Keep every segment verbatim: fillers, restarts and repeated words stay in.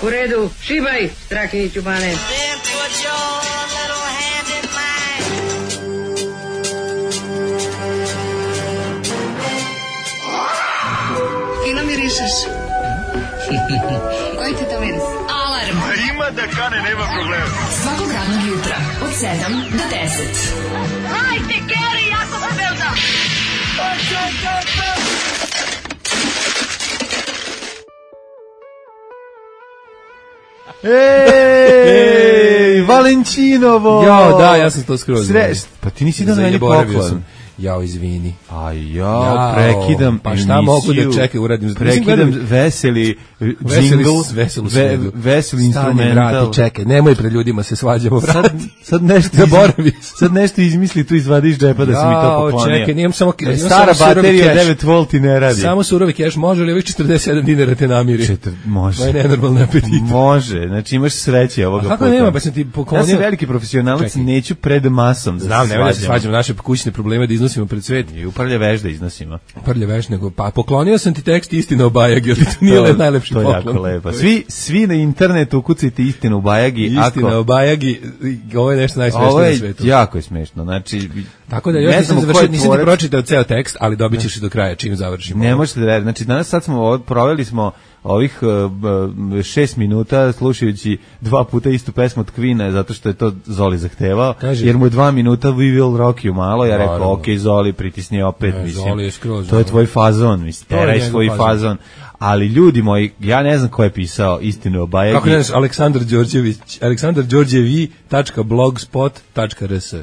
U redu, šibaj, Strakiniću Bane. Fino mirišeš. Koji ti to miris? Alarm. A ima da kane, nema problema. Svakog radnog jutra, od sedam do deset. Hajde, Geri, jako se velda. Ej, Valentinovo! Jo, da, ja sam to skroz. Sre... Pa ti nisi da na meni poklon. Jao, izvini. A ja prekidam pa šta emisiju, mogu da čekaj, uradim? Prekidam veseli jingle, veselu ve, veseli instrumental. Čekaj, nemoj pred ljudima se svađamo, vrati. Sad, sad nešto zaboravi. Sad nešto izmisli, tu izvadiš džepa da si mi to poklonio. Čekaj, nijem samo e, stara baterija devet volti ne radi. Samo surovi keš, može li ovih četrdeset sedam dinara te namiri? Četir, može. Moje nenormalne apetite. Može, znači imaš sreće ovoga puta. Kako nema, pa sam ti poklonio. Ja sam veliki profesionalac, neću pred masom da Znam, se ne se svađamo naše kućne probleme da iznosimo pred svet. I uprlje veš da iznosimo. Uprlje veš, nego, pa poklonio sam ti tekst Istina o Bajagi, ali to nije to, najlepši to poklon. To je jako lepo. Svi, svi na internetu ukucajte Istinu o Bajagi. Istina ako... o Bajagi, ovo je nešto najsmešnije na svijetu. Ovo je jako je smešno, znači... Tako da još nisam završio, nisam ti pročitao ceo tekst, ali dobit ćeš i do kraja čim završimo. Ne možete da verujete, znači danas sad smo, proveli smo ovih uh, šest minuta slušajući dva puta istu pesmu od Queen-a zato što je to Zoli zahtevao, Kaži, jer mu je dva minuta We Will Rock You malo, ja rekao ok Zoli pritisni opet, ne, mislim, Zoli je skroz, to je tvoj fazon, mislim, teraj svoj fazon. fazon, ali ljudi moji, ja ne znam ko je pisao Istinu o Bajagi. Kako ne znaš, Aleksandar Đorđević, aleksandar đorđevi tačka blogspot tačka r s.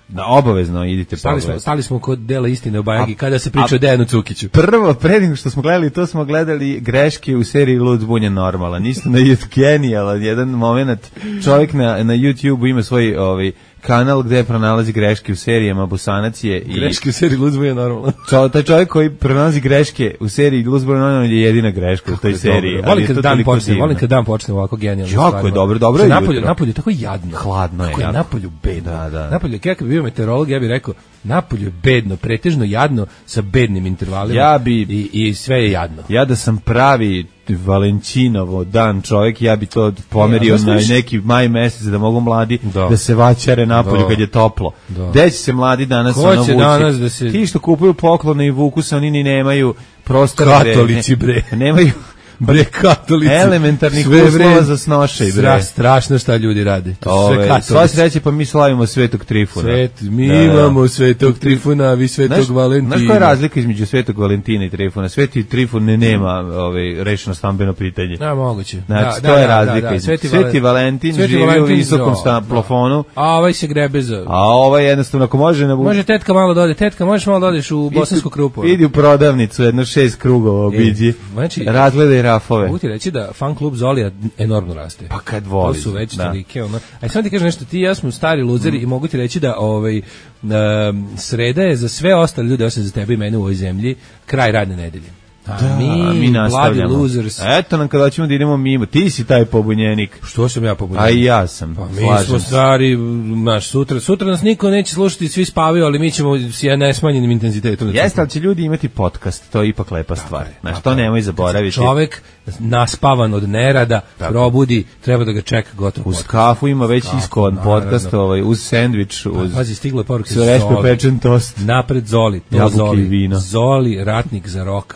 Da, obavezno idite stali smo, stali smo kod dela Istine o Bajagi a, kada se priča a, o Dejanu Cukiću. Prvo, pre nego što smo gledali to, smo gledali greške u seriji Lud zbunjen normalan. Isto na genijalan jedan moment. Čovjek na, na YouTube ima svoj ovaj, kanal gde pronalazi greške u serijama Busanac je i greške u seriji Lud zbunjen normalan. Čo, taj čovjek koji pronalazi greške u seriji Lud zbunjen normalan je jedina greška u toj seriji. Volim kad dan počne, volim kad dan počne ovako genijalno. Jako je dobro, dobro je. Napolju, napolju tako jadno. Hladno je. Kako je napolju bedno. Da, da. Napolju, kako bi bio meteorolog, ja bih rekao, napolju je bedno, pretežno jadno sa bednim intervalima. Ja bi i, i sve je jadno. Ja da sam pravi Valentinovo dan čovjek, ja bi to pomerio ja, na neki maj mesec da mogu mladi da, da se vaćare napolju da, kad je toplo. Da. Gde će se mladi danas ono vući? Danas da se... Ti što kupuju poklone i vuku se, oni ni nemaju prostor. Katolici bre. Nemaju bre katolici. Elementarnih uslova za snošaj, bre. Strašno šta ljudi rade. To sve katolici. Sva sreće, pa mi slavimo Svetog Trifuna. Svet, mi da, imamo Svetog Trifuna, vi Svetog znaš, Valentina. Znaš koja je razlika između Svetog Valentina i Trifuna? Sveti Trifun ne nema ovaj, rešeno stambeno pitanje. Da, moguće. Znači, da, to da, je razlika. Da, da, da. Sveti, Sveti Valentin Sveti živi Valentin u visokom plafonu. A ovaj se grebe za... A ovaj jednostavno, ako može... Na... Može tetka malo dode. Tetka, možeš malo dodeš u bosansku krupu. Idi u prodavnicu, jedno šest krugova obiđi. Znači, razgledaj rafove. Da fan klub Zolija enormno raste. Pa kad voli. To su već da. Tolike, ono. Aj samo ti kažem nešto, ti i ja smo stari luzeri mm. i mogu ti reći da ovaj um, sreda je za sve ostale ljude, osim za tebe i mene u ovoj zemlji, kraj radne nedelje. A da, mi, mi nastavljamo. Losers. Eto nam kada ćemo da idemo mimo. Ti si taj pobunjenik. Što sam ja pobunjenik? A i ja sam. Pa mi smo stari, naš, sutra, sutra nas niko neće slušati, svi spavaju, ali mi ćemo s nesmanjenim intenzitetom. Jeste, ali će ljudi imati podcast, to je ipak lepa stvar. Znaš, to nemoj zaboraviti. Čovek naspavan od nerada, tako. Probudi, treba da ga čeka gotovo. Uz kafu ima već kafu, iskovan naravno. Podcast, ovaj, uz sendvič, uz... Pazi, stiglo je poruke Zoli. Pečen tost. Napred Zoli, to Zoli. Vino. Zoli, ratnik za rok.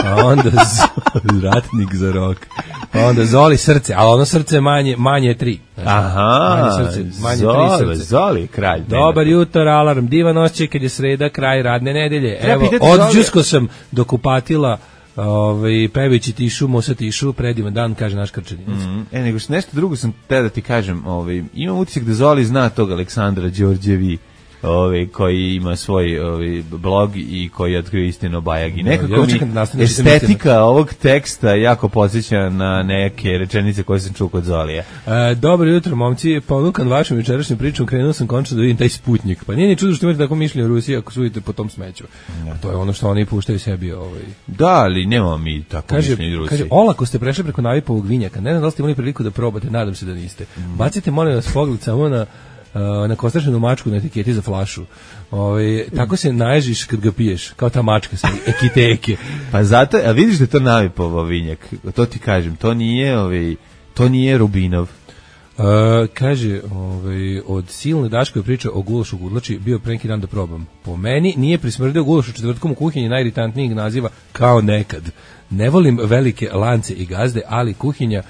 A onda Zoli, ratnik za rok. A onda Zoli srce, ali ono srce manje, manje je tri. Znači, aha, manje srce, manje Zoli, tri srce. Zoli, kralj. Dobar jutro, alarm, divan osjećaj kad je sreda, kraj radne nedelje. Evo, odđusko sam do kupatila, ovaj, pevajući tišu, mosa tišu, predivan dan, kaže naš Krčaninac. Mm, e, nego što nešto drugo sam te da ti kažem, ovaj, imam utisak da Zoli zna tog Aleksandra Đorđevi, Ovi, koji ima svoj ovi, blog i koji otkrio Istinu o Bajagi. Nekako ja, mi estetika ovog teksta jako podsjeća na neke rečenice koje sam čuo kod Zolija. E, dobro jutro, momci. Ponukan vašom jučerašnjom pričom, krenuo sam končno da vidim taj Sputnjik. Pa nije ni čudo što imate tako mišljenje o Rusiji ako sudite po tom smeću. Ja. To je ono što oni puštaju sebi. Ovaj. Da, ali nemamo mi tako mišljenje o Rusiji. Kaže, olako ste prešli preko Navipovog vinjaka. Ne znam da li ste imali priliku da probate, nadam se da niste. Mm. Bacite, molim vas, pogled samo na na kostrašenu mačku na etiketi za flašu. Ovaj tako se naježiš kad ga piješ, kao ta mačka sa ekiteke. Pa zato, a vidiš da je to Navipovo vinjak. To ti kažem, to nije ovaj To nije Rubinov. Uh, kaže, ovaj, od silne Daškove priče o gulašu gudlači bio pre neki dan da probam. Po meni nije prismrdeo gulaš u četvrtkom u kuhinji najiritantnijeg naziva kao nekad. Ne volim velike lance i gazde, ali kuhinja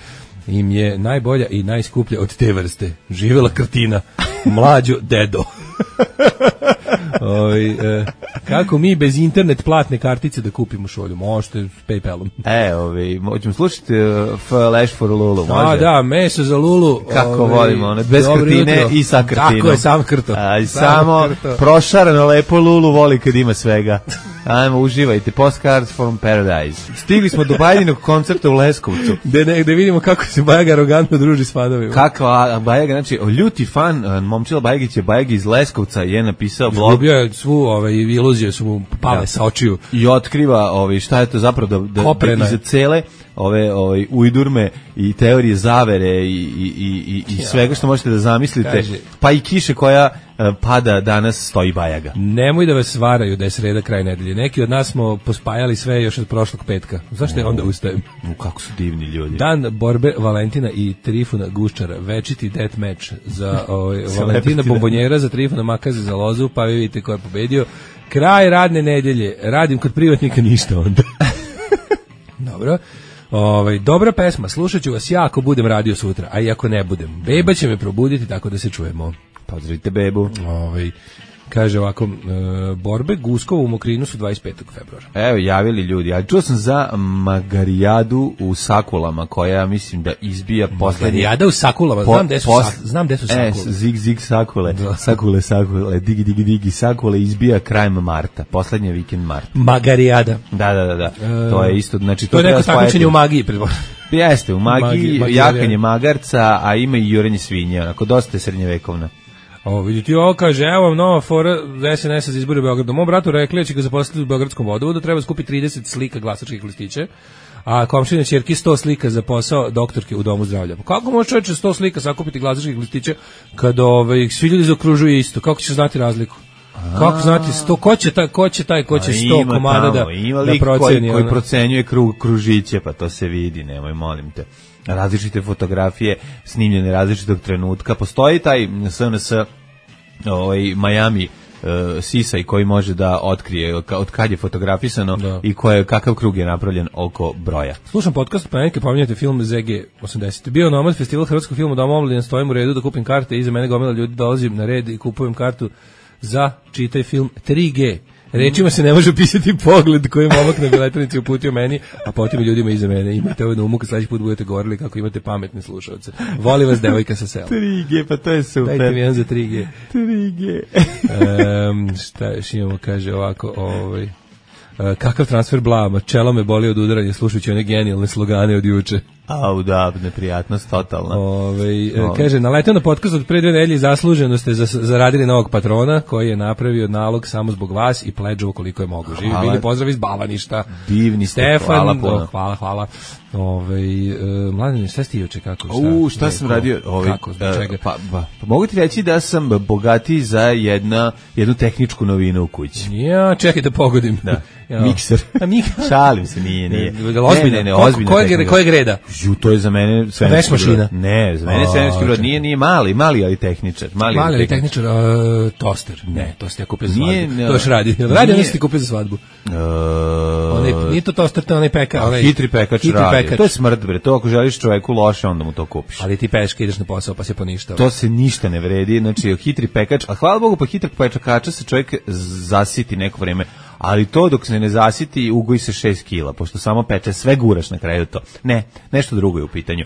im je najbolja i najskuplja od te vrste. Živela Krtina, mlađo dedo. Oj, e, kako mi bez internet platne kartice da kupimo šolju? Možete s PayPalom. E, ovi, možemo slušati uh, Flash for Lulu, može? A, da, meso za Lulu. Kako ove, volimo, ono, bez krtine jutro. I sa krtinom. Tako je, sam krto. A, i sam samo krto. Prošarano lepo Lulu voli kad ima svega. Ajmo, uživajte. Postcards from Paradise. Stigli smo do Bajdinog koncerta u Leskovcu. Da ne, da vidimo kako se Bajaga arogantno druži s fanovima. Kakva Bajaga, znači, ljuti fan, Momčila Bajagić je Bajagi iz Leskovca, je napisao blog. Izgubio je svu ovaj, iluzije, su mu pale da. Sa očiju. I otkriva ovaj, šta je to zapravo da, da, da iza cele ove ovaj ujdurme i teorije zavere i, i, i, i svega što možete da zamislite, kaže, pa i kiše koja uh, pada danas stoji Bajaga. Nemoj da vas varaju da je sreda kraj nedelje. Neki od nas smo pospajali sve još od prošlog petka. Zašto je onda ustajem? U, kako su divni ljudi. Dan borbe Valentina i Trifuna Guščara, večiti death match za ovaj, Valentina Bombonjera, za Trifuna Makaze za lozu, pa vi vidite ko je pobedio. Kraj radne nedelje. Radim kod privatnika ništa onda. Dobro. Ovaj, dobra pesma, slušat ću vas ja ako budem radio sutra, a i ako ne budem. Beba će me probuditi tako da se čujemo. Pozdravite bebu. Ovaj, kaže ovako, e, borbe Guskova u Mokrinu su dvadeset petog februara. Evo, javili ljudi, ali čuo sam za Magarijadu u Sakulama, koja mislim da izbija poslednji... Magarijada u Sakulama, znam gde su, pos... sak... znam gde su Sakule. E, zig, zig, Sakule, da. Sakule, Sakule, digi, digi, digi, Sakule izbija krajem marta, poslednji vikend marta. Magarijada. Da, da, da, da. E, to je isto, znači... To, to je neko takmičenje u magiji, predpostavljam. Jeste, u magiji, Magi, jakanje magarca, a ima i jurenje svinje, onako, dosta je srednjevekovna. O, vidite, ovo kaže, evo vam nova fora S N S-a za izbore u Beogradu. Mom bratu rekli da će ga zaposliti u Beogradskom vodovodu, treba skupiti trideset slika glasačkih listića, a komšine ćerki sto slika za posao doktorke u domu zdravlja. Pa kako može čovječe sto slika sakupiti glasačkih listića kad ovaj, svi ljudi zaokružuju isto? Kako će znati razliku? A, kako znati sto, ko će taj, ko će taj, ko će sto komada da, ima da proceni? Koji, koji procenjuje krug, kružiće, pa to se vidi, nemoj, molim te. Različite fotografije, snimljene različitog trenutka. Postoji taj S N S ovaj Miami uh, sisaj koji može da otkrije od kad je fotografisano da. I koje, kakav krug je napravljen oko broja. Slušam podcast, pa neke pominjate film Z G osamdeset. Bio Nomad, festival hrvatskog filma, Dom omladine, stojim u redu da kupim karte, iza mene gomila ljudi, dolazim na red i kupujem kartu za, čitaj film, tri G. Rečima se ne može opisati pogled koji momak na biletanici uputio meni, a potom i ljudima iza mene. Imate ovo na umu kad sledeći put budete govorili kako imate pametne slušalce. Voli vas devojka sa sela. tri G, pa to je super. Dajte mi jedan za tri G. tri G. um, šta još imamo, kaže ovako, ovaj, uh, kakav transfer blama, čelo me boli od udaranja slušajući one genijalne slogane od juče. Au da, neprijatnost totalna. Ove, Ove. Kaže, naleteo na podcast od pre dve nedelje, zasluženo ste zaradili novog patrona koji je napravio nalog samo zbog vas i pledžovo koliko je mogu. Živi bili, pozdrav iz Bavaništa. Divni ste, Stefan, hvala puno. Hvala, hvala. Ove, uh, Mladine, šta si juče, kako? Šta, U, šta sam ko, radio? Ove, kako, zbog čega? Pa, pa, pa mogu ti reći da sam bogatiji za jedna, jednu tehničku novinu u kući. Ja, čekaj da pogodim. Da. Ja. Mikser. A mik... Šalim se, nije, nije. Ne, ozbiljno, ne, ne, ozbiljno. Ko, ko, kojeg reda? Ju, to je za mene svemirski mašina. Ne, za mene svemirski brod. Nije, nije mali, mali ali tehničar. Mali, mali ali tehničar, uh, toster. Ne, to ste kupili za svadbu. Nije, to još radi. Radi, ono ste kupili za svadbu. Uh, onaj, nije to toster, to onaj peka. Onaj, hitri pekač hitri radi. Pekač. To je smrt, bre. To ako želiš čoveku loše, onda mu to kupiš. Ali ti peške ideš na posao, pa se poništava. To se ništa ne vredi. Znači, hitri pekač, a hvala Bogu, pa hitrog pečakača se čovjek zasiti neko vreme. Ali to dok se ne zasiti, ugoji se šest kila, pošto samo peče, sve guraš na kraju to. Ne, nešto drugo je u pitanju.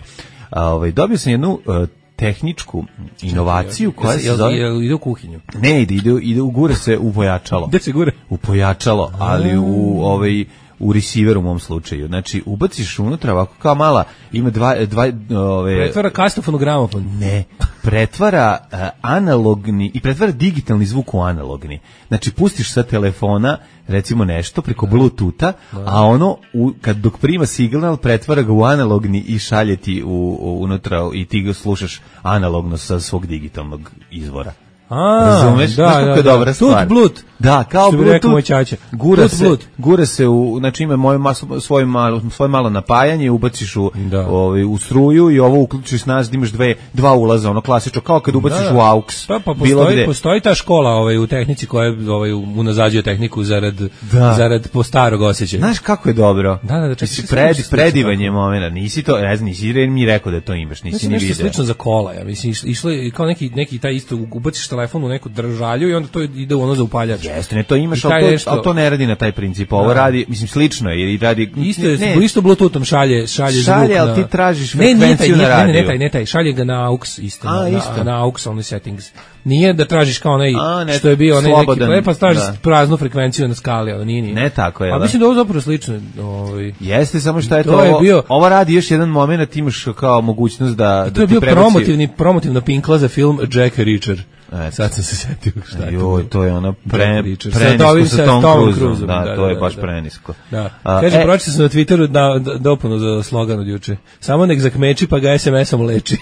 A, ovaj, dobio sam jednu uh, tehničku inovaciju koja se zove... Jel ide u kuhinju? Ne, ide, ide, ide ugure se u pojačalo. Gde se gure? U pojačalo, ali u ovaj... u receiveru u mom slučaju. Znači, ubaciš unutra ovako kao mala, ima dva... dva ove, pretvara kastofon u gramofon. Ne, pretvara uh, analogni i pretvara digitalni zvuk u analogni. Znači, pustiš sa telefona recimo nešto preko Bluetootha, a ono, u, kad dok prima signal, pretvara ga u analogni i šalje ti u, u, unutra i ti ga slušaš analogno sa svog digitalnog izvora. A, razumeš? da, Znaš kako da, je da. dobra stvar. Tut blut. Da, kao Što bi rekao moj Bluetooth, ćaća. gura Tut se, blut. gura se u, znači ima moje mas- svoje malo, svoje malo napajanje, ubaciš u, Da. ovaj, u struju i ovo uključiš nas da imaš dve, dva ulaza, ono klasično, kao kad ubaciš Da, da. u aux. Pa, pa bilo postoji, gde. postoji ta škola ovaj, u tehnici koja ovaj, unazađuje tehniku zarad, Da. zarad po starog osjećaja. Znaš kako je dobro? Da, da, da, čekaj, Mislim, sad pred, nešto predivan je slično momena, nisi to, ne znam, nisi mi rekao da to imaš, nisi Mislim, ni nešto video. slično za kola, ja mislim, iš- išlo je kao neki, neki taj isto, ubaciš telefon u neku držalju i onda to ide u ono za upaljač. Jeste, ne, to imaš, I taj ali to, nešto- ali to ne radi na taj princip. Ovo Da. radi, mislim, slično je, jer radi... Isto je, ne, isto Bluetoothom šalje, šalje, Šalje, zvuk ali na... ti tražiš ne, nije taj, frekvenciju nije, na ne, ne, ne, radiju. taj, ne taj, šalje ga na aux isto, A, na, isto. na, na aux only settings. Nije da tražiš kao onaj, A, ne, što je bio onaj neki slobodan, play, pa tražiš da. praznu frekvenciju na skali, ali nije, nije. Ne tako je, A da? mislim da je ovo zapravo slično, ovaj... Jeste, samo što je to, To je ovo, bio- ovo radi još jedan moment, imaš kao mogućnost da, I da to je ti bio prebaci- promotivni, promotivna pinkla za film Jack Reacher. Eto. Sad sam se setio šta je to. Joj, to je ono pre, Jack Reacher. Sa prenisko ovim- sa sa Tom Tomom Cruiseom. Cruiseom, Da, da, to je da, baš da. prenisko. Da. A, Kaže, e, pročitao sam na Twitteru da, da, dopunu za slogan od juče. Samo nek zakmeči pa ga es em esom leči.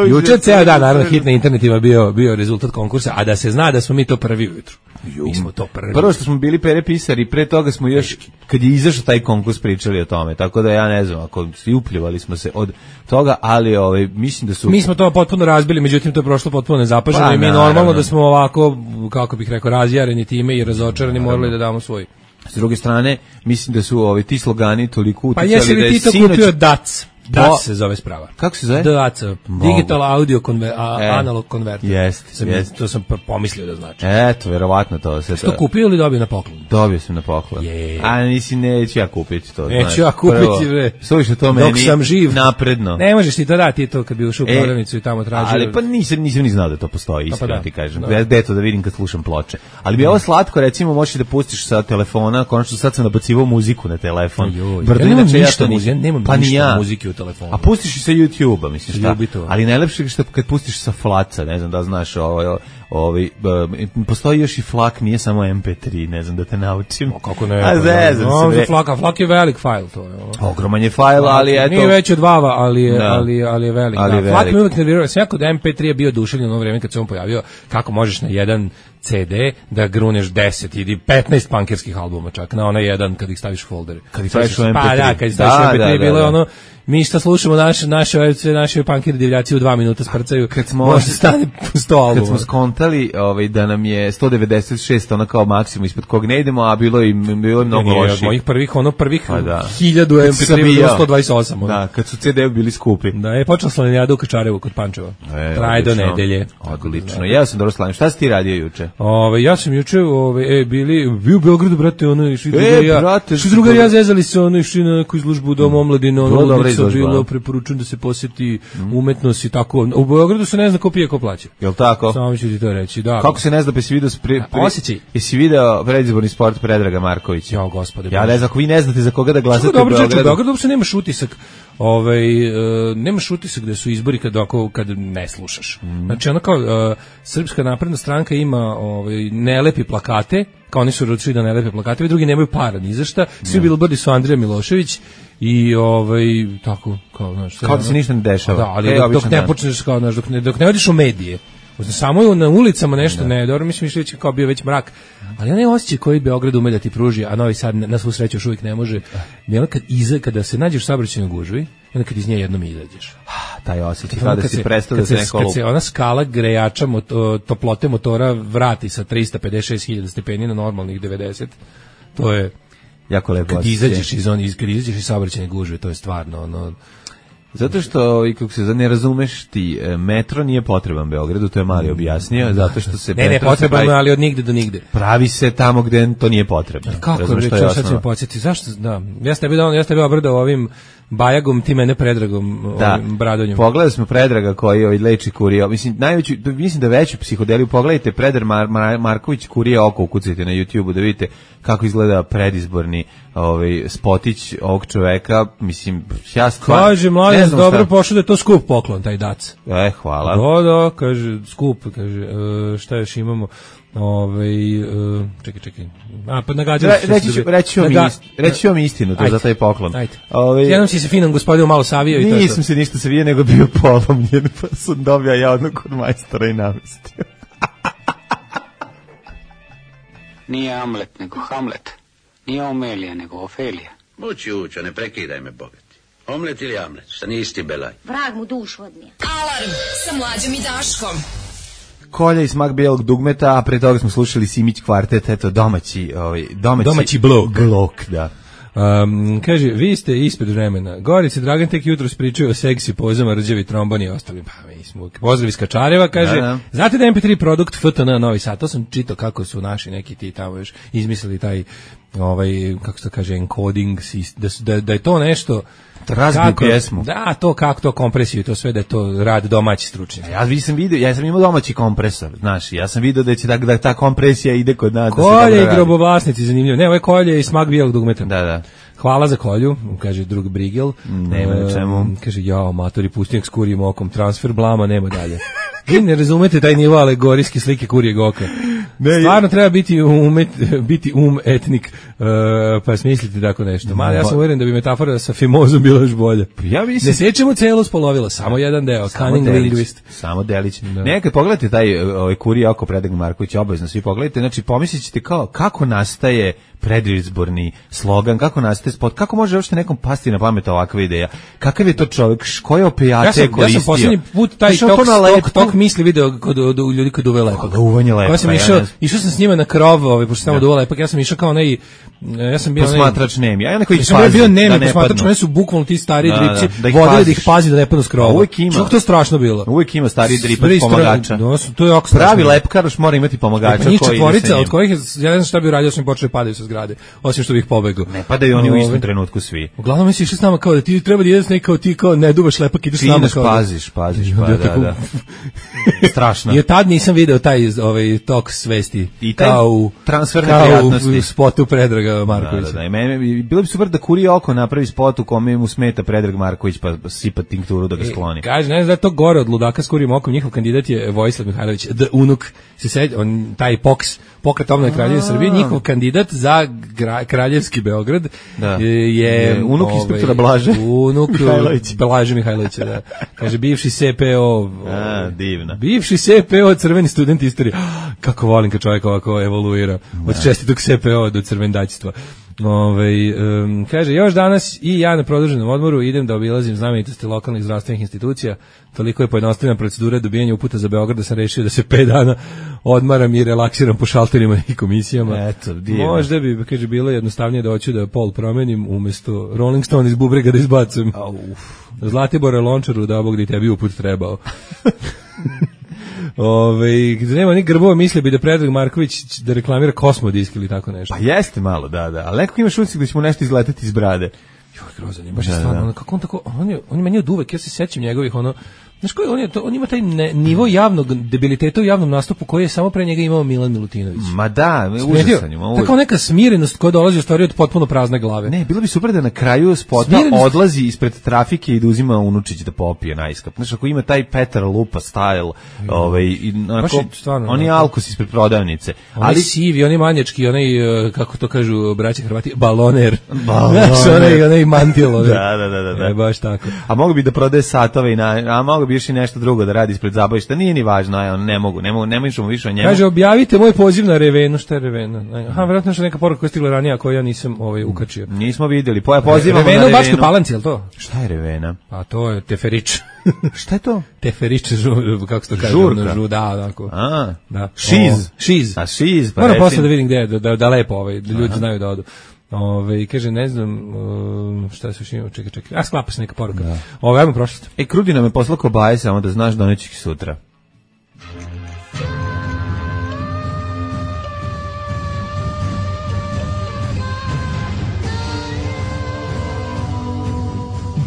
Juče ceo dan, naravno, hit na internetima bio, bio rezultat konkursa, a da se zna da smo mi to prvi ujutru. Mi smo to prvi. Prvo što smo bili Pere pisari, pre toga smo još, kad je izašao taj konkurs, pričali o tome, tako da ja ne znam, ako i upljivali smo se od toga, ali ovaj, mislim da su... Mi smo to potpuno razbili, međutim to je prošlo potpuno nezapaženo Pa, i mi naravno. normalno da smo ovako, kako bih rekao, razjareni time i razočarani morali da damo svoj. S druge strane, mislim da su ovaj, ti slogani toliko Pa uticali jesi da li je ti to sinoć... kupio D A C? D A Po- C se zove sprava. Kako se zove? D A C, Digital Audio Conver a, E, Analog Converter. jeste, Sam- jeste. To sam p- pomislio da znači. Eto, verovatno to se... To kupio ili dobio na poklon? Dobio sam na poklon. Je. A nisi, neću ja kupiti to. Neću znaš. ja kupiti, Prvo, bre. Slušaj, to Dok meni sam živ. napredno. Ne možeš ti to dati to kad bi ušao u E, prodavnicu i tamo tražio. Ali pa nisam, nisam ni znao da to postoji, pa iskreno da, ti kažem. da. Da. Deto da vidim kad slušam ploče. Ali bi ovo slatko, recimo, možeš da pustiš sa telefona, konačno sad sam nabacivao muziku na telefon. Joj, Brdo, ja nemam inače ništa to nisam. muzike, ja nemam Pa ni ništa ja. muzike u telefonu. A pustiš i sa YouTube-a, mislim šta. Ljubi to. Ali najlepše je što kad pustiš sa flaca, ne znam da znaš, ovaj, ovaj, um, postoji još i flak, nije samo em pe tri, ne znam da te naučim. O, kako ne? A zezam no, se, za bre. flaka, flak je velik fajl, to je. ono. Ogroman je fajl, ali eto... Nije veći od vava, ali je, Da. ali, ali je velik. Ali da, je Flak velik. mi uvek nervirao. Sam ja kod em pe tri je bio oduševljen ono vreme kad se on pojavio, kako možeš na jedan ce de da gruneš deset ili petnaest punkerskih albuma čak, na onaj jedan kad ih staviš u folder. Kad ih staviš u em pe tri. Pa da, kad ih staviš u Da, em pe tri, da, da, bilo je da. ono, mi šta slušamo naše, naše, sve naše punkeri divljaci u dva minuta sprcaju, Kad smo- možda stane sto albuma. Kad smo skontali ovaj, da nam je sto devedeset šest ono kao maksimum ispod kog ne idemo, a bilo je, bilo je mnogo Nije, od loših. mojih prvih, ono prvih Pa da. hiljadu em Kad pe sam tri je bilo bio. sto dvadeset osam. ono. Da, kad su ce de bili skupi. Da, je počela slanjada u Kačarevu kod Pančeva. E, Traje do odlično. nedelje. Odlično. Ja sam dobro slavim. Šta si ti radio juče? Ove, ja sam juče, ove, e, bili, bio u Beogradu, brate, ono, išli E, drugar i ja, brate, išli što drugar i ja dobro. zezali se, ono, išli na neku izložbu u Dom omladine, ono, Vrlo dobra odlično izložba, bilo, a? preporučujem da se posjeti umetnost i tako. U Beogradu se ne zna ko pije, ko plaća. Jel tako? Samo ću ti to reći, da. Kako se ne zna, pa si video, pre, pre, osjećaj. jesi video predizborni sport Predraga Markovića? Jo, gospode. Ja ne znam, ako vi ne znate za koga da glasate Kako dobro, u čoveče, u Beogradu. Beogradu uopšte nemaš utisak, ovaj, e, nemaš utisak da su izbori kad, ako, kad ne slušaš. Mhm. Znači, ono kao, e, Srpska napredna stranka ima ovaj, ne lepi plakate, kao oni su odlučili da ne lepe plakate, ovi drugi nemaju para ni za šta, svi bilbordi su Andrija Milošević i ovaj, tako, kao, znaš, sve Kao da ono- se ništa ne dešava. Da, ali E, dok, dok običan ne dan. počneš, kao, znaš, dok ne, dok ne odiš u medije, samo je na ulicama nešto ne, dobro, mislim što je kao bio već mrak, ali onaj osjećaj koji Beograd ume da ti pruži, a Novi Sad na svu sreću još uvijek ne može, je ono kad, iza, kada se nađeš u saobraćajnoj gužvi, i onda kad iz nje jednom izađeš. Taj osjećaj, Ono kada kad si se- prestao da kad se se, neko kad lupa. se ona skala grejača moto, toplote motora vrati sa trista pedeset šest hiljada stepeni na normalnih devedeset, to je Jako lepo kad osjećaj. izađeš iz on iz kad izađeš iz saobraćajne gužve, to je stvarno ono. Zato što, i kako se zove, ne razumeš ti, e, metro nije potreban Beogradu, to je Mali objasnio, zato što se Ne, ne, metro se potrebno, pravi- ali od nigde do nigde. pravi se tamo gde to nije potrebno. Kako Razumeš, je to reći, sad ću osnova. mi podsjeti, zašto, da, ja sam tebi dao, ja sam tebi obradao ovim Bajagom, ti mene Predragom, Da, ovim Bradonjom. pogledali smo Predraga koji ovaj leči kurija, mislim, najveću, mislim da veću psihodeliju, pogledajte Predrag Mar, Mar, Marković kurija oko, ukucajte na YouTubeu da vidite kako izgleda predizborni ovaj, spotić ovog čoveka, mislim, ja stvarno... Kaže, ne mladen, znam dobro šta- pošao da je to skup poklon, taj dac. E, hvala. Da, da, kaže, skup, kaže, e, šta još imamo? Ovaj uh, čekaj, čekaj. A pa nagađali Re, reći ću, reći vam Naga... ist, reći ću vam istinu to za taj poklon. Ajde. Ove, Jednom si se finom gospodinu malo savio i to. Nisam se ništa savio, nego bio polomljen, pa sam dobio ja odnog kod majstora i namestio. Nije Amlet, nego Hamlet. Nije Omelija, nego Ofelija. Ući, ući, ne prekidaj me, bogati. Omlet ili Amlet, šta nisi ti belaj. Vrag mu dušu odnije. Alarm sa Mlađom i Daškom. Kolja i smak bijelog dugmeta, a pre toga smo slušali Simić kvartet, eto, domaći, ovaj, domaći, domaći blok. Blok, da. Um, kaže, vi ste ispred vremena. Gorica Dragan tek jutro pričaju o seksi pozama, rđavi tromboni i ostalim. Pa, mi smo, pozdrav iz Kačareva, kaže, da, da. Znate da em pe tri produkt F T N Novi Sad, to sam čitao kako su naši neki ti tamo još izmislili taj, ovaj, kako se to kaže, encoding, da, da, da je to nešto... Razbiju pjesmu. Da, to kako to kompresiju, to sve da je to rad domaći stručnjak. Ja sam vidio, ja sam imao domaći kompresor, znaš, ja sam vidio da će da, da ta kompresija ide kod nas. Kolje i grobovlasnici, zanimljivo. Ne, ovo je kolje i smak bijelog dugmeta. Da, da. Hvala za kolju, kaže drug Brigel. Nema na čemu. Kaže, jao, matori, pustinjak s kurijim okom, transfer blama, nema dalje. Vi ne razumete taj nivo alegorijske slike kurijeg oka. Ne, stvarno treba biti umet, biti um etnik, uh, pa smisliti tako nešto. Mali, ja sam uvjeren da bi metafora sa fimozom bila još bolja. Ja mislim... Ne sjećamo celo spolovilo, samo jedan deo, cunning linguist. Samo delić. Da. Nekad pogledajte taj ovaj kurije oko Predrag Marković, obavezno svi pogledajte, znači pomislit ćete kao kako nastaje predizborni slogan, kako nastaje spot, kako može uopšte nekom pasti na pamet ovakva ideja. Kakav je to čovjek, koje opijate ja sam, koristio? Ja sam poslednji put taj tok, tok, tok misli video kod, kod ljudi kod uve lepak. Kod uvanje lepak. Ja sam išao, išao sam s njima na krov, ovaj, pošto samo duva lepak, ja sam išao kao onaj, ja sam bio posmatrač nemi, a ja neko ih pazi. Ja sam bio nemi posmatrač, oni su bukvalno ti stari da, dripci, da, da vodili da ih pazi da ne padnu s krova. Uvijek ima. Što to strašno bilo? Uvijek ima stari dripac pomagača. No, to je jako strašno. Pravi lepkar još mora imati pomagača koji četvorica, od kojih ja ne znam šta bi uradio, su mi počeli padaju sa zgrade, osim što bih pobegao. Ne padaju oni u istom trenutku svi. Uglavnom si išli s nama kao da ti treba da ideš nekao ti kao ne duvaš lepak, ideš s nama kao. Paziš, paziš, pa da, da. Strašno. I od tad nisam video taj ovaj tok svesti. I taj kao transfer neprijatnosti. U spotu Predraga Markovića. Da, da, da. Mene, bilo bi super da Kurije oko napravi spot u kome mu smeta Predrag Marković pa sipa tinkturu da ga skloni. E, kaže, ne znam da je to gore od ludaka s Kurijem okom, njihov kandidat je Vojislav Mihajlović, the unuk, se sedi, on, taj poks, pokret obnove Kraljevine Srbije, njihov kandidat za gra, Kraljevski Beograd da. je, je unuk ovaj, inspektora Blaže unuk Mihajlović. Blaže Mihajlovića, da. Kaže, bivši S P O. A, divno. Bivši S P O, crveni student istorije. Kako volim kad čovjek ovako evoluira. Od čestitog S P O do crvendaćstva. Ove, um, kaže, još danas i ja na produženom odmoru idem da obilazim znamenitosti lokalnih zdravstvenih institucija. Toliko je pojednostavljena procedura dobijanja uputa za Beograd da sam rešio da se pet dana odmaram i relaksiram po šalterima i komisijama. Eto, divno. Možda bi, kaže, bilo jednostavnije da hoću da pol promenim umjesto Rolling Stone iz bubrega da izbacim. Zlatibora Lončaru da Bog da tebi uput trebao. Ove, gde nema ni grbova, misle bi da Predrag Marković da reklamira Kosmodisk ili tako nešto. Pa jeste malo, da, da, ali nekako imaš utisak da će mu nešto izletati iz brade. Joj, grozan je, baš je stvarno, kako on tako, on je, on je meni od uvek, ja se sećam njegovih, ono, znaš koji, on, je, to, on ima taj ne, nivo javnog debiliteta u javnom nastupu koji je samo pre njega imao Milan Milutinović. Ma da, užasan je. Tako neka smirenost koja dolazi u stvari od potpuno prazne glave. Ne, bilo bi super da na kraju spota smirenost odlazi ispred trafike i da uzima unučić da popije najskap. Znaš, ako ima taj Petar Lupa style, mm. ovaj, i onako, je, stvarno, on je alkos ispred prodavnice. On ali sivi, on je manjački, onaj, kako to kažu braće Hrvati, baloner. Baloner. Znaš, onaj, onaj mantilo. Da, da, da, da, da. E, baš tako. A mogu bi da prodaje satove i na, a mogu bi još i nešto drugo da radi ispred zabavišta. Nije ni važno, aj, on ne mogu, ne mogu, ne možemo više o njemu. Kaže, objavite moj poziv na Revenu, šta je Revena? Aha, verovatno je neka poruka koja je stigla ranije, a koju ja nisam ovaj ukačio. Nismo videli. Po, pozivamo Revenu, na Revenu. Bačkoj Palanci, je li to? Šta je Revena? Pa to je Teferić. Šta je to? Teferić, žur, kako se to kaže? Žurka. Žu, da, onako. A, da. Šiz. Šiz. A šiz, pa moram posle da vidim gde, da, da, da lepo, ovaj, da ljudi Aha. znaju da odu. Ove, kaže, ne znam, uh, šta se još ima, čekaj, čekaj, a sklapa se neka poruka. Da. Ove, ajmo prošlost. E, Krudi nam je poslao kobaje, samo da znaš da neće ih sutra.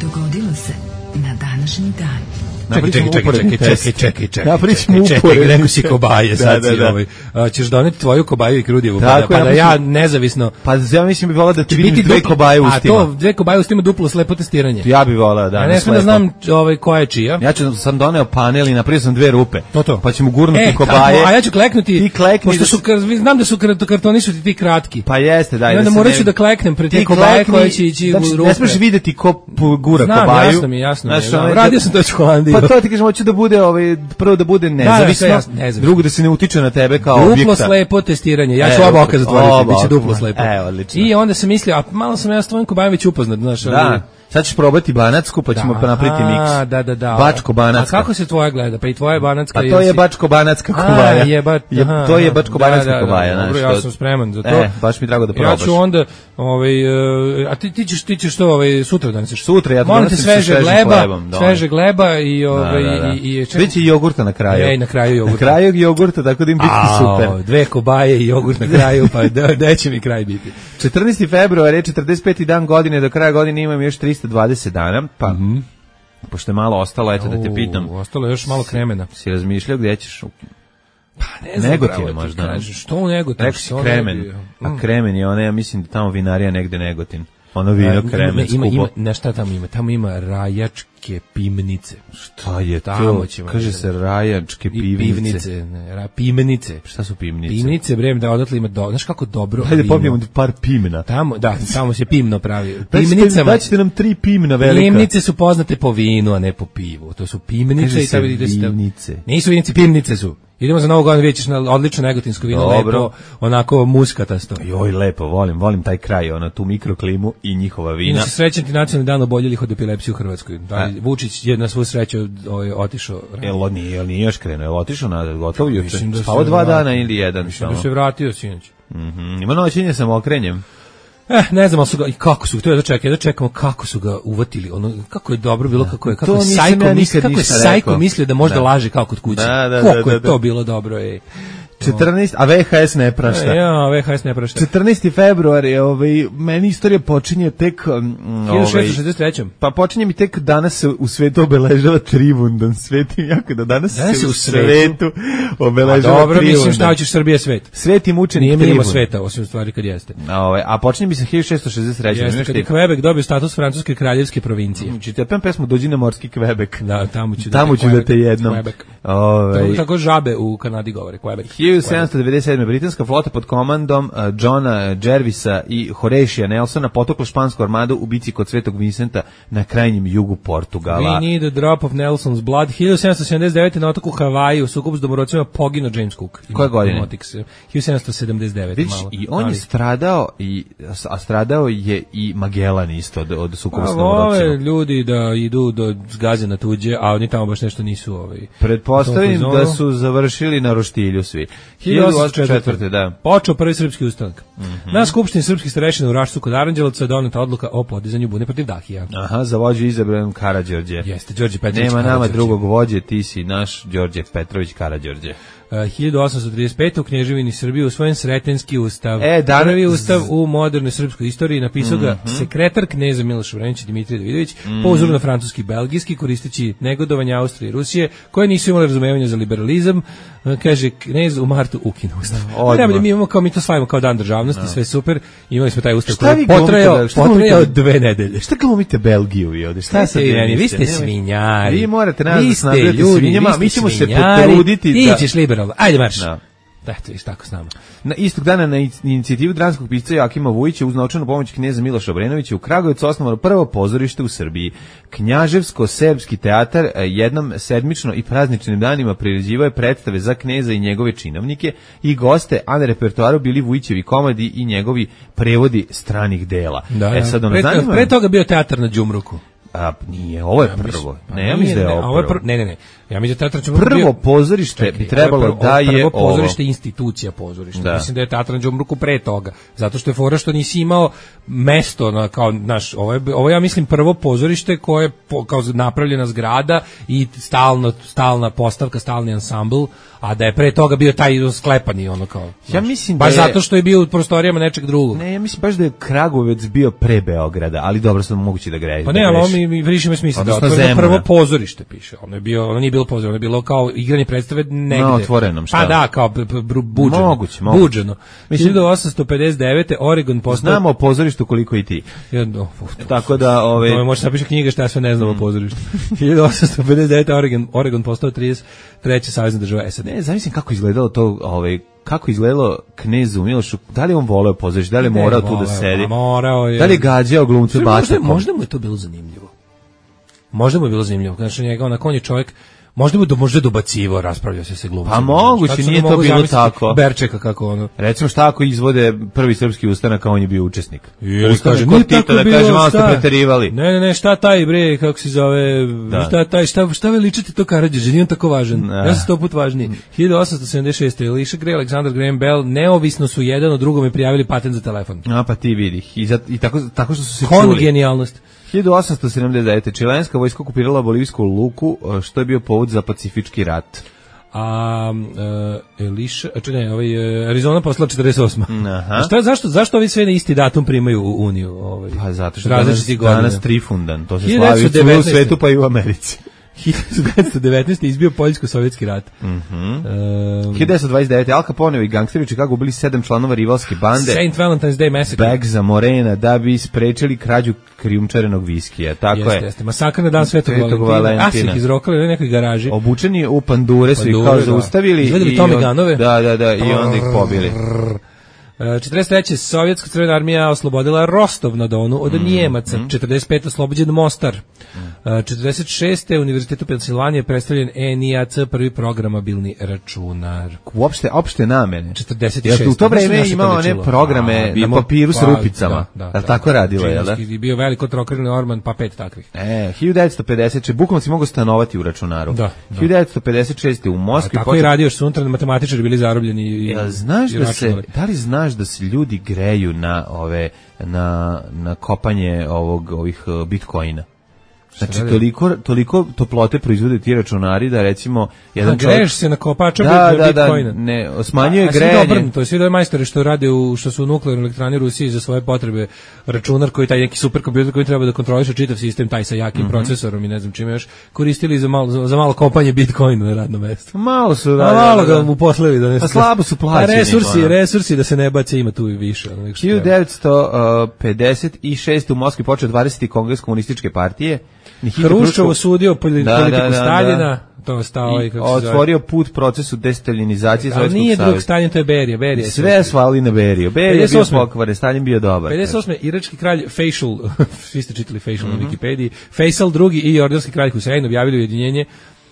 Dogodilo se na današnji dan. Čekaj, čekaj, čekaj, čekaj, čekaj, čekaj, čekaj, Napričamo čekaj, čekaj, rekao si kobaje, sad si ovaj, ćeš doneti tvoju kobaju i Krudijevu, pa da, pa da ja nezavisno... Pa ja mislim bi volao da ti vidim dve kobaje u ustima. A to, dve kobaje u ustima, duplo slepo testiranje. Ja bi volao, da. Ja ne smijem da znam ovaj, koja je čija. Ja ću, sam doneo panel i napravio sam dve rupe. To to. Pa ćemo gurnuti e, kobaje. A ja ću kleknuti, ti klekni pošto su, znam da su kartoni su ti ti kratki. Pa jeste, daj. I onda morat ću da kleknem pred te kobaje koje će ići u rupe. Ne smiješ vidjeti ko gura znam, kobaju. Jasno mi, jasno mi. Radio sam to u Holandiji. Pa to ti kažem, hoću da bude ovaj, prvo da bude nezavisno, da, da, drugo da se ne utiče na tebe kao duplo objekta. Duplo slepo testiranje. Ja ću oba oka zatvoriti, biće duplo slepo. E, odlično. I onda sam mislio, a malo sam ja s tvojim kobajem već upoznat, znaš. Da. Sad ćeš probati banacku, pa ćemo da, napraviti miks. Da, da, da. Bačko-banacka. A kako se tvoja gleda? Pa i tvoja banacka. Pa to je bačko-banacka kobaja. A, je, ba, je, to je bačko-banacka da, da, kobaja. Da, dobro, ja sam spreman za to. E, baš mi drago da probaš. Ja ću onda, ovaj, a ti, ti ćeš, ti ćeš to ovaj, sutra doneseš. Sutra, ja to donesim sveže gleba, sveže gleba i ovaj, da, da, da. i, i Biće jogurta na kraju. Ej, na kraju jogurta. Na kraju jogurta, tako da im biti super. Dve kobaje i jogurt na kraju, pa da će mi kraj biti. četrnaesti februar je četrdeset peti dan godine, do kraja godine imam još trista dvadeset dana, pa mm-hmm. pošto je malo ostalo, eto da te pitam. Ostalo je još malo kremena. Si razmišljao gdje ćeš? Pa ne znam, Negotin možda. Kažeš, što u Negotin? Rekao si Kremen, mm. a Kremen je ona, ja mislim da tamo vinarija negde Negotin. Ono vino Kremen ima, ima, na šta tamo ima? Tamo ima rajačke pivnice. Šta je to? Kaže se rajačke pivnice. Pivnice, ne, ra, pivnice. Šta su pivnice? Pivnice, brem, da odatle ima, do, znaš kako dobro Hajde vino. Popijemo par pimna. Tamo, da, tamo se pimno pravi. Pivnicama. Daćete nam tri pimna velika. Pivnice su poznate po vinu, a ne po pivu. To su pivnice. Kaže i se vinice. Nisu vinice, pivnice su. Idemo za Novu godinu, vidjet ćeš na odlično negotinsko vino, dobro. Lepo, onako muskatasto. Joj, lepo, volim, volim taj kraj, ona tu mikroklimu i njihova vina. Inače, srećan ti nacionalni dan oboljelih od epilepsije u Hrvatskoj. Da, Vučić je na svu sreću ovaj, otišao. Jel on nije, jel nije još krenuo, jel otišao na gotovo juče? Da spavo dva vratio. Dana ili jedan? Mislim da se vratio sinoć. Mm-hmm. Ima noćenje sam okrenjem. Eh, ne znam, ali su ga, i kako su, to je da čekaj, da čekamo kako su ga uvatili, ono, kako je dobro bilo, kako je, kako je Sajko, ja misli, kako je Sajko mislio da možda da. laže kao kod kuće. Da, da, kako da, da, je to da. bilo dobro, ej. četrnaesti a V H S ne prašta. Ja, V H S ne prašta. četrnaesti februar je, ovaj, meni istorija počinje tek um, hiljadu šessto šezdeset treće. Pa počinje mi tek danas se u svetu obeležava Trivundan. Svet im jako da danas, danas se u svetu obeležava a dobro, Trivundan. Mislim šta hoćeš Srbije svet. Sveti mučenik Trivundan. Nije mimo sveta, osim stvari kad jeste. A, ovaj, a počinje mi se hiljadu šessto šezdeset treće. Jeste, kad je Quebec dobio status francuske kraljevske provincije. Znači, te pem pesmu Dođi na morski Quebec. Da, tamo ću tamo da te, ću da te jednom. Ovaj. Tako žabe u Kanadi govore, Quebec. hiljadu sedamsto devedeset sedme britanska flota pod komandom uh, Johna Jervisa i Horatija Nelsona potukla špansku armadu u bici kod Svetog Vincenta na krajnjem jugu Portugala. We need a drop of Nelson's blood. hiljadu sedamsto sedamdeset devete na otoku Havaji u sukobu s domorocima poginuo James Cook. Koje godine? hiljadu sedamsto sedamdeset devete Viš, malo. I on ali. je stradao, i, a stradao je i Magellan isto od, od sukoba s domorocima. Vole ljudi da idu do zgaze na tuđe, a oni tamo baš nešto nisu ovaj. Pretpostavim da su završili na roštilju svi. hiljadu osamsto četvrte da. Počeo prvi srpski ustanak. Mm-hmm. Na skupštini srpskih starešina u Rašcu kod Aranđelovca je doneta odluka o podizanju bune protiv Dahija. Aha, za vođu izabran Karađorđe. Jeste, Đorđe Petrović. Nema nama drugog vođe, ti si naš Đorđe Petrović Karađorđe. Uh, hiljadu osamsto trideset pete u Knježevini Srbije usvojen Sretenski ustav. E, dan... Prvi ustav u modernoj srpskoj istoriji, napisao ga mm-hmm. sekretar kneza Miloš Vranić Dimitrij Davidović, mm-hmm. po uzoru na francuski i belgijski, koristeći negodovanje Austrije i Rusije, koje nisu imali razumevanja za liberalizam. Uh, kaže, knez u martu ukine ustav. Najbolje, mi imamo kao, mi to slavimo kao dan državnosti, no. sve super. Imali smo taj ustav koji je potrajao, potrajao dve nedelje. Šta glumite Belgiju vi ovdje? Šta sad vi, vi ste svinjari. Vi morate nas da snabljati svinjama, mi ćemo se potruditi. Ti ćeš liberalno. Ajde marš. No. Eto, viš tako s nama. Na istog dana na inicijativu dranskog pisca Jakima Vujića uz novčanu pomoć knjeza Miloša Obrenovića u Kragujevcu osnovano prvo pozorište u Srbiji. Knjaževsko-serbski teatar jednom sedmično i prazničnim danima priređivao je predstave za kneza i njegove činovnike i goste, a na repertoaru bili Vujićevi komadi i njegovi prevodi stranih dela. Da, e, sad ono pre, zanima... pre toga bio teatar na Đumruku. A nije, ovo je prvo. Ne, ja mislim da je ovo prvo. Ne, ne, ne. Ja mislim da teatar prvo pozorište čekaj, bi trebalo prvo, da je prvo pozorište institucija pozorišta. Da. Mislim da je teatar na Đumruku pre toga, zato što je fora što nisi imao mesto na kao naš ovo je ovo ja mislim prvo pozorište koje je po, kao napravljena zgrada i stalno stalna postavka, stalni ansambl, a da je pre toga bio taj sklepani ono kao. Ja mislim da baš je, zato što je bio u prostorijama nečeg drugog. Ne, ja mislim baš da je Kragujevac bio pre Beograda, ali dobro sam moguće da grešim. Pa ne, ali mi, mi više ima smisla da Odnosno otvoreno Zemuna. prvo pozorište piše. Ono je bio, ono nije bilo pozorište, ono je bilo kao igranje predstave negde. Na otvorenom, šta? Pa da, kao b- b- b- buđeno. Moguće, moguće. Buđeno. Mislim- hiljadu osamsto pedeset devete. Oregon postao... Znamo o pozorištu koliko i ti. Jedno, uf, Tako da, ove... To može napiše knjiga šta ja sve ne znam o pozorištu. hiljadu osamsto pedeset devete. Oregon, Oregon postao trideset treća savezna država S A D. Ne, zavisim kako izgledalo to, ovaj, kako izgledalo knezu Milošu, da li je on voleo pozorište, da li je Ne, morao tu da voleo, sedi, pa morao je. da li je gađao glumce Možda, batakom. možda mu je to bilo zanimljivo. Možda mu je bilo zanimljivo. Znači njega, onak, on je čovjek, možda mu do, možda je dobacivo, raspravljao se sa glumcima. Pa moguće, Sad se nije ne to mogu bilo zamisliti tako. Berčeka kako ono. Recimo šta ako izvode prvi srpski ustanak, a on je bio učesnik. Ili Ustanak kaže, kod nije Tita, tako da bilo, kaže, malo ste šta? preterivali. Ne, ne, ne, šta taj bre, kako se zove, Da. šta taj, šta, šta veličate to Karadžić, nije on tako važan. Da. Ja sam sto put važniji. hiljadu osamsto sedamdeset šeste. Elisha Gray, Alexander Graham Bell, neovisno su jedan od drugom i prijavili patent za telefon. A pa ti vidi. I, za, i tako, tako što su se čuli. Kongenijalnost. hiljadu osamsto sedamdeset devete. Čilenska vojska okupirala bolivijsku Luku, što je bio povod za pacifički rat. A uh, Elisha, a čekaj, ne, ovaj uh, Arizona poslala četrdeset osma. Aha. A šta, zašto, zašto ovi sve na isti datum primaju u Uniju? Ovaj, Pa zato što danas, različitih godina. danas Trifundan, to se hiljadu slavi devetsto u cijelom devetnaeste. svetu pa i u Americi. hiljadu devetsto devetnaeste. izbio Poljsko-sovjetski rat. Mhm. Um, hiljadu devetsto dvadeset devete. Al Capone i gangsteri u Chicagu ubili sedam članova rivalske bande. Saint Valentine's Day Massacre. Bagza Morena da bi sprečili krađu krijumčarenog viskija. Tako Jeste, je. jeste. Masakr na dan Svetog Svetog Valentina. Valentina. A su ih izrokali u nekoj garaži. Obučeni u pandure su ih Pandure, kao da. zaustavili. Izvedeli i Tommy on- Gunove. Da, da, da, i onda ih pobili. četrdeset treće. Sovjetska crvena armija oslobodila Rostov na Donu od Njemaca. četrdeset pete. oslobođen Mostar. četrdeset šeste. Univerzitetu Pensilvanije predstavljen E N I A C, prvi programabilni računar. Uopšte, opšte namene. četrdeset Jer šeste. u to Znaš vreme naše imao to one ličilo? programe A, na imamo- papiru s pa, rupicama. da, da, Jel da. tako radilo, jel da? Džinovski, bio veliko trokrilni orman, pa pet takvih. E, hiljadu devetsto pedeset. Bukvalno si mogao stanovati u računaru. Da, da. hiljadu devetsto pedeset šeste. u Moskvi. A tako počet- i radio, što su unutra matematičari bili zarobljeni i, Jel znaš i da se, računali. da li znaš da se ljudi greju na ove, na, na kopanje ovog, ovih uh, bitcoina? Znači, radi? toliko, toliko toplote proizvode ti računari da recimo jedan Jedan greješ se na kopača da, bit- da, da, bitcoina. ne, smanjuje A- a svi grejanje. obrnuto, to je svi da majstori što rade u što su u nuklearnoj elektrani Rusiji za svoje potrebe računar koji taj neki superkompjuter koji treba da kontroliše čitav sistem taj sa jakim Mhm. procesorom i ne znam čime još koristili za malo za, za malo kopanje bitcoina na radnom mestu. Malo su, A da, malo da, ga da. uposlili da ne. A slabo su plaćeni, A resursi, ono. resursi da se ne bace ima tu i više. ono, nego što hiljadu treba. devetsto pedeset šeste. u Moskvi počeo dvadeseti kongres komunističke partije. Nikita Hruščov osudio poli- Da, politiku da, da, Staljina, to je stao i i kako se zove. otvorio put procesu destaljinizacije Ali Sovjetskog nije drug saveza. Stalin, to je Berija, Berija. je Sve svali na Beriju. Berija je bio pedeset osme. pokvaren, Stalin bio dobar. pedeset osme. irački kralj Faisal, svi ste čitali Faisal Mhm. na Wikipediji, Faisal drugi i jordanski kralj Husein objavili ujedinjenje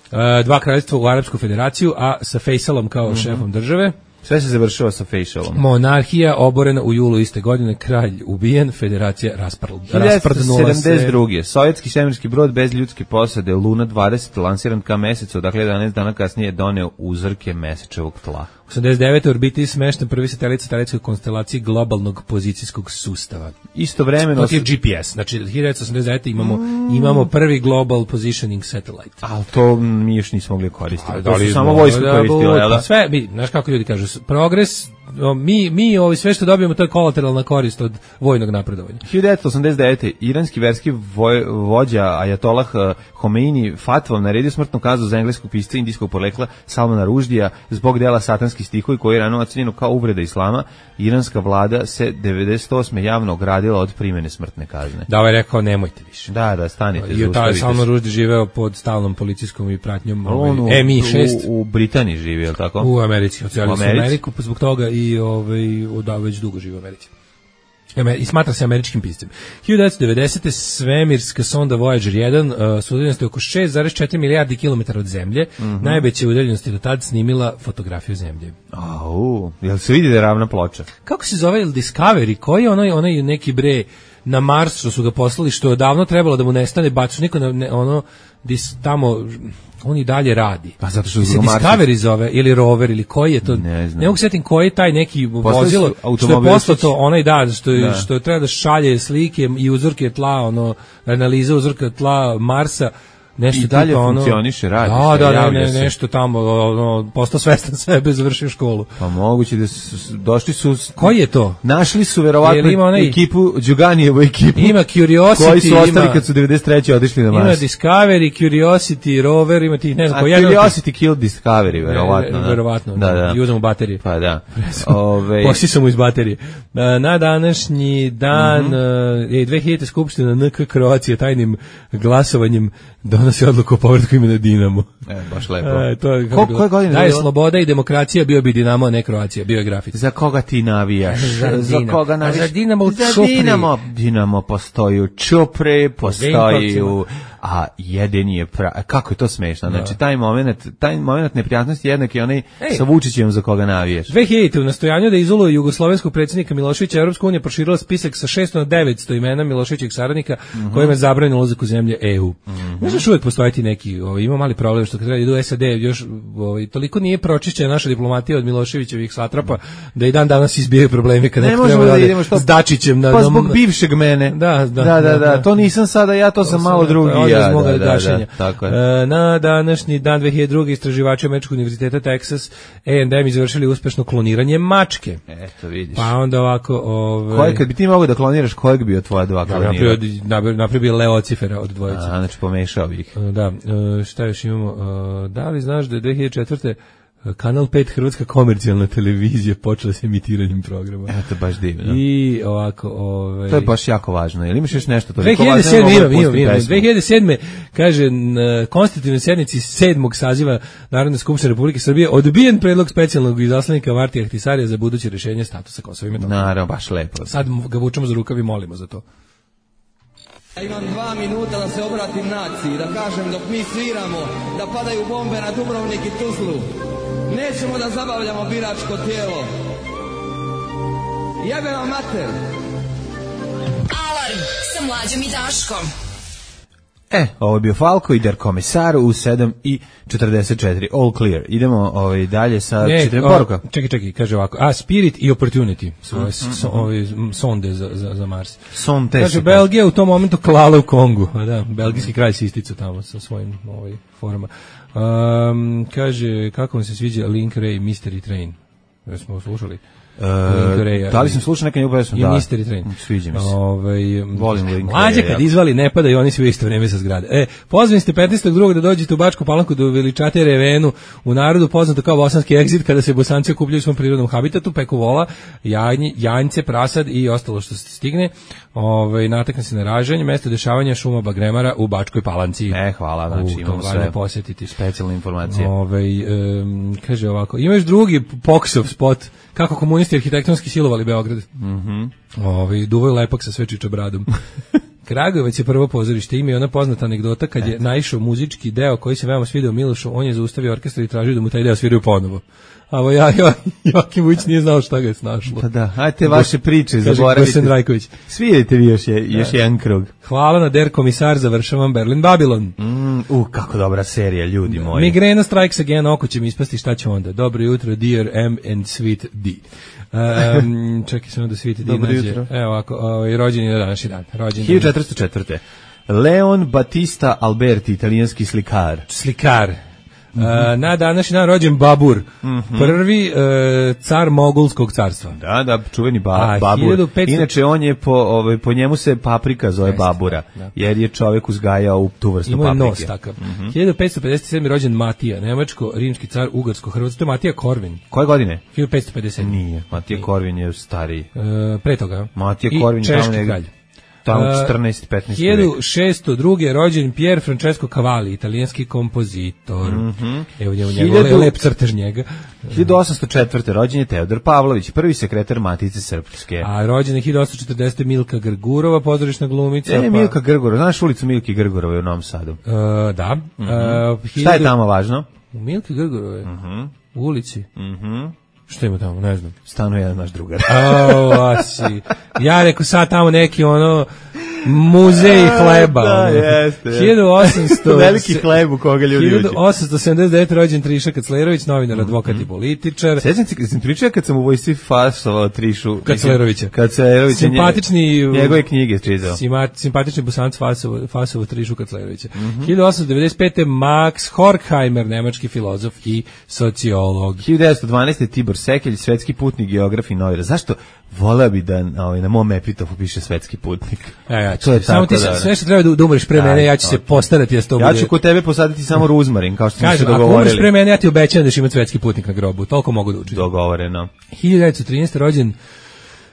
uh, dva kraljevstva u Arapsku federaciju, a sa Faisalom kao Mhm. šefom države. Sve se završava sa facialom. Monarhija oborena u julu iste godine, kralj ubijen, federacija rasprdnula rasprdnula se. sedamdeset druge. Sovjetski svemirski brod bez ljudske posade Luna dvadeset lansiran ka mesecu, dakle jedanaest dana kasnije doneo uzorke mesečevog tla. osamdeset devete. orbiti smešten prvi satelit satelitskoj konstelaciji globalnog pozicijskog sustava. Istovremeno To je G P S. Znači, hiljadu devetsto osamdeset devete. imamo, imamo prvi global positioning satellite. ali to mi još nismo mogli koristiti. A, To su li samo smo- vojsko da, koristila, jel pa da? sve, mi, znaš kako ljudi kažu, s- progres, o, mi, mi ovi sve što dobijemo, to je kolateralna korist od vojnog napredovanja. hiljadu devetsto osamdeset devete. iranski verski voj, vođa Ajatolah eh, Homeini fatvom naredio smrtnu kaznu za engleskog pisca indijskog porekla Salmana Ruždija zbog dela Satanski stihovi koji je rano ocenjeno kao uvreda islama. Iranska vlada se devedeset osme javno ogradila od primene smrtne kazne. Da, ovaj je rekao, nemojte više. Da, da, stanite, I taj zaustavite Salman se. Rushdie živeo pod stalnom policijskom i pratnjom On u, ovaj, M I šest. u, u Britaniji živi, je li tako? U Americi, ocelili U su Americi? Ameriku pa zbog toga i ovaj, da, već dugo živi u Americi. Amer- I smatra se američkim piscem. hiljadu devetsto devedesete. svemirska sonda Voyager jedan uh, s udaljenosti oko šest zarez četiri milijardi kilometara od Zemlje, Mhm. najveće udaljenosti do tad snimila fotografiju Zemlje. Au, jel se vidi da je ravna ploča? Kako se zove Discovery? Koji je onaj, onaj neki bre na Mars što su ga poslali, što je davno trebalo da mu nestane, bacu niko na, ne, ono, dis, tamo, on i dalje radi. Pa zato što su se ga Marsi- Discovery zove, ili rover, ili koji je to? Ne znam. Ne mogu setim koji je taj neki Poslali su vozilo, što je automobilčić. poslato, onaj da, što, je, Da. što treba da šalje slike i uzorke tla, ono, analiza uzorka tla Marsa, nešto i dalje tipa, ono, funkcioniše, radi da, se, da, javlja ne, se. nešto tamo, ono, postao svestan sebe, završio školu. Pa moguće da su, došli su... Koji je to? Našli su verovatno ima onaj, ekipu, Đuganijevu ekipu. Ima Curiosity, koji su ostali ima, kad su devedeset treće otišli na Mars. Ima Discovery, Curiosity, Rover, ima tih, ne znam, A koji Curiosity killed Discovery, verovatno. Ne, verovatno, da, da. I uzmemo baterije. Pa da. Ove... Posisam mu iz baterije. Na današnji dan, mm-hmm. je dve hiljadite skupština N K Kroacije tajnim glasovanjem donosi odluku o povratku imena Dinamo. E, baš lepo. E, to je Ko, koje godine? Da je sloboda i demokracija, bio bi Dinamo, a ne Kroacija, bio je grafit. Za koga ti navijaš? Za, za koga navijaš? A za Dinamo u Za Čupri. Dinamo, Dinamo postoji u Čupri, postoji u... A jedini je pra... Kako je to smešno? Znači, da. taj moment, taj moment neprijatnosti jednak je onaj Ej. sa Vučićem za koga navijaš. dve hiljadite u nastojanju da izoluje jugoslovenskog predsjednika Miloševića, Evropska unija proširila spisak sa šesto na devetsto imena Miloševićevih saradnika, mm-hmm. kojima je zabranjeno ulazak u zemlje E U. Mm-hmm. Možda još uvijek postojati neki, ovaj, ima mali problem što kad treba idu u S A D, još ovaj, toliko nije pročišćena naša diplomatija od Miloševićevih satrapa, da i dan danas izbijaju problemi kada ne možemo da, da idemo što s Dačićem na pa zbog bivšeg mene. Da, da, da, da, da, to nisam sada ja, to, to sam malo drugi ja. Da, da, da, da, tako je. E, na današnji dan dve hiljade druge istraživači Američkog univerziteta Texas A and M izvršili uspešno kloniranje mačke. Eto, vidiš. Pa onda ovako, ovaj Koje kad bi ti mogao da kloniraš, kojeg bi od tvoja dva klonira? Napravio bi Leocifera od dvojice. A, znači pomešao bih. Da, šta još imamo? Da li znaš da je dve hiljade četvrte Kanal pet Hrvatska komercijalna televizija počela s emitiranjem programa. Eto, baš divno. I ovako, ovaj to je baš jako važno. Jel imaš još nešto to? dve hiljade sedme imam, imam, imam. dve hiljade sedme kaže na konstitutivnoj sednici sedmog saziva Narodne skupštine Republike Srbije odbijen predlog specijalnog izaslanika Martija Ahtisarija za buduće rješenje statusa Kosova i Metohije. Naravno, baš lepo. Sad ga vučemo za rukav i molimo za to. Ja imam dva minuta da se obratim naciji, da kažem dok mi sviramo, da padaju bombe na Dubrovnik i Tuzlu. Nećemo da zabavljamo biračko tijelo. Jebe vam mater. Alarm sa Mlađom i Daškom. E, ovo je bio Falko i Der Komisar u sedam i četrdeset četiri. All clear. Idemo ovaj, dalje sa četiri poruka. Čekaj, čekaj, kaže ovako. A, Spirit i Opportunity su ove mm-hmm. so, ove sonde za, za, za Mars. Sonte. Kaže, Belgija u tom momentu klala u Kongu. A da, belgijski kralj se isticao tamo sa svojim ovaj, forama. Um, kaže, kako vam se sviđa Link Ray Mystery Train? Da smo slušali. Uh, da li sam slušao neka njegovu pesmu? I da. Mystery Train. Sviđa mi se. Ovaj volim Link. Mlađe kad izvali ne pada i oni svi u isto vrijeme sa zgrade. E, pozvani ste petnaestog drugog da dođete u Bačku Palanku da veličate Revenu, u narodu poznato kao bosanski egzit, kada se Bosanci okupljaju u svom prirodnom habitatu, peku vola, jajnje, janjce, prasad i ostalo što se stigne. Ovaj natakne se na ražanje, mesto dešavanja šuma bagremara u Bačkoj Palanci. E, hvala, znači imamo sve posjetiti specijalne informacije. Ovaj um, kaže ovako, imaš drugi Poksov spot kako komunisti arhitektonski silovali Beograd. Mhm. Ovaj duvoj lepak sa sve čičabradom. Kragujevac je prvo pozorište, ima i ona poznata anegdota kad je naišao muzički deo koji se veoma svidio Milošu, on je zaustavio orkestar i tražio da mu taj deo sviraju ponovo. A ovo ja, ja, Joakim Vujić nije znao šta ga je snašlo. Pa da, ajte vaše priče, zaboravite. Svirajte vi još, je, još jedan krug. Hvala na Der Komisar, završavam Berlin Babylon. Mm, uh, kako dobra serija, ljudi moji. Migrena strikes again, oko će mi ispasti, šta će onda? Dobro jutro, dear M and sweet D. Um, čekaj samo da sweet D Dobro nađe. jutro. Evo ovako, ovaj, rođen je na današnji dan. Rođen hiljadu četiristo četvrte. Leon Battista Alberti, italijanski slikar. Slikar. Uh, na današnji dan rođen Babur, mm-hmm. prvi uh, car Mogulskog carstva. Da, da, čuveni ba, A, Babur. hiljadu petsto Inače, on je po, ovaj, po njemu se paprika zove Jeste, Babura, da. Jer je čovjek uzgajao u tu vrstu Imao paprike. Imao nos takav. Mm-hmm. hiljadu petsto pedeset sedme rođen Matija, nemačko-rimski car, ugarsko-hrvatsko. To je Matija Korvin. Koje godine? hiljadu petsto pedeset. Nije, Matija Nije. Korvin je stariji. Uh, pre toga. Matija Korvin I češki kralj. Tamo četrnaesti petnaesti hiljadu šesto druge rođen Pier Francesco Cavalli, italijanski kompozitor. Mm-hmm. Evo njemu njegov lep crtež njega. hiljadu osamsto četvrte rođen je Teodor Pavlović, prvi sekretar Matice Srpske. A rođena je hiljadu osamsto četrdesete Milka Grgurova, pozorišna glumica. Ne, pa... Milka Grgurova, znaš ulicu Milke Grgurove u Novom Sadu? Uh, da. Mm-hmm. Uh, hiljadu... Šta je tamo važno? U Milke Grgurove? Mm-hmm. U ulici? Mhm. Što ima tamo, ne znam. Stanuje jedan naš drugar. O, asi. Ja rekao sad tamo neki ono Muzej hleba. Da, ono. jeste. hiljadu osamsto Veliki hleb u koga ljudi uđe. hiljadu osamsto sedamdeset devete rođen Triša Kaclerović, novinar, advokat i političar. Sjećam se, sam pričao kad sam u vojsci fasovao Trišu. Kaclerovića. Kaclerovića. Simpatični... Njegove knjige čitao. Simpatični Bosanc fasovo, fasovo Trišu Kaclerovića. Mm-hmm. hiljadu osamsto devedeset pete Max Horkheimer, nemački filozof i sociolog. hiljadu devetsto dvanaeste Tibor Sekelj, svetski putnik, geograf i novinar. Zašto? Voleo bi da ovaj, na mom epitofu piše svetski putnik. E, ja to je samo tako ti da, sve što treba da, da umreš pre mene, ja ću se postarati da to bude. Ja ću kod tebe posaditi samo ruzmarin, kao što smo se dogovorili. Ako umreš pre mene, ja ti obećam da ćeš imati svetski putnik na grobu. Toliko mogu da učinim. Dogovoreno. hiljadu devetsto trinaeste rođen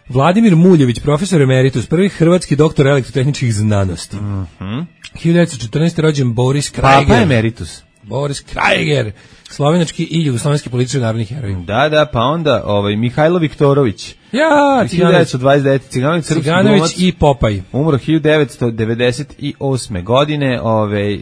Vladimir Muljević, profesor emeritus, prvi hrvatski doktor elektrotehničkih znanosti. Mhm. hiljadu devetsto četrnaeste rođen Boris Krajer. Papa emeritus. Boris Krajer, slovenački i jugoslovenski političar, narodni heroj. Da, da, pa onda ovaj Mihajlo Viktorović. Ja, hiljadu devetsto dvadeset devete Ciganović, srpski Ciganović glumac, i Popaj. umro hiljadu devetsto devedeset osme godine, ovaj e,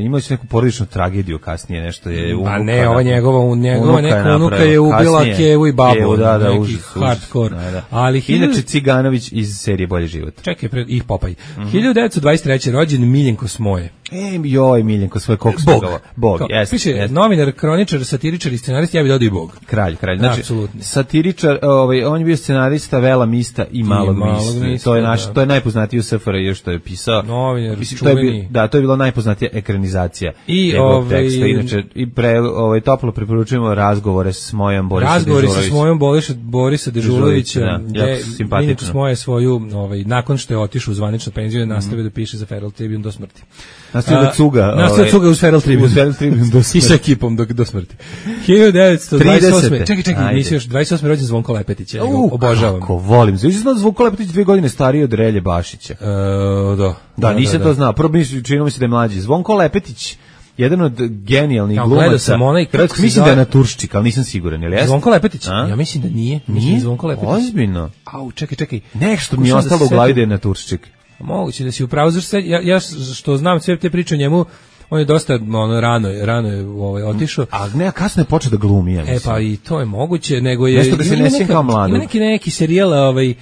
imao je neku porodičnu tragediju kasnije, nešto je unuka. Pa ne, ova njegova, njegova neka unuka je ubila kasnije, Kevu i babu, Kevu, da, da, neki užas, hardcore. Da, da. Ali hiljadu... Inače Ciganović iz serije Bolji život. Čekaj, pred ih Popaj. Mm-hmm. hiljadu devetsto dvadeset treće rođen Miljenko Smoje. E, joj, Miljenko, svoj koks. Bog. Bog, jeste. Piše, jest. novinar, kroničar, satiričar i scenarist, ja bih dodao i Bog. Kralj, kralj. Znači, apsolutno. Satiričar, ovaj, on je bio scenarista Vela Mista i Malog, I malog Mista. Mista, To je naš, da. to je najpoznatiji u S F R J što je pisao. Novinar, Mislim, to je bio, čuveni. da, to je bila najpoznatija ekranizacija I njegovog ovaj, teksta. Inače, i pre, ovaj, toplo preporučujemo razgovore s mojom Borisa Razgovori sa Dežulović. svojom Borisa, Borisa Dežulovića, Da, gde jako simpatično. Miljenko Smoje svoju, ovaj, nakon što je otišao u zvaničnu penziju, mm. nastavio da piše za Feral Tribune do smrti. Nastavio da cuga. Nastavio ovaj, da cuga uz Feral Tribune. Uz Feral Tribune do smrti. I sa ekipom do, do smrti. hiljadu devetsto dvadeset osme. tridesete. Čekaj, čekaj, Ajde. nisi još dvadeset osme rođen Zvonko Lepetić, ja ga U, obožavam. Kako volim. Znači, znam da Zvonko Lepetić dve godine stariji od Relje Bašića. E, da. Da, nisam da, to da. znao. Prvo mislim, činilo mi se da je mlađi. Zvonko Lepetić, jedan od genijalnih Ja, glumaca. gledao sam onaj, kako se mislim da je zove- na Turščik, ali nisam siguran, jel jeste? Zvonko Lepetić? A? Ja mislim da nije. Mislim da Nije? je Zvonko Lepetić. Ozbiljno. Au, čekaj, čekaj. Nešto mi je Pokušavam da ostalo se u glavi setim. da je na Turščik. Moguće da si upravo, zašto se- ja, ja što znam sve te priče o njemu, on je dosta ono, rano, je- rano je ovaj, otišao. A ne, a kasno je počeo da glumi, ja E mislim. pa i to je moguće, nego je Nešto da se ima ne sjeća neka- kao mladog. Ima neki neki serijal, ovaj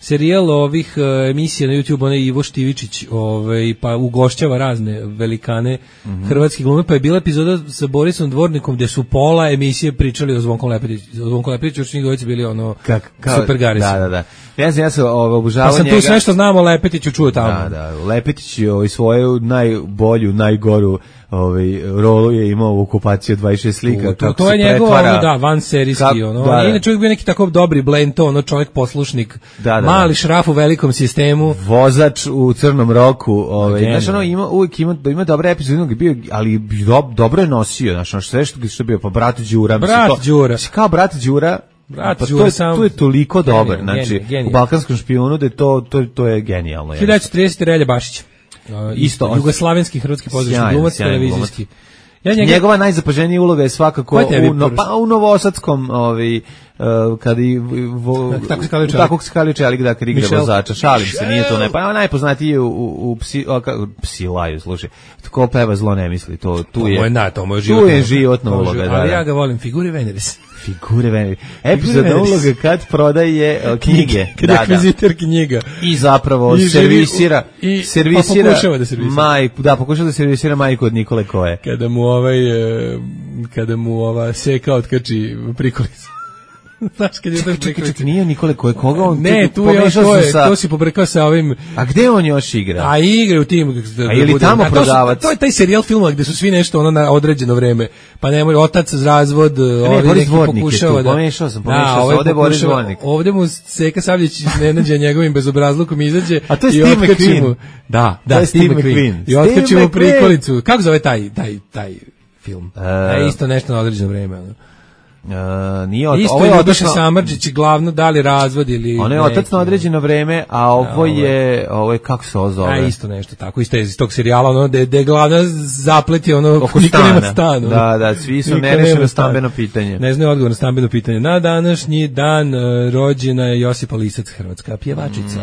serijal ovih uh, emisija na YouTube, onaj Ivo Štivičić, ovaj pa ugošćava razne velikane Mhm. hrvatske glume, pa je bila epizoda sa Borisom Dvornikom gde su pola emisije pričali o Zvonku Lepetiću, o Zvonku Lepetiću, još njih dvojica bili ono Kak, kao, super garisi. Da, da, da. Ja sam, ja sam ovaj, obožavao Pa sam njega. tu sve što znamo o Lepetiću čuo tamo. Da, da, Lepetić je ovaj, svoju najbolju, najgoru ovaj, rolu je imao u okupaciji od dvadeset šest slika. To, to, kako to se je njegov, pretvara- ono, da, van serijski, Kak- ono. da, On je da. inače uvijek bio neki tako dobri blend, to, ono, čovjek poslušnik, Da, da, mali da. šraf u velikom sistemu. Vozač u crnom roku, ovaj, Genijalno. znaš, ono, ima, uvijek ima, ima dobre epizode, jednog je bio, ali do, dobro je nosio, znaš, ono, sve što, što je bio, pa brat Đura. mislim, Brat to- Đura. mislim, kao brat Đura, Brat pa Đura to je, sam- to je toliko Genijalno, dobar, znači, genijalno, genijalno. u Balkanskom špijunu, da je to, to, to je genijalno. hiljadu devetsto tridesete Relja Bašić. Uh, Isto, on- jugoslavenski hrvatski pozorišni Sjajan, glumac, sjajan televizijski. Ja njega, Njegova najzapaženija uloga je svakako Ko je tebi u, no, prvi? pa, u Novosadskom, ovaj, uh, kada i vo, Tako se kalio čelik. tako se kalio čelik, da, kad igra Michel. vozača, šalim se, nije to ne, pa najpoznatiji je u, u, u psi, o, ka, psi laju, slušaj, ko peva zlo ne misli, to, tu to je, je na, to mu je tu životna, je životna to je uloga, život- da, ali da. ja ga volim, figure Veneris. Figure Veneris. Epizodna Veneris. uloga kad prodaje uh, knjige, Kada da, da. akvizitor knjiga. I zapravo I živi servisira, u- i- servisira, pa pokušava da servisira. majku, da, pokušava da servisira majku od Nikole Koje. Kada mu ovaj, e, kada mu ova seka otkači prikolicu. Znaš, kad je to Čekaj, čekaj, prikolica. čekaj, nije Nikole Koje, koga on, Ne, tu je, pomešao to sam je, sa- to si pobrkao sa ovim. A gde on još igra? A igre u tim. A je li tamo to su- prodavac? To je taj serijal filmova gde su svi nešto ono na određeno vreme. Pa nemoj, otac za razvod, ne, ovdje Boris neki Dvornik je pokušava tu, da... pomešao sam, pomešao Da, sam, ovaj ovdje je Boris pokušava- Dvornik. Ovdje mu Seka Savljić iznenađa njegovim bezobrazlukom izađe. A to je i Steve otkači McQueen. mu- Da, To da, je Steve Steve McQueen. McQueen. I otkači Steve mu McQueen. prikolicu. Kako zove taj, taj, taj film? E, E, isto nešto na određeno vreme. Ono. Uh, nije od, Isto ovo je je Ljubiša otac na, Samardžić, glavno da li razvod ili... on je otac na određeno vreme, a ovo ovo je- je, ovo je, kako se ovo zove? A isto nešto tako, isto je iz tog serijala, ono, da je glavna zapleti, ono, Oko niko nema stana. stan. ono. Da, da, svi su Niko nerešeno nema stan. stambeno pitanje. Ne znaju odgovor na stambeno pitanje. Na današnji dan uh, rođena je Josipa Lisac, hrvatska pjevačica.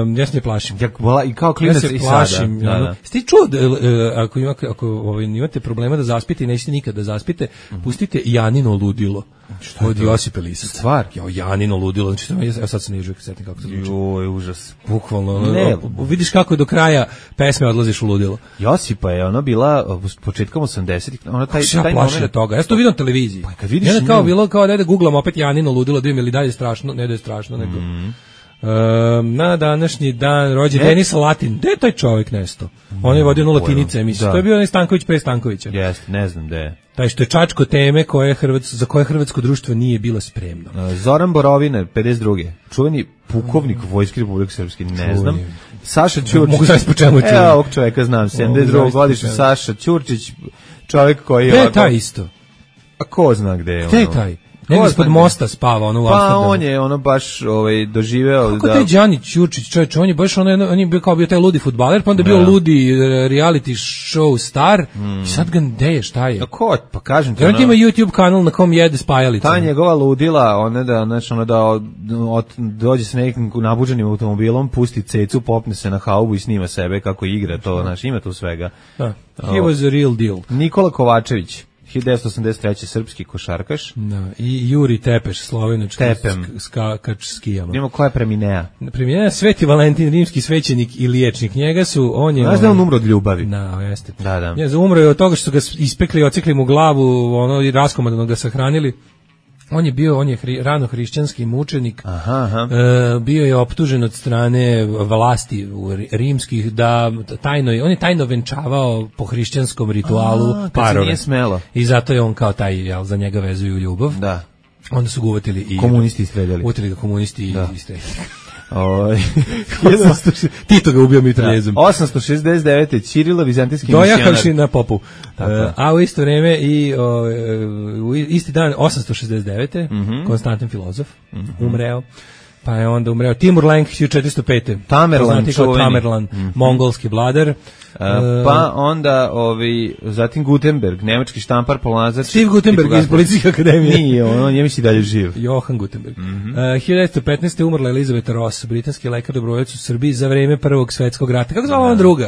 Um, ja se ne plašim. Ja, vola, i kao Ja klinac se i plašim. sada. Da, ono. da. Ste čuo da, uh, ako, ima, ako ovaj, imate problema da zaspite i nećete nikad da zaspite, pustite Janu Janino ludilo. Šta od Josipa Lisa. Stvar? Jo, Janino ludilo, znači to ja sad se ne želim setiti kako to zvuči. Joj, užas. Bukvalno, ne, o, vidiš kako do kraja pesme odlaziš u ludilo. Josipa je ona bila početkom osamdesetih, ona taj taj taj moment toga. Ja sam to vidio na televiziji. Pa kad vidiš, ja kao bilo kao da guglamo opet Janino ludilo, da im li dalje strašno, ne da je strašno, nego. Mm. Um, na današnji dan rođen Denis Latin. Gde je taj čovjek nesto? On je vodio Latinice emisiju. To je bio onaj Stanković pre Stankovića. Jeste, ne znam gde je. Taj što je čačko teme koje Hrvatsko, za koje hrvatsko društvo nije bilo spremno. Zoran Borovina, pedeset druge Čuveni pukovnik Vojske Republike Srpske, ne znam. Saša Ćurčić. Mogu znaš po čemu je čuven. Evo ovog čoveka znam, sedamdeset druge godište Saša Ćurčić, čovjek koji je... Gde je taj isto? A ko zna gde je? Gde je taj? Nego ispod mosta spava ono u pa Amsterdamu. Pa on je ono baš ovaj doživeo kako da... taj Đani Ćurčić, čovječ, on je baš ono, on je bio kao bio taj ludi fudbaler, pa onda je bio da. ludi reality show star, mm. i sad ga gde je, šta je? A ko, pa kažem ti ono... ima YouTube kanal na kom jede spajalice. Ta njegova ludila, ona da, znači ono da od, od, dođe sa nekim nabuđenim automobilom, pusti cecu, popne se na haubu i snima sebe kako igra, to, znači ima tu svega. Da. He was a real deal. Nikola Kovačević, hiljadu devetsto osamdeset treće srpski košarkaš. Da, i Juri Tepeš, slovenački skakač skijama. Imamo koja je preminea? Preminea Sveti Valentin, rimski svećenik i liječnik. Njega su, on je... Znaš da on umro od ljubavi? Da, jeste. Da, da. Ja, umro je od toga što su ga ispekli i ocikli mu glavu, ono, i raskomadano ga sahranili. On je bio, on je hri, rano hrišćanski mučenik, aha, aha. E, bio je optužen od strane vlasti rimskih da tajno, on je tajno venčavao po hrišćanskom ritualu a, parove. Nije smelo. I zato je on kao taj, jel, za njega vezuju ljubav. Da. Onda su ga uvatili i... Komunisti istreljali. Uvatili ga komunisti da. i istreljali. Oj, Tito ga ubio mitraljezom. osamsto šezdeset devete Ćirila, vizantijski misionar. Dojahavši na popu. Uh, a u isto vreme i o, u isti dan osamsto šezdeset devete Mm-hmm. Konstantin filozof, mm-hmm. umreo. Pa je onda umreo Timur Lenk hiljadu četiristo pete Tamerlan, čuveni. Tamerlan, mm-hmm. mongolski vladar. Uh, pa onda ovi, zatim Gutenberg, nemački štampar, polazar. Steve Gutenberg iz Policijske akademije. Nije, on, on je misli dalje živ. Johan Gutenberg. Mm-hmm. Uh, hiljadu devetsto petnaeste umrla Elizabeth Ross, britanski lekar dobrovoljac u Srbiji za vreme Prvog svetskog rata. Kako zvala ona druga?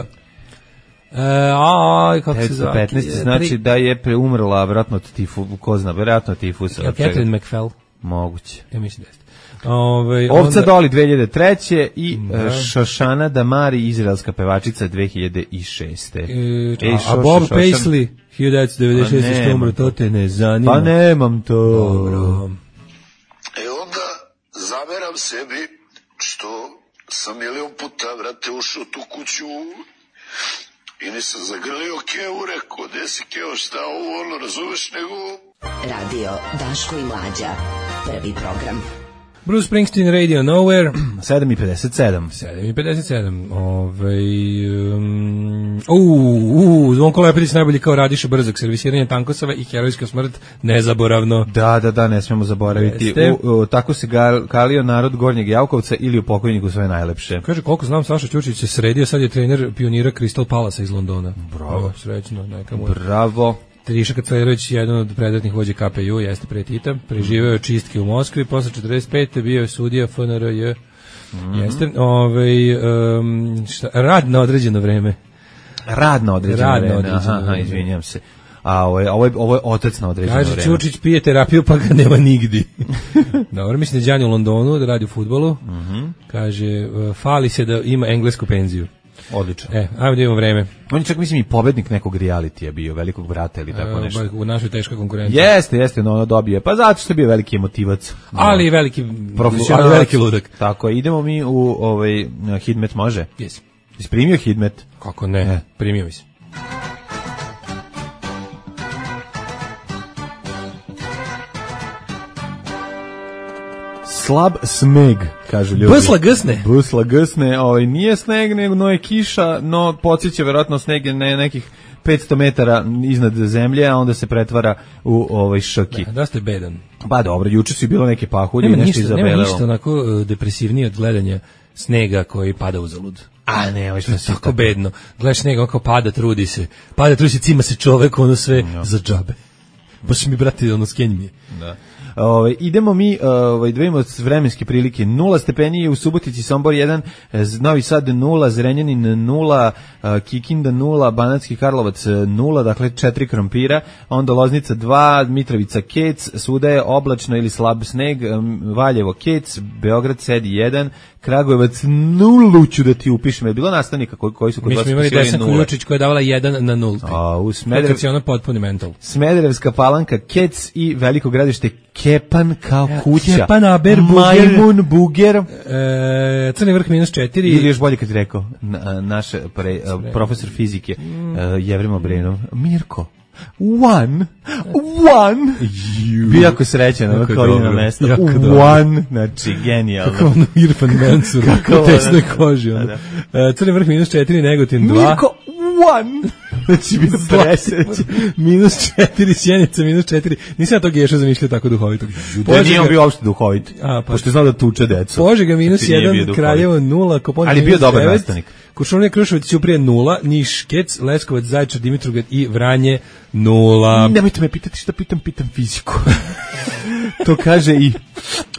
Uh, a, kako se zove? petnaeste znači da je preumrla vjerojatno od tifu, ko zna, vjerojatno od tifusa. Ja, Catherine McFell. Moguće. Ja mislim da jeste. Ove, Ovca onda... Doli dve hiljade treće i da. Šošana Damari, izraelska pevačica dve hiljade šeste. E, Ej, a, a Bob Šošan... Paisley hiljadu devetsto devedeset šeste što umro, to te ne zanima. Pa nemam to. Dobro. E onda zameram sebi što sam milion puta, vrate, ušao tu kuću i nisam zagrlio Kevu, rekao, gde si Keo, šta ovo, ono, razumeš, nego... Radio Daško i Mlađa, prvi program. Bruce Springsteen, Radio Nowhere. sedam i pedeset sedam. sedam i pedeset sedam. Ovaj um, u u Zvonko Lepetić najbolji kao Radiša Brzak, servisiranje tankosava i herojska smrt nezaboravno. Da, da, da, ne smemo zaboraviti. U, u, tako se gal, kalio narod Gornjeg Javkovca ili u pokojniku sve najlepše. Kaže, koliko znam, Saša Ćurčić se sredio, sad je trener pionira Crystal Palace iz Londona. Bravo. O, srećno, neka mu. Bravo. Triša Kaclerović, jedan od predratnih vođa K P U, jeste pre Tita, preživeo je čistke u Moskvi, posle četrdeset pete bio je sudija F N R J, mm-hmm. jeste, ovaj, um, šta, rad na određeno vreme. Rad na određeno rad vreme, na određeno aha, aha, izvinjam se. A ovo je, ovo je, ovo je otac na određeno Kaže, vreme. Kaže, Ćurčić pije terapiju pa ga nema nigdi. Dobro, mislim da je Đanja u Londonu, da radi u fudbalu. Mm-hmm. Kaže, fali se da ima englesku penziju. Odlično. E, ajmo da imamo vreme. On je čak, mislim, i pobednik nekog realitija bio, Velikog brata ili tako nešto. E, u našoj teškoj konkurenciji. Jeste, jeste, no ono dobije. Pa zato što je bio veliki emotivac. Ali i veliki profesionalac. Ali veliki ludak. Tako, idemo mi u ovaj Hidmet, može? Jesi. Jesi primio Hidmet? Kako ne, e. primio mi se. Slab sneg, kažu ljudi. Busla gsne. Busla gsne, ovaj, nije sneg, nego no je kiša, no podsjeća verovatno sneg na nekih petsto metara iznad zemlje, a onda se pretvara u ovaj šoki. Da, da ste bedan. Pa dobro, juče su bilo neke pahulje i nešto izabelelo. Nema ništa onako depresivnije od gledanja snega koji pada uzalud. A ne, ovo što je tako bedno. Gledaš snega, on kao pada, trudi se. Pada, trudi se, cima se čovek, ono sve no. za džabe. Baš mi, brate, ono, skenj mi je. Da. Ove, idemo mi, ove, da vidimo vremenske prilike. Nula stepeni u Subotici, Sombor jedan, Novi Sad nula, Zrenjanin nula, Kikinda nula, Banatski Karlovac nula, dakle četiri krompira, onda Loznica dva, Mitrovica Kec, svuda je oblačno ili slab sneg, Valjevo Kec, Beograd Sedi jedan, Kragujevac nulu, ću da ti upišem. Je bilo nastavnika koji, koji su kod vas upisivali nula? Mi smo imali Desan Kuljočić koja je davala jedan na nulti. A, u Smederev... Kad si ono potpuni mental. Smederevska Palanka, Kec i veliko gradište Kepan kao kuća. Kepan, Aber, Majmun, Buger. E, Crni vrh minus četiri. Ili još bolje kad ti rekao, na, naš pre, profesor fizike, mm. uh, Jevrimo Brenov, Mirko. One, one, bio jako srećan, ono kao ide na mesto, one, znači genijalno. Kako ono Irfan Mansur, u tesnoj koži. Ono. Da, da. Crni vrh minus četiri, Negotin dva. Mirko, one, znači bio presrećan. Minus četiri, Sjenica, minus četiri. Nisam ja to Geša zamišljao tako duhovito. Da nije on bio uopšte duhovit, a, pa, pošto je znao da tuče decu. Požega minus jedan, Kraljevo nula, Koponik ali bio dobar nastavnik. Kuršumlija, Kruševac, Ćuprije nula, Niš, Kec, Leskovac, Zaječar, Dimitrovgrad i Vranje nula. Nemojte me pitati šta pitam, pitam fiziku. To kaže i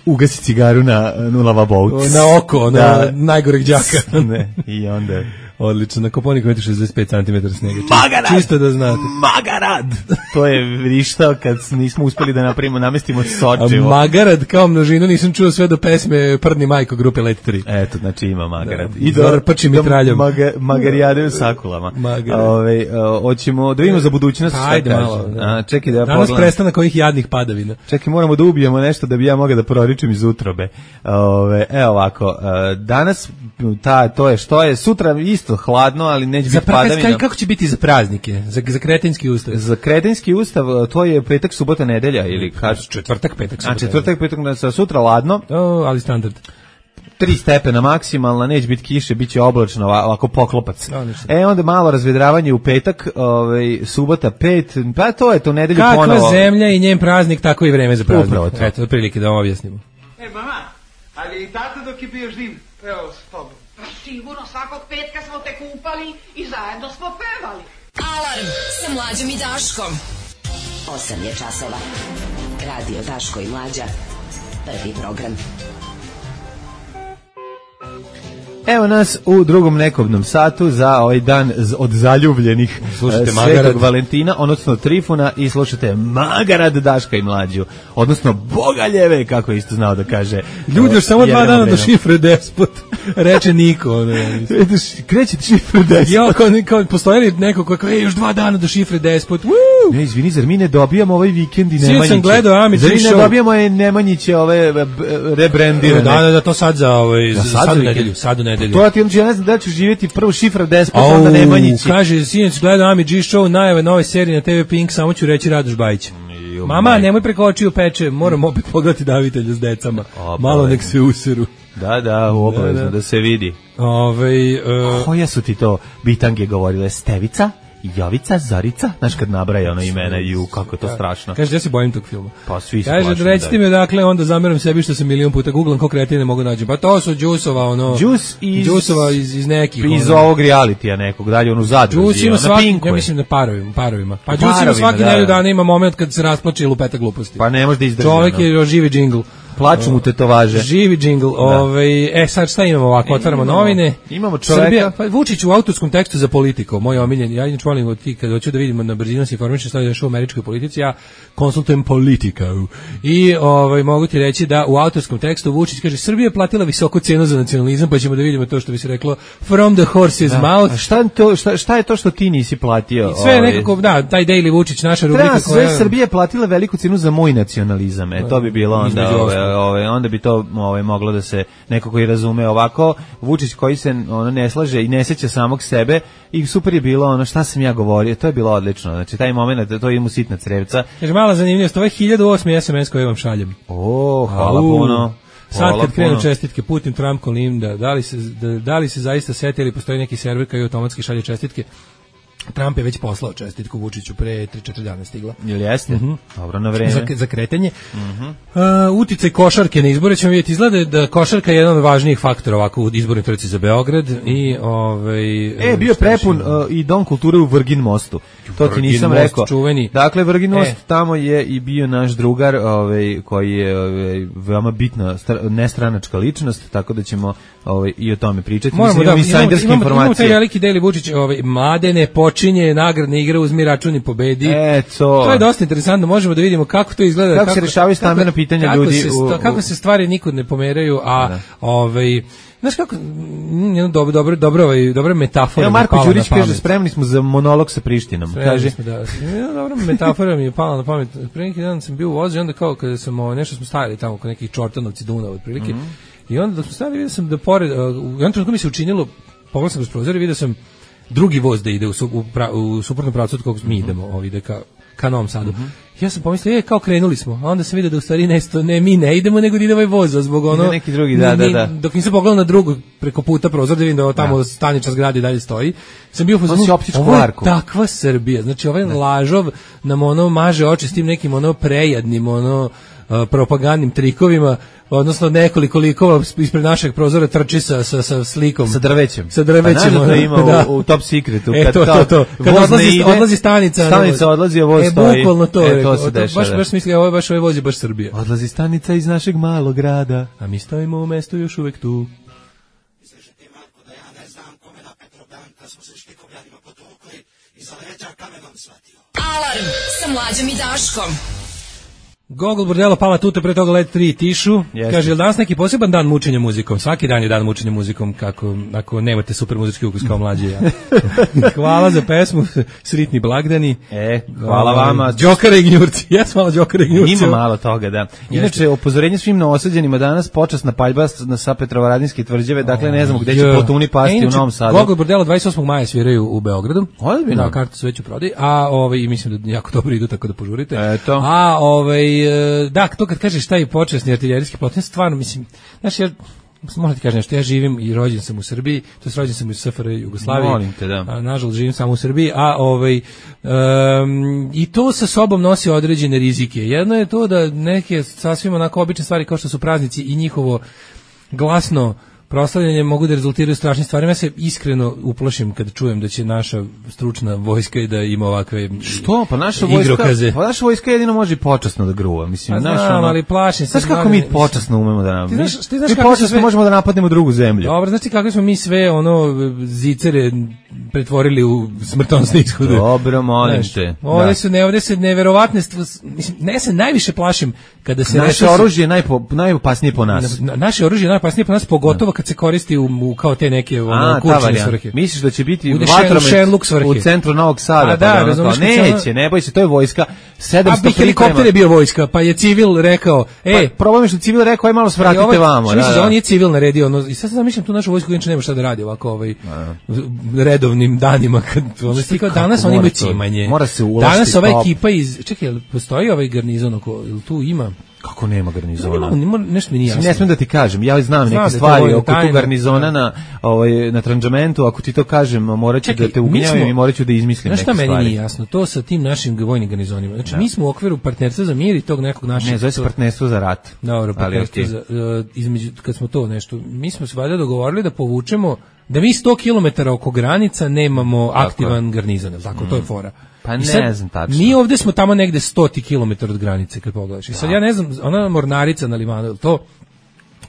ugasi cigaru na nula vabout. Na oko, na da. Najgoreg đaka. Ne, i onda... Odlično, na Koponiku imate šezdeset pet centimetara snega. Magarad! Čisto da znate. Magarad! To je vrištao kad nismo uspeli da napravimo, namestimo sočivo. Magarad kao množinu nisam čuo sve do pesme Prdni majko grupe Let tri. Eto, znači ima Magarad. Da, I do prči mitraljom. Maga, magarijade u sakulama. Ove, hoćemo da vidimo za budućnost. Pa, ajde malo. Da. A, čekaj da ja danas pogledam. prestanak ovih jadnih padavina. Čekaj, moramo da ubijemo nešto da bi ja mogao da proričem iz utrobe. Ove, evo ovako, danas ta, to je što je, sutra isto hladno, ali neće biti padavina. Kako će biti za praznike? Za, za kretenski ustav? Za kretenski ustav, to je petak, subota, nedelja ili kad? Četvrtak, petak, subota. A četvrtak, petak, sutra ladno. O, ali standard. Tri stepena maksimalna, neće biti kiše, bit će oblačno, ovako poklopac. E, onda malo razvedravanje u petak, ovaj, subota pet, pa to je to, nedelju kakva ponovo. Kakva zemlja i njen praznik, tako i vreme za praznik. Upravo to. Eto, prilike da vam objasnimo. E, mama, ali i tata dok je bio živ, evo s tobom. Sigurno, svakog petka smo te kupali i zajedno smo pevali. Alarm sa Mlađom i Daškom. osam je časova. Radio Daško i Mlađa. Prvi program. Evo nas u drugom nekobnom satu za ovaj dan od zaljubljenih slušate Svetog Magarad. Valentina, odnosno Trifuna i slušate Magarad, Daška i Mlađu, odnosno Bogaljeve, kako je isto znao da kaže. Ljudi, još samo dva dana do šifre despot, reče Niko. Ono, kreće šifre despot. Jo, kao, kao postojali neko koji kaže, još dva dana do šifre despot. Woo! Ne, izvini, zar mi ne dobijamo ovaj vikend i Nemanjiće? Svi sam gledao Amić Zar mi ne dobijamo je Nemanjiće ove rebrandirane? Da, da, da, to sad za ovaj, da, sad u nedelju, sad u nedelju. To ja ti ja ne znam da ću živjeti prvo šifra despot, onda Nemanjići. Kaže, sinoć gledao Ami G Show, najave nove serije na te ve Pink, samo ću reći Radoš Bajić. Mama, nemoj preko očiju peče, moram opet pogledati davitelja s decama. Malo nek se useru. Da, da, obavezno da, da. da se vidi. Ove, uh, koje su ti to bitange govorile? Stevica? Jovica, Zorica, znaš kad nabraja ono imena i u kako je to strašno. Kaže, ja se bojim tog filma. Pa svi se kaže, recite mi odakle, onda zameram sebi što sam milion puta googlam ko kreativne mogu naći. Pa to su Đusova, ono... Đus iz... Đusova iz, iz nekih... Iz ono, ovog realitija nekog, dalje ono zadruzi. Đus ima svaki, ja mislim na parovima, parovima. Pa Đus ima svaki da, nedelju dana ima moment kad se rasplače i lupeta gluposti. Pa ne može da izdrži. Čovjek je živi džingl. Plaču mu tetovaže. Živi džingl. Ovaj, e sad šta imamo ovako, otvaramo imamo, novine. Imamo čoveka. Srbija, pa Vučić u autorskom tekstu za Politiku, moj omiljen. Ja inače volim od ti kad hoću da vidimo na brzinu se informišem šta je u američkoj politici, ja konsultujem Politiku. I ovaj mogu ti reći da u autorskom tekstu Vučić kaže Srbija je platila visoku cenu za nacionalizam, pa ćemo da vidimo to što bi se reklo from the horse's da. mouth. A šta to šta, šta je to što ti nisi platio? I sve ovaj... nekako, da, taj Daily Vučić, naša rubrika koja sve Srbija je platila veliku cenu za moj nacionalizam. E to bi bilo onda ove, ove, onda bi to ove, moglo da se neko koji razume ovako. Vučić koji se ono ne slaže i ne seća samog sebe i super je bilo ono šta sam ja govorio, to je bilo odlično. Znači taj momenat, to je mu sitna crevca. Kaže mala zanimljivost, ovo je hiljadu osmi es em es koji vam šaljem. O, hvala Au. puno. Sad kad krenu čestitke Putin, Trump, Kolinda, da li se, da, da li se zaista setili, postoji neki server koji automatski šalje čestitke? Trump je već poslao čestitku Vučiću pre tri četiri dana stigla. Jel jeste? Mm-hmm. Dobro, na vreme. Za, za kretanje. Mm-hmm. Uh, uticaj košarke na izbore ćemo vidjeti. Izgleda da košarka je jedan od važnijih faktora ovako u izbornoj trci za Beograd i ovaj E, bio prepun uh, i Dom kulture u Vrgin mostu. To ti nisam most, rekao. Čuveni. Dakle, Vrgin most, e. tamo je i bio naš drugar, ovaj, koji je ovaj, veoma bitna stra, nestranačka ličnost, tako da ćemo ovaj, i o tome pričati. Moramo Mislim, da, imamo, imamo, imamo, imamo taj veliki Deli Vučić, ovaj, Mladene počinje nagradne igre, uzmi račun i pobedi. E, to. To je dosta interesantno, možemo da vidimo kako to izgleda. Kako, kako se rešavaju stambena pitanja kako ljudi. Se, u, u, kako se stvari nikud ne pomeraju, a da. ovaj... Znaš kako, jedno dobro, dobro, dobro, ovaj, dobra metafora. Evo Marko Đurić kaže, spremni smo za monolog sa Prištinom. Spremni kaže. Smo, da. Jedna dobra metafora mi je pala na pamet. Pre neki dan sam bio u vozu i onda kao kada sam, ovaj, nešto smo stajali tamo kod nekih Čortanovci Dunav otprilike. Mm -hmm. I onda da smo stajali, vidio sam da pored, uh, u jednom trenutku mi se učinilo, pogledao sam kroz prozor i vidio sam drugi voz da ide u, su, u, pra, u suprotnom pravcu od kog mi idemo, ovaj, ide ka, ka Novom Sadu. Mm -hmm. Ja sam pomislio, je, kao krenuli smo, a onda sam vidio da u stvari ne, ne mi ne idemo, nego da ide ovaj voz, zbog ono... neki drugi, da, ni, da, da. Dok nisam pogledao na drugu preko puta prozor, da vidim da tamo da. Staničar zgrade dalje stoji, sam bio fazonu, ovo je takva Srbija, znači ovaj da. lažov nam ono maže oči s tim nekim ono prejadnim, ono... Uh, propagandnim trikovima, odnosno nekoliko likova ispred našeg prozora trči sa, sa, sa slikom. Sa drvećem. Sa drvećem. Pa znaš da ima da. U, u Top Secretu. E, kad to, to, to. Kad odlazi, ide, odlazi stanica. Stanica odlazi, a voz e, stoji. Bukvalno to. E, to se dešava. Baš, baš misli, ovo je baš ovaj voz je baš Srbija. Odlazi stanica iz našeg malog grada. A mi stojimo u mestu još uvek tu. Alarm sa Mlađom i Daškom. Gogol Bordelo pala tuta, pre toga Led tri Tišu. Jeste. Kaže, je li danas neki poseban dan mučenja muzikom? Svaki dan je dan mučenja muzikom, kako, ako nemate super muzički ukus kao mlađi ja. Hvala za pesmu, sritni blagdani. E, hvala o, vama. Đokare i gnjurci, jes malo Đokare i gnjurci. Ima malo toga, da. Inače, upozorenje svim neosađenima danas, počasna paljba na sa Petrovaradinske tvrđave, dakle ne znamo gde će plotuni pasti e, u Novom Sadu. Gogol Bordelo dvadeset osmog maja sviraju u Beogradu. Ozbiljno. Da, karte su već u prodaji, a ovaj, mislim da jako dobro idu, tako da požurite. Eto. A ovaj da, to kad kažeš taj počasni artiljerijski plotin, stvarno, mislim, znaš, ja, možda ti kažem nešto, ja živim i rođen sam u Srbiji, to je rođen sam u S F R Jugoslaviji, molim te, da. A, nažalost živim samo u Srbiji, a ovaj, um, i to sa sobom nosi određene rizike. Jedno je to da neke sasvim onako obične stvari kao što su praznici i njihovo glasno proslavljanje mogu da rezultiraju strašnim stvarima. Ja se iskreno uplašim kad čujem da će naša stručna vojska da ima ovakve što? Pa naša vojska, pa naša vojska jedino može i počasno da gruva. Mislim, pa naša, znam, ono, ali plašim se. Znaš kako mi počasno umemo da nam... Ti znaš, ti znaš mi kako počasno sve... možemo da napadnemo drugu zemlju. Dobro, znači kako smo mi sve ono zicere pretvorili u smrtonosne ishode. Dobro, molim znaš, te. Ovde da. su ne, ovde se neverovatne stvari, mislim, ne se najviše plašim kada se naše nešto... oružje je najpo, najopasnije po nas. Na, naše oružje je najopasnije po nas, pogotovo kad se koristi u, u kao te neke ono kurčine svrhe. Misliš da će biti vatromet u centru Novog Sada? A da, pa razumiješ, neće, ne boj se, to je vojska. sedamsto a helikopter je bio vojska, pa je civil rekao, e, pa, problem je što civil rekao, aj malo svratite ovaj, vamo. Da, da. On je civil naredio, ono, i sad sam zamišljam tu našu vojsku, inače nema šta da radi ovako ovaj redovnim danima kad ono stikao danas oni imaju cimanje. Mora se uložiti. Danas ova ekipa iz, čekaj, postoji ovaj garnizon oko, jel tu ima? Kako nema garnizona? Nema, nešto mi nije jasno. Ne smijem da ti kažem, ja znam, znam neke stvari oko tu garnizona na, ovaj, na tranžamentu, ako ti to kažem, morat ću da te ugnjavim i morat ću da izmislim neke stvari. Znaš šta meni nije jasno? To sa tim našim vojnim garnizonima. Znači, da. Mi smo u okviru partnerstva za mir i tog nekog našeg... Ne, zove se partnerstvo za rat. Dobro, partnerstvo okay. za... Uh, između, kad smo to nešto... Mi smo se valjda dogovorili da povučemo... Da mi sto kilometara oko granica nemamo tako. Aktivan garnizon, tako, mm. to je fora. Pa ne sad, znam tačno. Mi ovde smo tamo negde sto kilometara od granice, kad pogledaš. I sad ja ne znam, ona mornarica na limanu, to...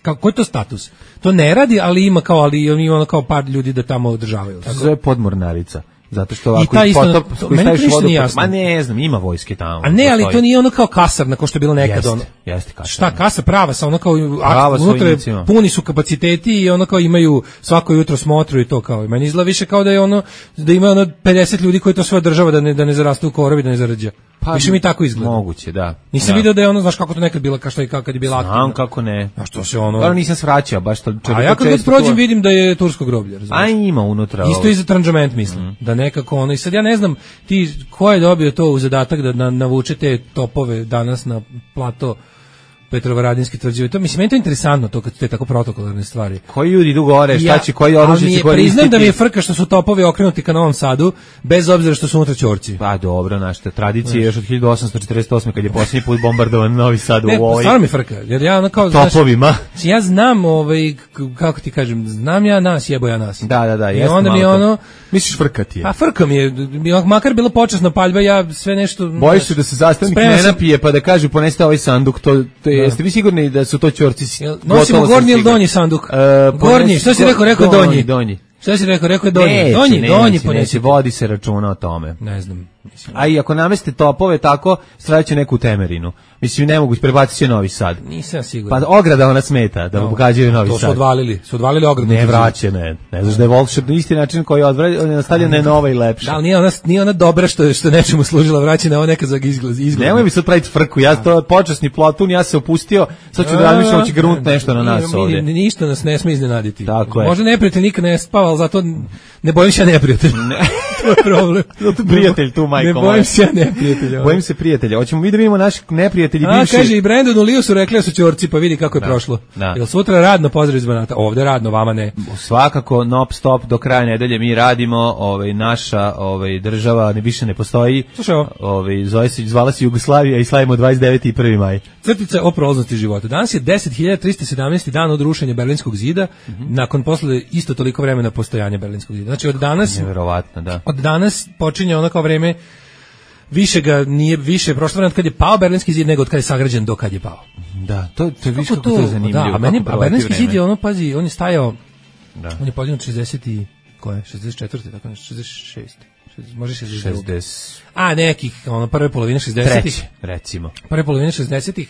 Kako je to status? To ne radi, ali ima kao, ali ima ono kao par ljudi da tamo održavaju. To se zove podmornarica. Zato što ovako i ta isto, potop, to, meni to ništa nije jasno. Ma ne znam, ima vojske tamo. A ne, ali to nije ono kao kasarna, kao što je bilo nekad. Jeste, ono. jeste kasarna. Šta, kasa prava, sa ono kao akt, unutra puni su kapaciteti i ono kao imaju svako jutro smotru i to kao. Meni izgleda više kao da je ono, da ima ono pedeset ljudi koji to sve održava da ne, da ne zarastu u korovi, da ne zarađa. Pa, više mi tako izgleda. Moguće, da. Nisam da. video da je ono, znaš kako to nekad bilo, kao što je kad je bila aktivna. Znam kako ne. A što se ono... Ali nisam svraćao, baš to... A ja kad prođem vidim da je tursko groblje, razumiješ? A ima unutra. Isto i za tranžament, mislim. Mm. Da nekako ono... I sad ja ne znam, ti, ko je dobio to u zadatak da na, navučete topove danas na plato Petrovaradinski tvrđave. To mislim meni to je interesantno to kad te tako protokolarne stvari. Koji ljudi idu gore, šta će, koji oružje će koristiti? Priznam da mi je frka što su topovi okrenuti ka Novom Sadu, bez obzira što su unutra ćorci. Pa dobro, našta tradicija još od hiljadu osamsto četrdeset osme kad je posljednji put bombardovan Novi Sad u ne, ovoj. Stvarno mi frka, jer ja ono kao topovima. Znaš, ja znam ovaj kako ti kažem, znam ja nas, jebo ja nas. Da, da, da, i onda mi ono misliš frkati je. Pa frka mi je, makar bilo počasno paljba, ja sve nešto. Bojiš se da se zastavnik ne napije pa da kaže poneste ovaj sanduk, to to je, jeste vi sigurni da su to ćorci? Nosimo gornji ili donji sanduk? Uh, gornji, što si rekao, rekao donji. Donji. Šta si rekao, rekao je donji. Neće, donji, neće, donji neće, neće, vodi se računa o tome. Ne znam. Mislim. A i ako nameste topove tako, stradaće neku Temerinu. Mislim, ne mogu, prebacit će Novi Sad. Nisam siguran. Pa ograda ona smeta, da no, pogađaju Novi Sad. To su odvalili, su odvalili ogradu. Ne vraće, ne. Ne znaš da je volšebno isti način koji je odvraćen, nastavljen je nova i lepša. Da, nije ona, nije ona dobra što, što nečemu služila vraćena, ona neka za izgled. izgled. Nemoj mi sad praviti frku, ja to počasni plotun, ja se opustio, sad ću da razmišljam, hoće grunut nešto na nas ovdje. Ništa nas ne sme iznenaditi. Tako je. Možda neprijatelj nikad ne spava, ali zato ne bojim se ja neprijatelj. To je problem. Zato prijatelj tu, majko. Ne bojim se ja neprijatelja. Bojim se prijatelja. Hoćemo mi da vidimo naših neprijatelji bivši. A, kaže i Brandonu Liu su rekli da su ćorci, pa vidi kako je da, prošlo. Da. Jel sutra radno pozdrav iz Banata? Ovde radno, vama ne. Svakako, non stop, do kraja nedelje mi radimo, ovaj, naša ovaj, država ne više ne postoji. Slušaj ovo. Ovaj, zove se, zvala se Jugoslavija i slavimo dvadeset deveti i prvi maj. Crtica o prolaznosti života. Danas je deset hiljada trista sedamnaesti dan od rušenja Berlinskog zida, mm-hmm. nakon posle isto toliko vremena postojanja Berlinskog zida. Znači od danas, nevjerovatno, da. Od danas počinje ono kao vreme više ga nije više prošlo vreme od kad je pao Berlinski zid nego od kad je sagrađen do kad je pao. Da, to to je više kako to je zanimljivo. Da, a meni a Berlinski zid je ono pazi, on je stajao. Da. On je podignut šezdeset i koje? šezdeset četvrte tako nešto, šezdeset šeste može šezdeset šezdeset A nekih, ono prve polovine šezdesetih recimo. Prve polovine šezdesetih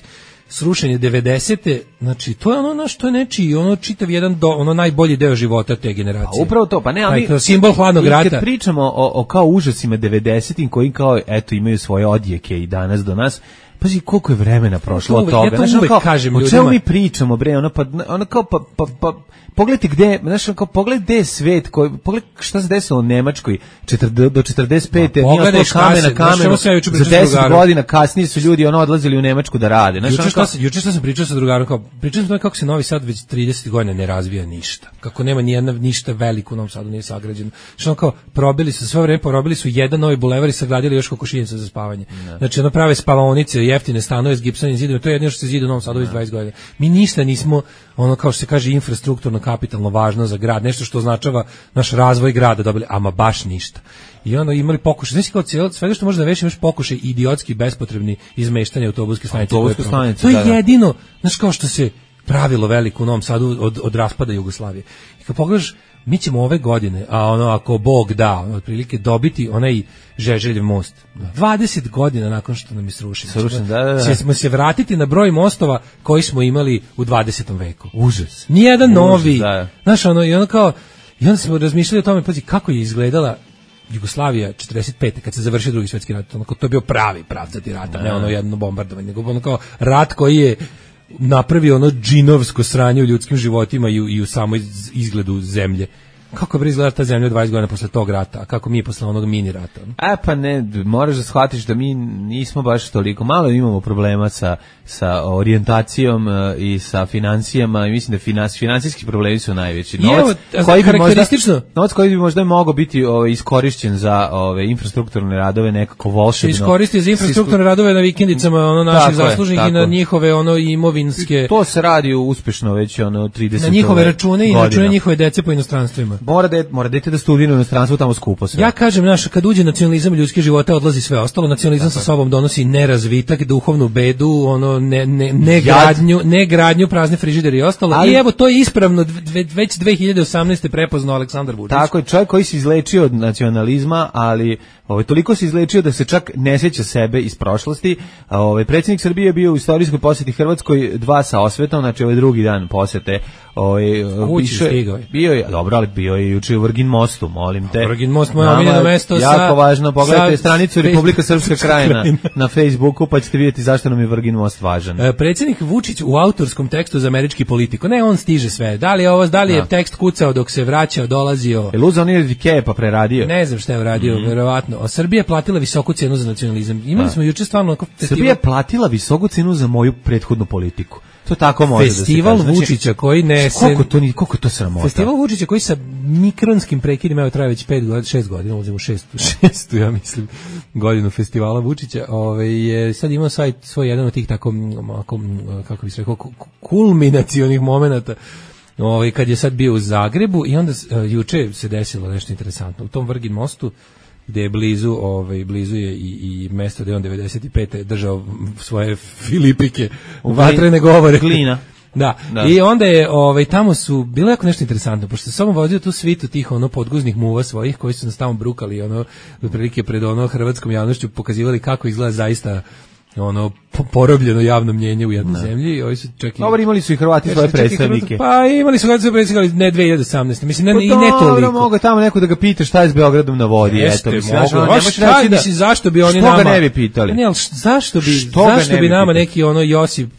srušenje devedesete znači to je ono na što je nečiji ono čitav jedan do, ono najbolji deo života te generacije. A upravo to, pa ne, ali Aj, simbol hladnog rata. Kad pričamo o, o kao užasima devedesetih koji kao eto imaju svoje odjeke i danas do nas, pazi koliko je vremena prošlo od toga. Ja to uvek znači, kao, kažem ljudima. O čemu mi ljudima. pričamo, bre, ono pa, ono kao, pa, pa, pa pogledajte gde, znači kao pogledaj gde je svet, koji, pogledaj šta se desilo u Nemačkoj do četrdeset pete Ma, nije ostalo kamen na kamenu, za deset godina kasnije su ljudi ono odlazili u Nemačku da rade. Znači, juče, šta, kao, juče šta sam pričao sa drugarom, kao, pričao sam kako se Novi Sad već trideset godina ne razvija ništa, kako nema nijedna ništa veliko u Novom Sadu nije sagrađeno, što kao probili su sve vreme, porobili su jedan novi bulevar i sagradili još kokošinjica za spavanje. Ne. Znači ono prave spavaonice, jeftine stanove s gipsanim zidom, to je jedino što se zida u Novom Sadu već dvadeset godina. Mi ništa nismo, ono kao što se kaže infrastrukturno kapitalno važno za grad, nešto što označava naš razvoj grada, dobili, ama baš ništa. I ono imali pokušaj, znači kao cijelo, svega što može da veći imaš pokušaj idiotski, bespotrebni izmeštanje autobuske stanice. Autobuske stanice, to je da, da. jedino, znaš kao što se pravilo veliko u Novom Sadu od, od raspada Jugoslavije. I kad pogledaš, mi ćemo ove godine, a ono ako Bog da, otprilike dobiti onaj Žeželjev most. dvadeset godina nakon što nam je srušen. Srušen, da, da, da. Ćemo se vratiti na broj mostova koji smo imali u dvadesetom veku. Užas. Nijedan novi. Užas, da. Znaš, ono, i ono kao, i onda smo razmišljali o tome, pazi, kako je izgledala Jugoslavija četrdeset pete kad se završio drugi svjetski rat. Ono, to je bio pravi pravcati rat, a ne ono jedno bombardovanje, nego ono kao rat koji je napravio ono džinovsko sranje u ljudskim životima i u, i u samoj izgledu zemlje. Kako bi izgledala ta zemlja dvadeset godina posle tog rata, a kako mi posle onog mini rata? A pa ne, moraš da shvatiš da mi nismo baš toliko, malo imamo problema sa, sa orijentacijom i sa financijama i mislim da finans, finansijski problemi su najveći. Novac, evo, koji bi možda, novac koji bi možda mogao biti ovaj, iskorišćen za ove infrastrukturne radove nekako volšebno. Se iskoristi za infrastrukturne radove na vikendicama ono naših zaslužnih i na njihove ono imovinske. I to se radi uspešno već ono trideset na njihove račune i na račune njihove dece po inostranstvu. Mora da mora dete da studira u inostranstvu, tamo skupo sve. Ja kažem, naš kad uđe nacionalizam ljudskih života odlazi sve ostalo. Nacionalizam sa sobom donosi nerazvitak, duhovnu bedu, ono ne ne ne gradnju, ne gradnju, prazne frižidere i ostalo. Ali, i evo to je ispravno dve, već dve hiljade osamnaeste prepoznao Aleksandar Vučić. Tako je, čovjek koji se izlečio od nacionalizma, ali ovaj toliko se izlečio da se čak ne sjeća sebe iz prošlosti. Ovaj predsjednik Srbije je bio u istorijskoj posjeti Hrvatskoj dva sa osvetom, znači ovaj drugi dan posjete. Ovaj bio je dobro, ali bio je juče u Vrgin mostu, molim te. Vrgin most moje omiljeno mesto jako sa jako važno, pogledajte sa, stranicu Republika Srpska krajina na Facebooku pa ćete vidjeti zašto nam je Vrgin most važan. E, predsjednik Vučić u autorskom tekstu za američki Politiku. Ne, on stiže sve. Da li je ovo, da li je tekst kucao dok se vraćao, dolazio? Jel uzeo on je pa preradio? Ne znam šta je uradio, mm. verovatno. bitno. A Srbija je platila visoku cenu za nacionalizam. Imali smo juče stvarno onako festival. Srbija je platila visoku cenu za moju prethodnu politiku. To tako može festival da se kaže. Vučića koji ne koliko to ni koliko to sramota. Festival Vučića koji sa mikronskim prekidima evo traje već pet godina, šest godina, ulazimo šest, šestu, ja mislim, godinu festivala Vučića. Ovaj je sad imao svoj svoj jedan od tih tako kako bih rekao kulminacionih momenata. Ovaj kad je sad bio u Zagrebu i onda uh, juče se desilo nešto interesantno. U tom Vrgin mostu gde je blizu, ovaj blizu je i, i mesto gde on devedeset pete držao svoje filipike, u vatrene govore. Glina. Da. da, i onda je ovaj tamo su bilo jako nešto interesantno, pošto samo vodio tu svitu tih ono podguznih muva svojih koji su nas tamo brukali, ono otprilike pred ono hrvatskom javnošću pokazivali kako izgleda zaista ono porobljeno javno mnjenje u jednoj zemlji i ovi su čak i dobro imali su i Hrvati svoje predstavnike. Pa imali su Hrvati svoje predstavnike, ne dve hiljade osamnaeste. Mislim ne, pa i ne toliko. Dobro, mogu tamo neko da ga pita šta je s Beogradom na vodi, eto mislim. Šta mislim zašto bi oni nama? Što ga ne bi pitali? Ne, al zašto bi zašto bi nama neki ono Josip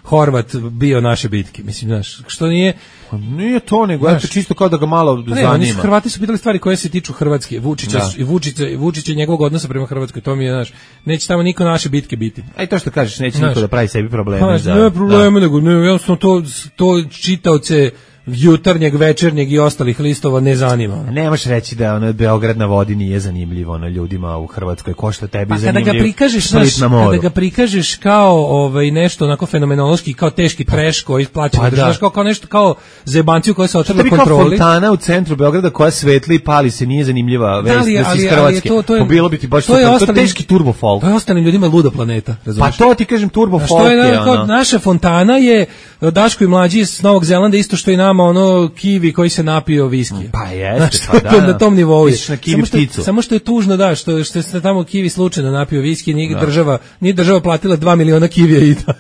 Horvat bio naše bitke? Mislim, znaš, što nije Pa nije to, nego eto čisto kao da ga malo ne, zanima. Ne, Hrvati su pitali stvari koje se tiču Hrvatske, Vučića da. i Vučića, Vučića i njegovog odnosa prema Hrvatskoj, to mi je, znaš, neće tamo niko naše bitke biti. Aj to što kažeš, neće znaš, niko da pravi sebi probleme. Znaš, za, ne probleme, da. nego ne, jednostavno to, to čitaoce jutarnjeg, večernjeg i ostalih listova ne zanima. Ne možeš reći da ono Beograd na vodi nije zanimljivo na ljudima u Hrvatskoj, ko što tebi pa zanimljivo. Kada ga prikažeš, znaš, kada ga prikažeš kao ovaj nešto onako fenomenološki, kao teški trash koji plaća, pa da. kao kao nešto kao zebanciju koja se otrla kontroli. Kao fontana u centru Beograda koja svetli i pali se, nije zanimljiva vest da, da si iz Hrvatske. To, to je, bilo bi ti baš to, je to teški turbo folk. To je ostalim ljudima luda planeta, razumiješ? Pa to ti kažem turbo folk. Što je ono. Naša fontana je Daško i mlađi iz Novog Zelanda isto što i nama ono kivi koji se napio viski. Pa jeste, pa da. Na tom nivou je. Na kivi samo, što, samo što je tužno da što što se tamo kivi slučajno napio viski, nije država, nije država platila dva miliona kivija i da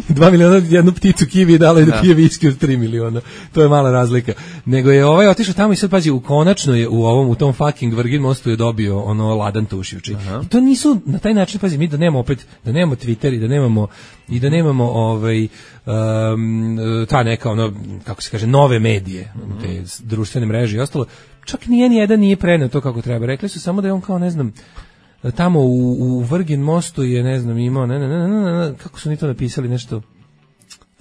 dva miliona jednu pticu kivi dala i da, da pije viski od tri miliona. To je mala razlika. Nego je ovaj otišao tamo i sad pazi, u konačno je u ovom u tom fucking Vrgin mostu je dobio ono ladan tušivči. I to nisu na taj način, pazi, mi da nemamo opet, da nemamo Twitter i da nemamo i da nemamo ovaj um, ta neka ono kako se kaže nove medije, mm-hmm. te društvene mreže i ostalo, čak nije ni jedan nije preneo to kako treba. Rekli su samo da je on kao ne znam tamo u, u Vrgin mostu je ne znam imao ne, ne, ne, ne, ne, kako su ni to napisali nešto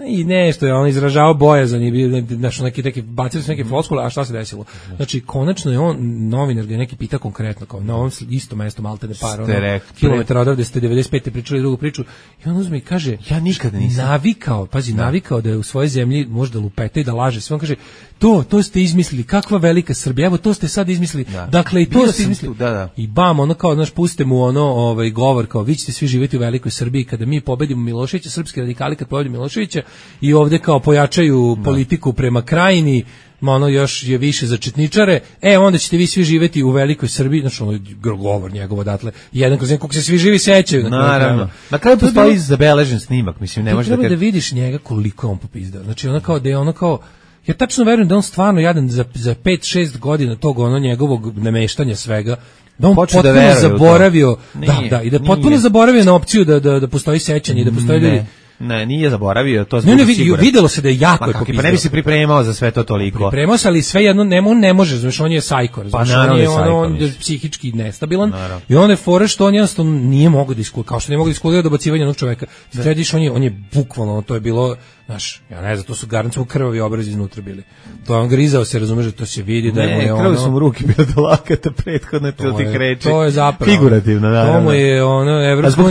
i nešto je on izražavao bojazan i bio znači neki neki bacili su neke floskule, a šta se desilo? Znači konačno je on novinar ga neki pita konkretno kao na ovom istom mestu maltene par ono, kilometara odavde ste devedeset pete pričali drugu priču i on uzme i kaže ja nikada nisam navikao, pazi da. navikao da je u svojoj zemlji možda lupeta i da laže sve. On kaže to, to ste izmislili, kakva velika Srbija, evo to ste sad izmislili, da. dakle i to Bio ste izmislili. Tu, da, da. I bam, ono kao, znaš, puste mu ono ovaj, govor, kao vi ćete svi živjeti u velikoj Srbiji kada mi pobedimo Miloševića, srpski radikali kad pobedimo Miloševića i ovde kao pojačaju da. politiku prema Krajini, ma ono još je više za četničare, e onda ćete vi svi živjeti u velikoj Srbiji, znači ono govor njegov odatle, jedan kroz jedan, kako se svi živi sećaju. Naravno. Na kraju postoji zabeležen snimak, mislim, ne može da... Treba da vidiš njega koliko on popizdao, znači ono kao da je ono kao, ja tačno verujem da on stvarno jadan za, za pet šest godina tog ono njegovog nameštanja svega, da on Poču potpuno da zaboravio, da, da, i da potpuno nije. zaboravio na opciju da, da, da postoji sećanje i da postoji ljudi. Ne, nije zaboravio, to ne, ne, videlo se da je jako je popizdao. Pa ne bi se pripremao za sve to toliko. Pripremao se, ali sve jedno ne, ne može, znaš, on je sajko, pa, znaš, on je, ono, on je psihički nestabilan naravno. I on je fora što on jednostavno nije mogao da iskulira, kao što nije mogao da iskulira dobacivanje jednog čoveka. Središ, on je, on je bukvalno, to je bilo, znaš, ja ne znam, to su garanciju krvavi obrazi iznutra bili. To je on grizao se, razumeš, da to se vidi da ne, je ono... Ne, krvavi su mu ruke bile do lakata prethodne to tih reči. To je zapravo. Figurativno, naravno. To mu je, ono, Evropska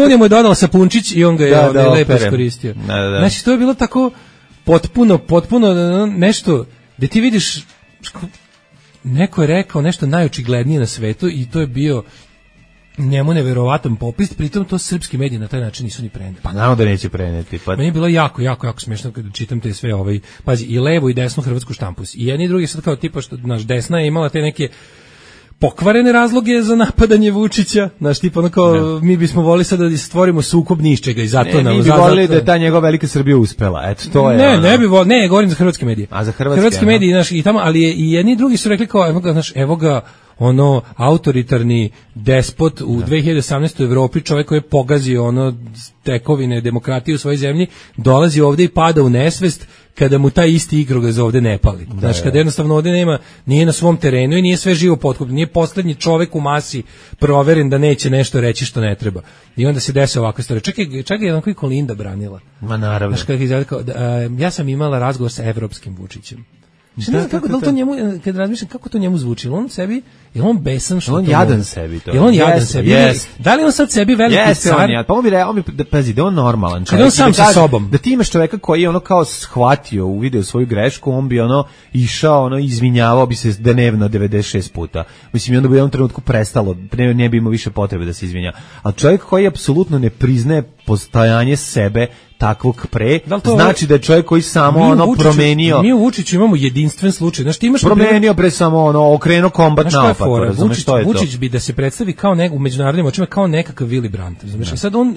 unija mu je dodala sapunčić i on ga je da, da, lepo iskoristio. Da, da. Znači, to je bilo tako potpuno, potpuno nešto gde ti vidiš, neko je rekao nešto najočiglednije na svetu i to je bio njemu neverovatan popis, pritom to srpski mediji na taj način nisu ni preneli. Pa naravno da neće preneti. Pa... Meni je bilo jako, jako, jako smiješno kada čitam te sve ovaj, pazi, i levo i desnu hrvatsku štampus. I jedni i drugi sad kao tipa što, naš desna je imala te neke pokvarene razloge za napadanje Vučića, znaš, tipa ono kao, ne. mi bismo volili sad da stvorimo sukob ničega i zato ne, nam... Mi bi volili da je ta njegova velika Srbija uspela, eto, to je... Ne, ono... ne bi volili, ne, govorim za hrvatske medije. A za hrvatske, hrvatske medije, znaš, i tamo, ali je, i jedni i drugi su rekli kao, evo ga, znaš, evo ga, ono autoritarni despot u da. dve hiljade osamnaestoj u Evropi, čovjek koji je pogazio ono tekovine demokratije u svojoj zemlji, dolazi ovdje i pada u nesvest kada mu taj isti igrokaz ovdje ne pali. Da, znači, kada jednostavno ovdje nema, nije na svom terenu i nije sve živo potkupno, nije poslednji čovjek u masi proveren da neće nešto reći što ne treba. I onda se desi ovakva stvar. Čak je, čak je jedan koji Kolinda branila. Ma naravno. Znači, kada je kao, da, a, ja sam imala razgovor sa evropskim Vučićem. Što ne znam kako da to njemu, kad razmišljam kako to njemu zvuči, on sebi, je on besan što on to jadan mogu. Sebi to. Je on jadan yes, sebi. Yes. Da li on sad sebi veliki yes, car? On, pa on bi re, on bi da pazi, da on normalan čovjek. Kad on sam da sa kaže, sobom. Da ti imaš čovjeka koji je ono kao shvatio, uvideo svoju grešku, on bi ono išao, ono izvinjavao bi se dnevno devedeset šest puta. Mislim, i onda bi u jednom trenutku prestalo, ne, ne bi imao više potrebe da se izvinja. Ali čovjek koji apsolutno ne priznaje postojanje sebe takvog pre, da to, znači da je čovjek koji samo ono Vučiću, promenio. Mi u Vučiću imamo jedinstven slučaj. Znaš, ti imaš promenio pre samo ono okrenuo kombat naopako, razumeš što je to? Vučić bi da se predstavi kao nek u međunarodnim očima kao nekakav Willy Brandt, razumeš? I sad on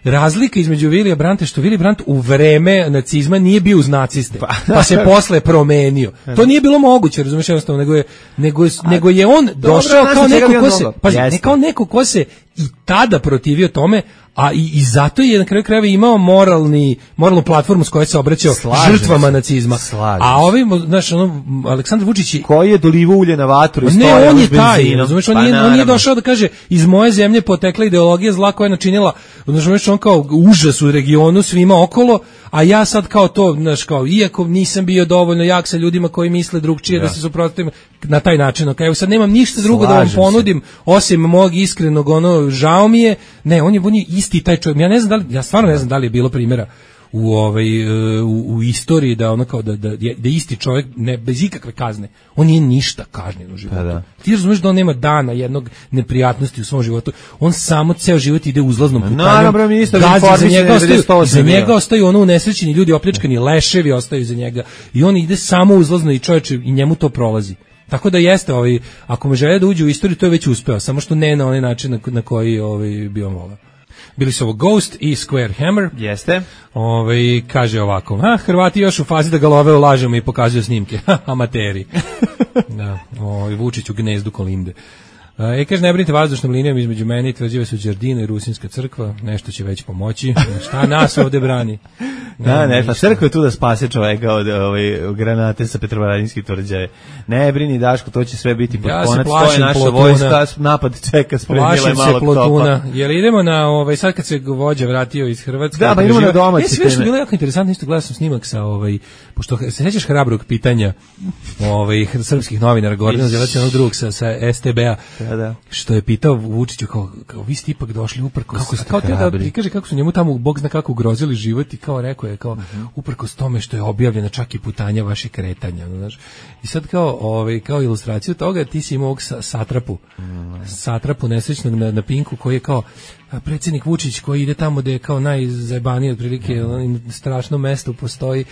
razlika između Willy Brandta što Willy Brandt u vreme nacizma nije bio uz naciste, pa, pa se posle promenio. To nije bilo moguće, razumeš, jednostavno, nego je nego je, A, nego je on došao kao neko ko se, pa ne kao neko ko se i tada protivio tome, a i, i zato je na kraju krajeva imao moralni moralnu platformu s kojoj se obraćao slažem žrtvama se, nacizma. A ovi, znaš, ono, Aleksandar Vučić koji je dolivo ulje na vatru i ne, on je taj, razumeš, on, pa nije, on nije došao da kaže iz moje zemlje potekla ideologija zla koja je načinila, znaš, on kao užas u regionu svima okolo, a ja sad kao to, znaš, kao iako nisam bio dovoljno jak sa ljudima koji misle drugčije ja. da se suprotstavim na taj način, okay, sad nemam ništa drugo slažem da vam ponudim se. Osim mog iskrenog ono žao mi je. Ne, on je on je isti taj čovjek. Ja ne znam da li, ja stvarno ne znam da li je bilo primjera u ovaj u, u istoriji da ono kao da da da isti čovjek ne bez ikakve kazne. On nije ništa kažnjen u životu. Pa da. Ti razumeš da on nema dana jednog neprijatnosti u svom životu. On samo ceo život ide uzlaznom putanjom. Naravno, ministar za njega ostaju, za njega ostaju ono unesrećeni ljudi, opljačkani leševi ostaju za njega. I on ide samo uzlazno i čovječe i njemu to prolazi. Tako da jeste, ovaj, ako me žele da uđe u istoriju, to je već uspeo, samo što ne na onaj način na, na koji ovaj, bi on volao. Bili su ovo Ghost i Square Hammer. Jeste. Ovaj, kaže ovako, a, Hrvati još u fazi da ga love u lažama i pokazuju snimke. Amateri. Da, ovaj, Vučić u gnezdu Kolinde. E, kaže, ne brinite vazdušnom linijom između mene i tvrđive su Đardina i Rusinska crkva, nešto će već pomoći. Šta nas ovde brani? Ne, da, ne, pa crkva je tu da spase čoveka od ove granate sa Petrovaradinskih tvrđave. Ne brini, Daško, to će sve biti pod ja konac, to je naša plotuna. Vojska, napad čeka, spremila je malo plotuna. Jel idemo na, ovaj, sad kad se vođa vratio iz Hrvatske? Da, pa idemo na domaći teme. Je, sve što bilo jako interesantno, isto gledao sam snimak sa, ovaj, pošto se sećaš hrabrog pitanja ovaj, srpskih novinara, Gordana Zelaća, onog drugog sa, sa S T B-a, da, da. Što je pitao Vučiću, kao, kao vi ste ipak došli uprkos, kako ste kao te da ti kaže kako su njemu tamo, Bog zna kako ugrozili život i kao rekao je, kao, uh-huh. uprkos tome što je objavljena čak i putanja vaših kretanja, znaš. I sad kao, ovaj, kao ilustraciju toga ti si imao ovog satrapu, mm. satrapu nesrećnog na, na Pinku koji je kao predsjednik Vučić koji ide tamo da je kao najzajebaniji otprilike mm. strašno mesto postoji.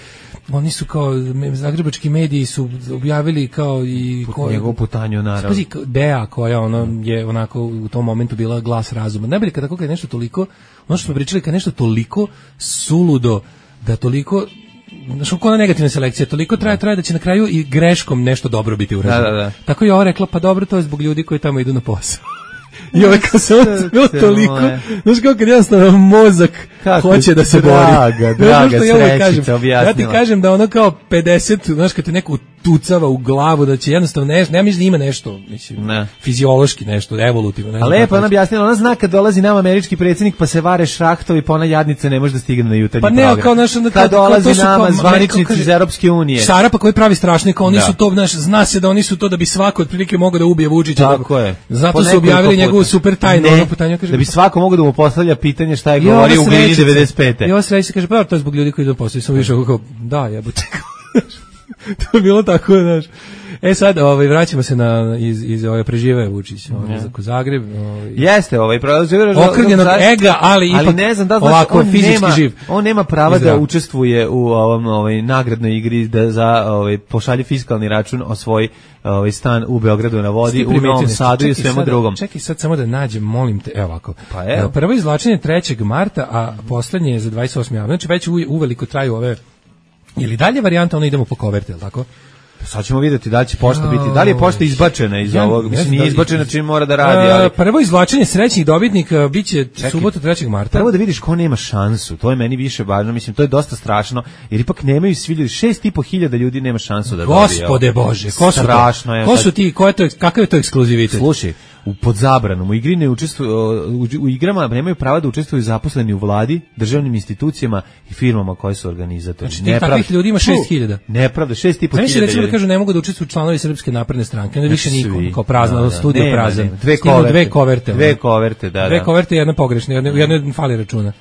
Oni su kao zagrebački mediji su objavili kao i ko, njegovu putanju naravno. Spazi, Dea koja ono je onako u tom momentu bila glas razuma. Najbolje kada kako je nešto toliko, ono što smo pričali, kad nešto toliko suludo, da toliko znaš, kako ona negativna selekcija, toliko traje, traje da će na kraju i greškom nešto dobro biti urađeno. Da, da, da. Tako je ova rekla, pa dobro, to je zbog ljudi koji tamo idu na posao. I ovaj kao se on bilo toliko, znaš kako kad jednostavno mozak kako hoće da se draga, bori. Draga, ja srećica objasnila. Ja ti kažem da ono kao pedeset, znaš kad te neko tucava u glavu, da će jednostavno, ne, ne mislim da ima nešto, mislim, ne. fiziološki nešto, evolutivno. A lepo ona objasnila, ona zna kad dolazi nam američki predsjednik pa se vare šrahtovi, pa ona jadnica ne može da stigne na jutarnji pa program. Pa ne, kao naš, onda, kad dolazi nama zvaničnici iz Europske unije. Šarapa koji pravi strašni, kao oni da. su to, znaš, zna se da oni su to da bi svako otprilike mogao da ubije Vučića. Tako je. Zato su objavili njegovu super tajnu, ono putanje, kaže, da bi svako mogao da mu postavlja pitanje šta je govorio u Glini devedeset pete. I ovo sreći se kaže, pa to je zbog ljudi koji idu posao, sam više kako, da, jebote. To je bilo tako, znaš. E sad, ovaj, vraćamo se na iz iz ove prežive Vučić, ovaj, za Zagreb, ovaj. Jeste, ovaj prolazio okrnjenog ega, ali ipak ali ne znam da znači ovako on fizički nema, živ. On nema prava da učestvuje u ovom ovaj nagradnoj igri da za ovaj pošalje fiskalni račun o svoj ovaj stan u Beogradu na vodi, u Novom Sadu i svemu drugom. Čekaj sad samo da nađem, molim te, evo ovako. Pa evo. Prvo izvlačenje trećeg marta, a poslednje je za dvadeset osmi aprila. Znači već uveliko traju ove. Ili dalje varijanta, ono idemo po koverte, je li tako? Sad ćemo vidjeti da li će pošta biti, da li je pošta izbačena iz ja, ovog, mislim nije izbačena čim mora da radi, ali... Prvo izvlačenje srećnih dobitnika biće subotu trećeg marta. Prvo da vidiš ko nema šansu, to je meni više važno, mislim to je dosta strašno, jer ipak nemaju svi ljudi, šest i po hiljada ljudi nema šansu da dobije. Gospode Bože, ko su strašno je. Ko su ti, ko je to, kakav je to ekskluzivitet? Slušaj, u pod zabranom, u igri ne učestvuju, u, u igrama nemaju prava da učestvuju zaposleni u vladi, državnim institucijama i firmama koje su organizatori. Znači tih takvih ljudi ima šest hiljada. Nepravda, šest i po hiljada. Znači recimo da kažu ne mogu da učestvuju članovi Srpske napredne stranke, onda više niko, kao prazno, da, da. Studio nema, prazan. Nema. Dve koverte. Dve koverte. Dve koverte, da, da. Dve koverte i jedna pogrešna, jedna, jedna fali računa.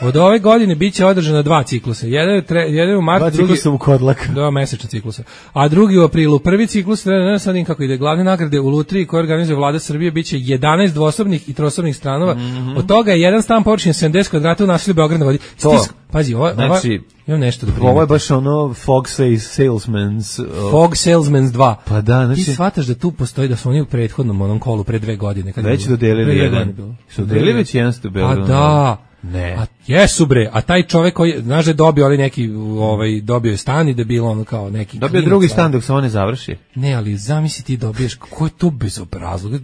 Od ove godine biće održana dva ciklusa. Jedan je, tre, jedan je u martu, dva ciklusa u Kodlak. Dva mesečna ciklusa. A drugi u aprilu. Prvi ciklus, ne sad im kako ide, glavne nagrade u lutriji koje organizuje Vlada Srbije biće jedanaest dvosobnih i trosobnih stanova. Mm-hmm. Od toga je jedan stan površine sedamdeset kvadrata u naselju Beograd na vodi. Stisk, pazi, ova, znači, ova, imam nešto da primim. Ovo je baš ono Fog Salesmans. Uh, Fog Salesmans dva. Pa da, znači... Ti shvataš da tu postoji, da su oni u prethodnom onom kolu pre dve godine. Kad već dodelili jedan. Su dodelili već jedan stu Beograd. A da... Ne. A jesu bre, a taj čovjek koji, znaš da je dobio ali neki, ovaj, dobio je stan i da je bilo ono kao neki... Dobio klinac, drugi stan dok se on ne završi. Ne, ali zamisli ti dobiješ, ko je to bezobrazlog?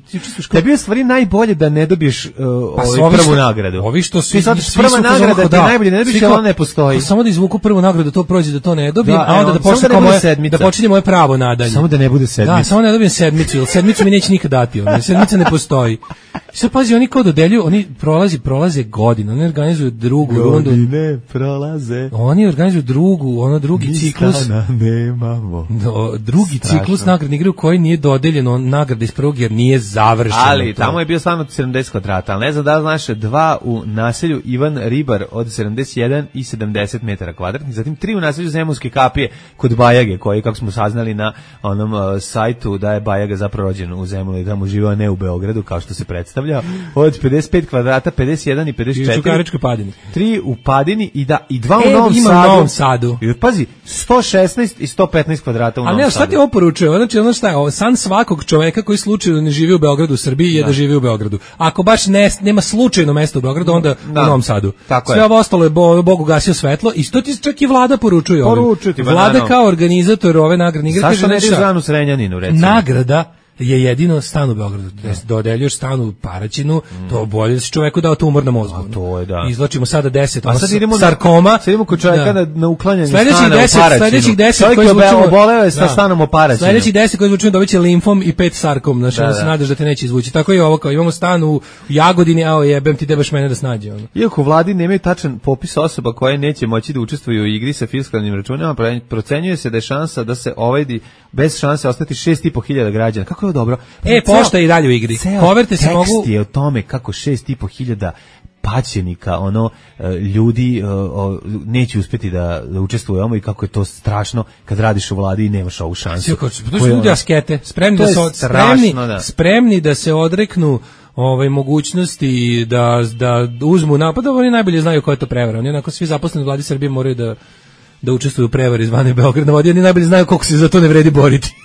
Tebi je stvari najbolje da ne dobiješ uh, pa ovaj prvu nagradu. Ovi što su... Ti sad prva nagrada ti najbolje ne dobiješ, ali ona ne postoji. Pa samo da izvuku prvu nagradu, da to prođe, da to ne dobijem, da, a onda da počne kao moje, da počinje moje pravo nadalje. Samo da ne bude sedmica. Da, samo ne dobijem sedmicu, jer sedmicu mi neće nikad dati, ono, sedmica ne postoji. Sad pazi, oni kao dodeljuju, oni prolazi, prolaze godine, oni organizuju drugu rundu. Godine prolaze. Oni organizuju drugu, ono drugi mi ciklus. Nemamo. No, drugi Strašno. ciklus nagradne igre u kojoj nije dodeljeno nagrada iz prvog jer nije završeno. Ali to. Tamo je bio stan od sedamdeset kvadrata, ali ne znam da li znaš, dva u naselju Ivan Ribar od sedamdeset jedan i sedamdeset metara kvadratnih, zatim tri u naselju Zemunske kapije kod Bajage, koji, kako smo saznali na onom uh, sajtu, da je Bajaga zapravo rođen u Zemunu i tamo živao, ne u Beogradu, kao što se predstavlja, od pedeset pet kvadrata, pedeset jedan i pedeset četiri. I u Čukaričkoj Padini. Tri u Padini i da i dva e, u Novom ima Sadu. U Novom Sadu. I pazi, sto šesnaest i sto petnaest kvadrata u Novom Sadu. A ne, šta ti ovo poručuje? Znači, ono šta je, san svakog čoveka koji slučajno ne živi u Beogradu, u Srbiji, je da, da živi u Beogradu. Ako baš ne, nema slučajno mesto u Beogradu, onda da. u Novom Sadu. Tako sve je. ovo ostalo je bo, Bogu gasio svetlo i to ti čak i Vlada poručuje. Poručuje ti, Vlada kao organizator ove nagradne igre. Zašto ne ideš Zvanu Srenjaninu, recimo? Nagrada je jedino stan u Beogradu. Da dodeljuješ stan u Paraćinu, mm. to bolje da si čoveku dao tumor na mozgu. A to je, da. Izlačimo sada deset, a sad idemo sarkoma. Sad idemo kod čoveka da. na uklanjanje sledećih stana deset, u Paraćinu. Sledećih deset koji izvučemo... oboleo je sa da. stanom u Paraćinu. Sledećih deset koji izvučemo dobiće limfom i pet sarkom. Znači, da, da. se nadaš da te neće izvući. Tako je ovo, kao imamo stan u Jagodini, a jebem ti, debaš mene da snađe. Ono. Iako vladi nemaju tačan popis osoba koje neće moći da učestvuju u igri sa fiskalnim računima, procenjuje se da je šansa da se ovajdi bez šanse ostati šest i po hiljada građana. Kako je dobro? E, pošta je i dalje u igri. Koverte se mogu... Tekst je o tome kako šest i po hiljada paćenika, ono, ljudi neće uspjeti da, da učestvuju ovome i kako je to strašno kad radiš u vladi i nemaš ovu šansu. To su ljudi askete, spremni da, se, spremni, da. spremni da se odreknu ovaj mogućnosti da, da uzmu napad, oni najbolje znaju ko je to prevara. Oni onako svi zaposleni u vladi Srbije moraju da da učestvuju u prevari zvane Beograd na vodi, oni najbolje znaju koliko se za to ne vredi boriti.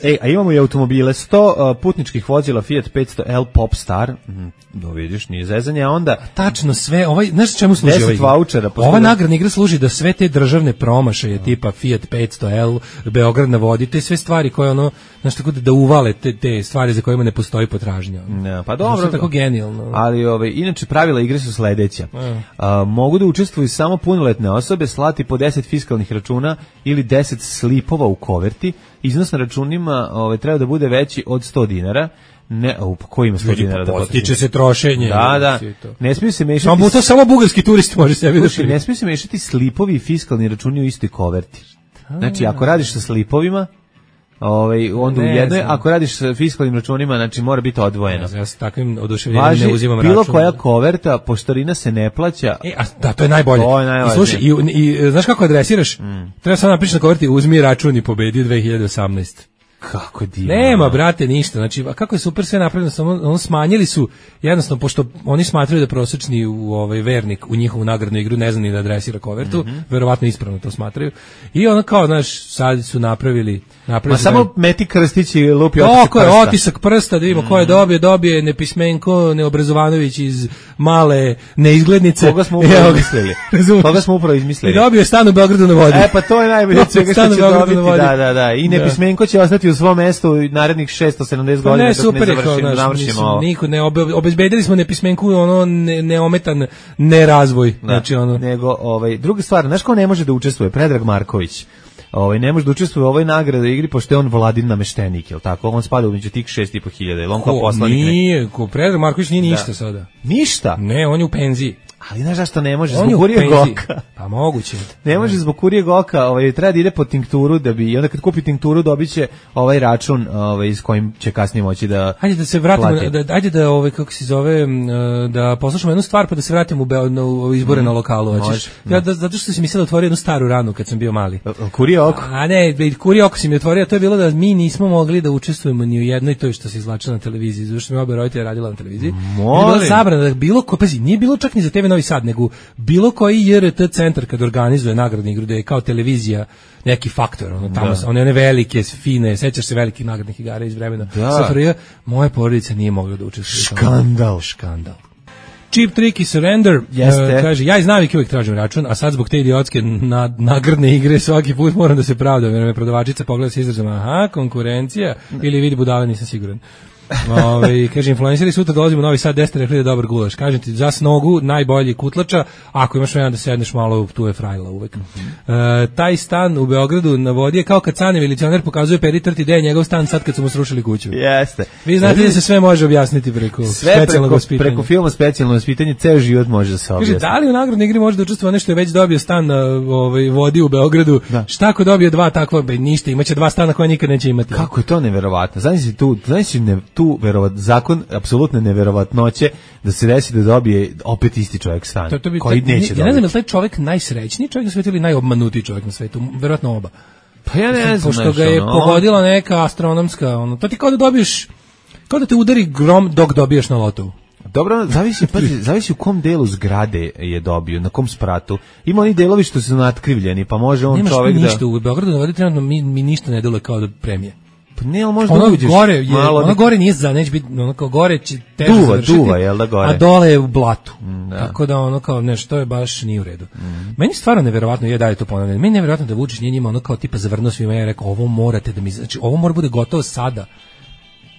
E, a imamo i automobile, sto uh, putničkih vozila Fiat petsto L Popstar, mm, da vidiš, nije zezanje, a onda... Tačno sve, ovaj, znaš čemu služi ovaj? Vouchera, ova nagradna igra služi da sve te državne promašaje, no. tipa Fiat petsto L, Beograd na vodi, te sve stvari koje ono, znaš tako da, da uvale te, te stvari za kojima ne postoji potražnja. Ja, pa dobro. Znaš, tako genijalno. Ali, ove, inače, pravila igre su sledeća. Ja. Uh, mogu da učestvuju samo punoletne osobe, slati po deset fiskalnih računa ili deset slipova u koverti. Iznos na računima ove, treba da bude veći od sto dinara. Ne, u ko ima sto dinara da postiče se trošenje. Da, da. Ne smiju se mešati. Samo to samo bugarski turist može sebi da ne smiju se mešati slipovi i fiskalni računi u istoj koverti. Znači, ako radiš sa slipovima, ovaj onda ne, u jednoj, znam. Ako radiš sa fiskalnim računima, znači mora biti odvojeno. Ne, ja sa takvim oduševljenjem ne uzimam bilo račun. Bilo koja koverta, poštarina se ne plaća. E, a da, to je najbolje. To je najbolje. I slušaj, i, i znaš kako adresiraš? Mm. Treba samo napiši na koverti uzmi račun i pobedi dve hiljade osamnaeste. Kako divno. Nema, brate, ništa. Znači, a kako je super sve napravljeno, samo on smanjili su jednostavno, pošto oni smatraju da prosječni u ovaj vernik u njihovu nagradnu igru ne zna ni da adresira kovertu, mm-hmm. verovatno ispravno to smatraju. I ono kao, znaš, sad su napravili, napravili Ma su samo da, meti krstić i lupi otisak oko prsta. Je otisak prsta, da vidimo mm. ko je dobio, dobije Nepismenko Neobrazovanović iz male neizglednice. Koga smo upravo izmislili? Koga smo upravo izmislili? I dobio stan u Beogradu na vodi. E, pa to je najbolje od svega što će dobiti. Da, da, da. I Nepismenko će ostati u svom mestu narednih šesto sedamdeset pa godina ne, dok super, ne završimo, naš, završimo mislim, ovo. Niko ne obe, obezbedili smo Nepismenku ono ne, neometan nerazvoj. Da, znači ono nego ovaj druga stvar, znaš ko ne može da učestvuje? Predrag Marković. Ovaj ne može da učestvuje u ovoj nagradi igri pošto je on Vladin nameštenik, je l' tako? On spada među tih šest i po hiljada. Jel on kao poslanik? Nije, ko Predrag Marković nije ništa da. Sada. Ništa? Ne, on je u penziji. Ali znaš zašto ne može? On zbog kurijeg oka. Pa moguće. Ne može zbog kurijeg oka, ovaj, treba da ide po tinkturu, da bi, i onda kad kupi tinkturu dobiće ovaj račun ovaj, s kojim će kasnije moći da Ajde da se vratimo, da, ajde da, ovaj, kako se zove, da poslušamo jednu stvar pa da se vratimo u, u izbore mm. na lokalu. Hoćeš? Ja, da, zato što si mi sad otvorio jednu staru ranu kad sam bio mali. Kurije oko? A ne, kurije oko si mi otvorio, to je bilo da mi nismo mogli da učestvujemo ni u jednoj toj što se izvlačilo na televiziji, zato što mi oba roditelja radila na televiziji. Molim. Bila zabrana da bilo ko, pazi, nije bilo čak ni za T V Novi Sad, nego bilo koji J R T centar kad organizuje nagradnu igru, da je kao televizija neki faktor, ono tamo, da. one one velike, fine, sećaš se velikih nagradnih igara iz vremena S F R J, moja porodica nije mogla da učestvuje. Škandal. Škandal. Cheap Trick i Surrender, uh, kaže, ja iz navike uvijek tražim račun, a sad zbog te idiotske na, nagradne igre svaki put moram da se pravdam, jer me prodavačica pogleda se izrazom, aha, konkurencija, ili vidi budale, nisam siguran. Ove, kaže, influenceri sutra dolazimo u Novi Sad, desete rekli da je dobar gulaš. Kažem ti, za snogu najbolji kutlača, ako imaš vremena da sedneš malo, tu je frajla uvek. Mm-hmm. E, taj stan u Beogradu na vodi je kao kad Cane milicioner pokazuje Peritrti gde je njegov stan sad kad su mu srušili kuću. Jeste. Vi znate da se sve može objasniti preko sve specijalnog preko, vaspitanja. Preko filma specijalno vaspitanje, ceo život može da se objasniti. Kaže, da li u nagradnoj igri može da učestvuje nešto je već dobio stan na ovaj, vodi u Beogradu? Da. Šta ako dobio dva takva, be, ništa, imaće dva stana koje nikad neće imati. Kako je to neverovatno? Znači tu, znači ne, tu verovat, zakon apsolutne neverovatnoće da se desi da dobije opet isti čovjek stan, to, to bi, koji neće dobiti. Ja ne znam, je li taj čovjek najsrećniji čovjek na svijetu ili najobmanutiji čovjek na svijetu? Verovatno oba. Pa ja ne znam. Pošto ga je ono, pogodila neka astronomska, ono, to ti kao da dobiješ, kao da te udari grom dok dobiješ na lotovu. Dobro, zavisi, pazi, zavisi u kom delu zgrade je dobio, na kom spratu. Ima oni delovi što su natkrivljeni, pa može on Nemaš čovjek da... Nemaš ništa, u Beogradu na vodi trenutno mi, mi ništa ne deluje kao da premije. Pa ne, ali možda ono uđeš gore je, malo... Ono gore nije za, neće biti, ono kao gore će teže duva, završiti. Duva, jel da gore? A dole je u blatu. Mm, da. Tako da ono kao, nešto je baš nije u redu. Mm. Meni stvarno neverovatno, je dalje to ponavljam, meni neverovatno da Vučić nije njima ono kao tipa zavrnuo svima, ja rekao, ovo morate da mi, znači ovo mora bude gotovo sada.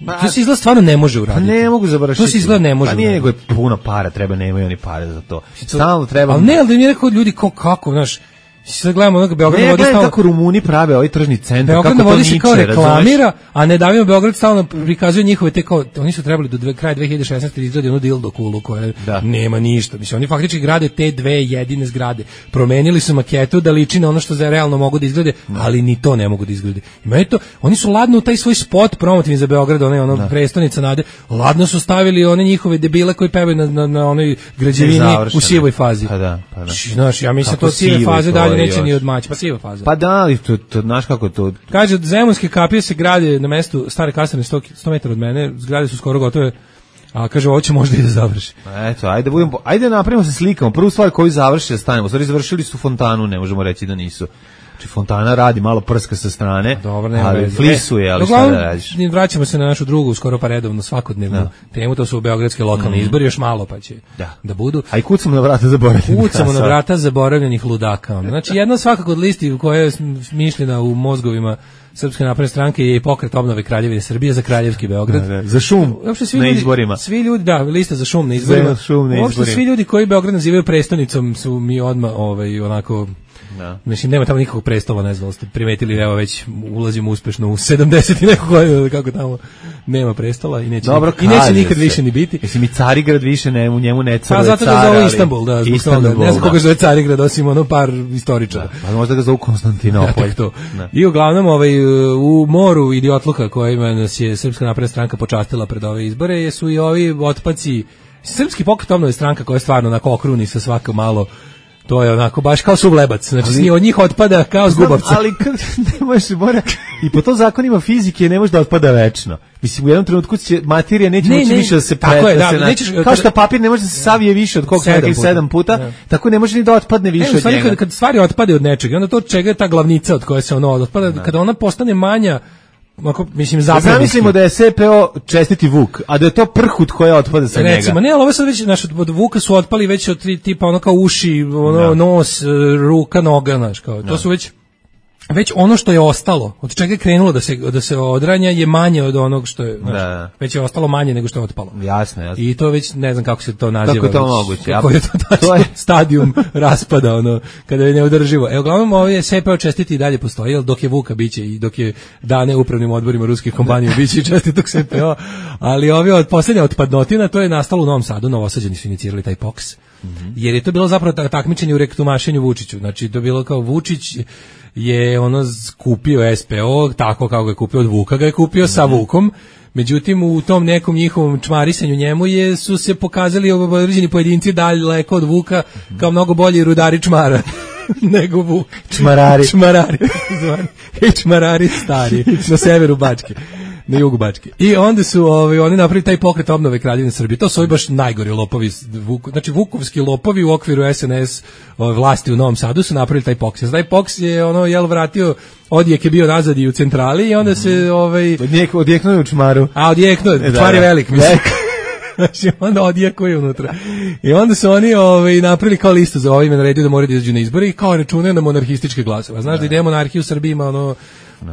Pa, to se izgleda stvarno ne može uraditi. Pa ne mogu završiti. To se izgleda ne može. Pa nije nego je puno para, treba, nemaju oni pare za to. Stalno treba... Ali ne, ali da mi je rekao ljudi kao, kako, znaš, sad gledamo onog Beograd na vodi stalno... kako Rumuni prave ovaj tržni centar, Beograd kako na vodi to se niče, kao reklamira, razumeš? a ne davimo Beograd stalno prikazuje njihove te kao, oni su trebali do dve, kraja dve hiljade šesnaeste izgradi onu dildo kulu koja da. Nema ništa. Mislim, oni faktički grade te dve jedine zgrade. Promenili su maketu da liči na ono što za realno mogu da izgrade, da. Ali ni to ne mogu da izgrade. Ima je to, oni su ladno u taj svoj spot promotivni za Beograd, onaj ono da. Prestonica nade, ladno su stavili one njihove debile koji pevaju na, na, na onoj građevini u sivoj fazi. Pa da, pa da. Znaš, ja mislim to sive faze dalje neće ni odmaći. Pa siva faza. Pa da, ali to, to, znaš kako to... Kaže, zemunske kapije se grade na mestu stare kasarne sto, sto metara od mene, zgrade su skoro gotove, a kaže, ovo će možda i da završi. Eto, ajde, budemo, ajde napravimo se slikamo. Prvu stvar koju završi da stanemo. Stvari završili su fontanu, ne možemo reći da nisu. Znači, fontana radi, malo prska sa strane, dobro, ali flisuje, ali šta da radiš? Vraćamo se na našu drugu, skoro pa redovno, svakodnevnu da. Temu, to su beogradske lokalne mm. izbori, još malo pa će da, da budu. A i kucamo na vrata zaboravljenih. Kucamo na vrata zaboravljenih ludaka. Znači, jedna svakako od listi koja je smišljena u mozgovima Srpske napredne stranke je i pokret obnove Kraljevine Srbije za Kraljevski Beograd. Da, da. Za šum svi na ljudi, izborima. Svi ljudi, da, lista za šum na izborima. Šum na izborima. Svi ljudi koji Beograd nazivaju prestonicom su mi odmah ovaj, onako... Da. Mislim, nema tamo nikakvog prestola, ne znam da ste primetili, evo već ulazimo uspešno u sedamdeset i neko godinu, kako tamo nema prestola i neće, dobro, i neće nikad se. Više ni biti. Mislim, i Carigrad više ne, u njemu ne caruje car. A zato ga zove Istanbul, da, zbog Istanbul, toga. Ne znam koga zove Carigrad, osim ono par istoričara. Da, pa možda ga zove Konstantinopolj. Ja, to. Da. I uglavnom, ovaj, u moru idiotluka kojima nas je Srpska napredna stranka počastila pred ove izbore, su i ovi otpaci, Srpski pokret obnove stranka koja je stvarno onako okruni sa svako malo. To je onako baš kao suvlebac, znači ali, od njih otpada kao zgubavca. Ali kad ne možeš, mora, i po to zakonima fizike ne može da otpada večno. Mislim, u jednom trenutku će materija neće ne, moći ne, više da se pre, je, da, da se nećeš, kao što papir ne može da se savije više od koliko sedam, sedam puta, da. Tako ne može ni da otpadne više ne, od njega. Kad, kad stvari otpade od nečega, onda to čega je ta glavnica od koje se ono otpada, da. Kada ona postane manja, ako mislim zapravo zamislimo da je S P O čestiti Vuk, a da je to prhut koja otpada sa njega. Recimo, ne, ali ovo sad već naš od Vuka su otpali već od tri tipa ono kao uši, ono no. nos, ruka, noga, znaš, kao. No. To su već već ono što je ostalo, od čega je krenulo da se da se odranja je manje od onog što je, znaš, da. Već je ostalo manje nego što je otpalo. Jasno, jasno. I to već ne znam kako se to naziva. Kako je to moguće? Kako je to, to je stadijum raspada, ono, kada je neodrživo. Evo, uglavnom, ovo je S P O čestiti i dalje postoji, jer dok je Vuka biće i dok je dane upravnim odborima ruskih kompanija biće i čestitog S P O, ali ovi od posljednja otpadnotina, to je nastalo u Novom Sadu, Novosađani su inicirali taj P O K S, mm-hmm. jer je to bilo zapravo takmičenje u rektumašenju Vučiću, znači to je bilo kao Vučić je ono kupio S P O tako kako ga je kupio od Vuka, ga je kupio sa Vukom. Međutim, u tom nekom njihovom čmarisanju njemu je, su se pokazali određeni pojedinci daleko od Vuka kao mnogo bolji rudari čmara nego Vuk. Čmarari. Čmarari. I čmarari stari na severu Bačke. Na jugu Bačke. I onda su ovaj, oni napravili taj pokret obnove Kraljevine Srbije. To su ovi baš najgori lopovi. Vuk, znači vukovski lopovi u okviru S N S ovaj, vlasti u Novom Sadu su napravili taj P O K S. Taj P O K S je ono, jel, vratio, odjek je bio nazad i u centrali i onda se... Ovaj, Odjek, odjeknuo je u čmaru. A, odjeknuo, e, čmar je velik, mislim. Znači, onda odjekuje unutra. I onda su oni ovaj, napravili kao listu za ovime, naredio da moraju da izađu na izbore i kao računaju na monarhističke glasove. Znaš da ide monarhija u Srbiji ima ono...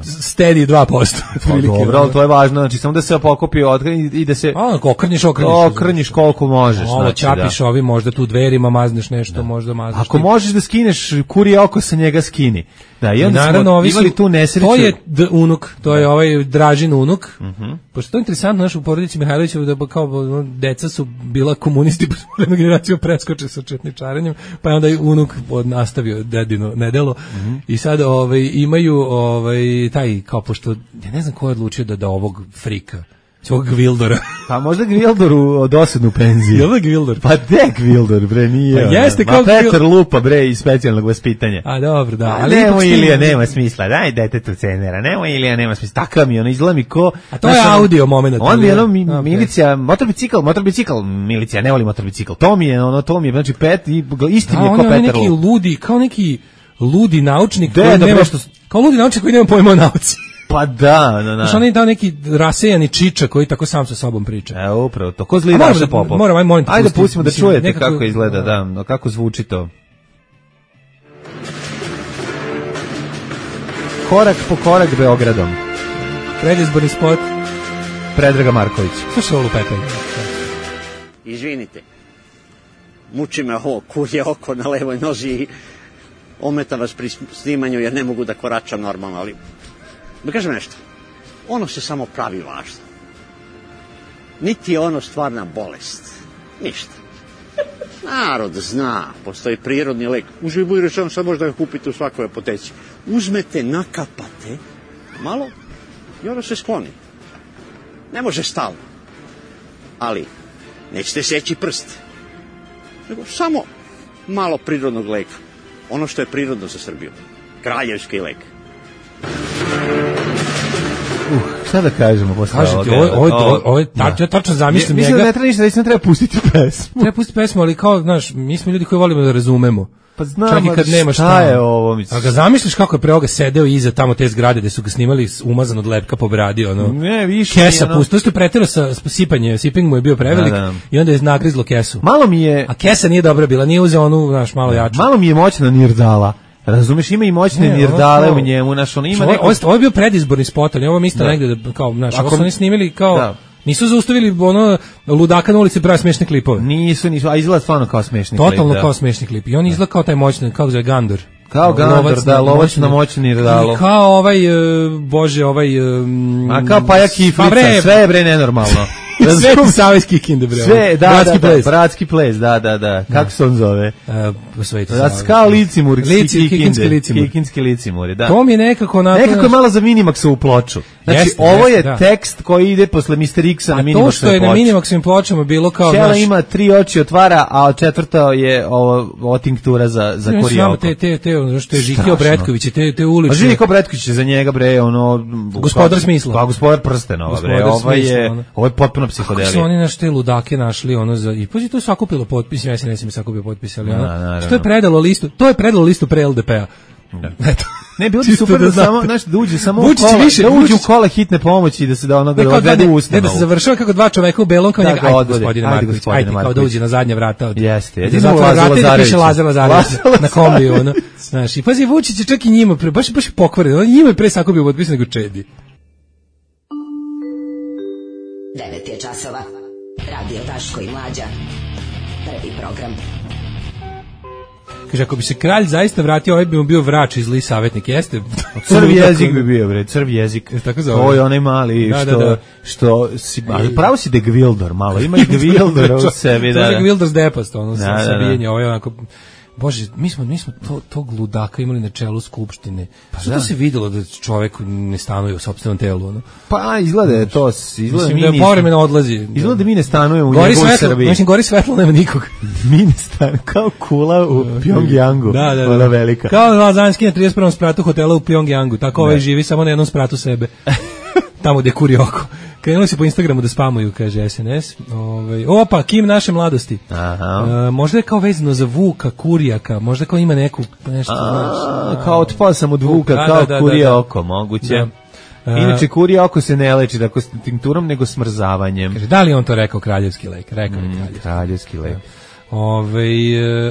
stedi dva posto. Pa dobro, ali to je važno, znači samo da se pokopi otkrni i da se... A, okrnjiš, okrnjiš. Okrnjiš koliko možeš. Ovo, znači, čapiš da. Ovi, možda tu dverima mazneš nešto, da. Možda mazneš... Ako ti... možeš da skineš kurije oko sa njega, skini. Da, i onda naravno, smo imali tu nesreću. To je d unuk, to je da. Ovaj Dražin unuk. Uh -huh. Pošto to je interesantno, naš u porodici Mihajlovića, da kao no, deca su bila komunisti, pa smo jednu generaciju preskoče sa četničarenjem, pa je onda i unuk nastavio dedino nedelo. Uh -huh. I sad ovaj, imaju ovaj, taj, kao pošto, ja ne znam ko je odlučio da da ovog frika, ovog Gvildora. Pa možda Gvildoru od osednu penziju. Je li Gvildor? Pa de Gvildor, bre, nije. Pa jeste kao Petar Lupa, bre, iz specijalnog vaspitanja. A dobro, da. Ali nemo Ilija, nema smisla, daj detetu cenera, nemo Ilija, nema smisla. Takav mi, ono, izgleda mi ko... A to je audio moment. On mi je, ono, mi, okay. milicija, motorbicikl, motorbicikl, milicija, ne voli motorbicikl. To mi je, ono, to mi je, znači, pet, isti mi je ko Petar Lupa. A on je neki ludi, kao neki ludi naučnik koji nema što... Kao ludi naučnik koji nema pojma o nauci. Pa da, da, da. Znaš, on je dao neki rasejani čiča koji tako sam sa sobom priča. E, upravo to. Ko zli Daša Popov? Moram, moram te ajde, pustimo da čujete nekako, kako izgleda, da, kako zvuči to. Korak po korak Beogradom. Predizborni spot. Predraga Marković. Slušaj ovo lupetanje. Izvinite. Muči me ovo kurje oko na levoj nozi i ometa vas pri snimanju jer ne mogu da koračam normalno, ali... Da kažem nešto, ono se samo pravi važno. Niti je ono stvarna bolest. Ništa. Narod zna, postoji prirodni lek. Uživo i rečeno, sad možda ga kupite u svakoj apoteci. Uzmete, nakapate, malo, i ono se skloni. Ne može stalno. Ali, nećete seći prst. Nego samo malo prirodnog leka. Ono što je prirodno za Srbiju. Kraljevski lek. Uh, šta da kažemo posle ovoga? Ovo, ovo, ovo, ovo, tač, ja tačno zamislim njega. Mislim da ne treba ništa, da ne treba pustiti pesmu. Treba pustiti pesmu, ali kao, znaš, mi smo ljudi koji volimo da razumemo. Pa znam, čak i kad nema šta, šta je ovo, mislim. A ga zamisliš kako je pre ovoga sedeo iza tamo te zgrade gde su ga snimali umazan od lepka po bradi, ono. Ne, više. Kesa ono... pusto, što je preterao sa sipanje, siping mu je bio prevelik da, da. I onda je nagrizlo kesu. Malo mi je... A kesa nije dobra bila, nije uzeo onu, znaš, malo jaču. Malo mi je moćna nirdala. Razumeš, ima i moćne ne, nirdale u njemu, znaš, on ima ovo, neko... Ovo, ovo je bio predizborni spot, ali ovo isto da. Negde, da, kao, znaš, ovo su oni snimili kao... Da. Nisu zaustavili ono ludaka na ulici pravi smešne klipove. Nisu, nisu, a izgleda stvarno kao smešni klip. Totalno kao smešni klip. I on izgleda kao taj moćni, kako zove, Gandor. Kao Gandor, da, lovac na moćni nirdalo. I kao ovaj, uh, bože, ovaj... Um, a kao Pajak i Flica, sve je bre nenormalno. Sve ti savjski kinde, bre. Sve, da, bratski da, ples. Da, bratski ples, da, da, da. Kako se on zove? Uh, sve ti savjski. Kao Licimur, Lici, Kikinski Licimur. Kikinski Licimur, da. To mi je nekako... Onako, nekako je malo za Minimaxovu ploču. Znači, Jeste, ovo je jeste, da. tekst koji ide posle mister X-a na Minimaxovoj ploči. To što je na Minimaxovim pločama bilo kao... Ćela naš... ima tri oči otvara, a četvrta je ovo, ovo tinktura za, za ne, kurije oko. Te, te, te, ono što je Žiki Obretković, te, te ulične... A Žiki Obretković je za njega, bre, ono... Gospodar smisla. Pa, gospodar prstenova, bre, ovo je, ono. Ovo je potpuno psihodelija. Kako su oni naš te ludake našli, ono, za... I pa to je sakupilo potpis, ja se ne sam sakupio potpis, ali ono... Na, što je predalo listu, to je predalo listu pre L D P-a. Eto. Ne, bilo bi super da, da samo, znaš, da uđe samo Vučić u kola, više, da uđe Vučić... u kola hitne pomoći i da se da ono da odvede u ustanovu. Ne, da se završava kako dva čoveka u belom kao njega, ajde gospodine Marković, ajde kao da uđe na zadnja vrata. Od, Jeste, jeste. Da zatvara vrata i da piše Lazar Lazarević na kombiju, ono. Znaš, i pazi, Vučić je čak i njima, pre, baš, baš pokvaren, on njima je pre sakupio potpis nego Čedi. devet je časova, Radio Daško i Mlađa, prvi program. Kaže, ako bi se kralj zaista vratio, ovaj bi mu bio vrač iz Li savjetnik, jeste? Crv jezik bi bio, bre, crv jezik. Tako zove. To je onaj mali, da, što, da, da. što si, ali pravo si de Gvildor, malo, ima i Gvildor u sebi. To da, je Gvildor s depast, ono, da, sa da, sabijenje, ovo je onako... Bože, mi smo, mi smo to, tog ludaka imali na čelu skupštine. Pa što da. se videlo da čovjek ne stanuje u sopstvenom telu, ono? Pa izgleda je to, izgleda mislim da povremeno odlazi. Izgleda da mi ne stanujemo u gori njegovoj svetlo, Srbiji. Mislim, gori svetlo, nema nikog. Mi ne stanujemo, kao kula u Pjongjangu. Da, da, da. Ona velika. Kao Lazanski na trideset prvom spratu hotela u Pjongjangu. Tako ovaj živi samo na jednom spratu sebe. Tamo gde kuri oko. Krenuli se po Instagramu da spamuju, kaže S N S. Ovaj, opa, Kim naše mladosti. Aha. E, možda je kao vezano za Vuka, Kurijaka, možda kao ima neku nešto, A, znaš. Kao otpao sam od Vuka, da, kao da, da, kurije da, da. oko, moguće. Da. Inače, kurije oko se ne leči tako s tinkturom, nego smrzavanjem. Kaže, da li on to rekao kraljevski lek? Rekao je mm, kraljevski. kraljevski lek. Ove,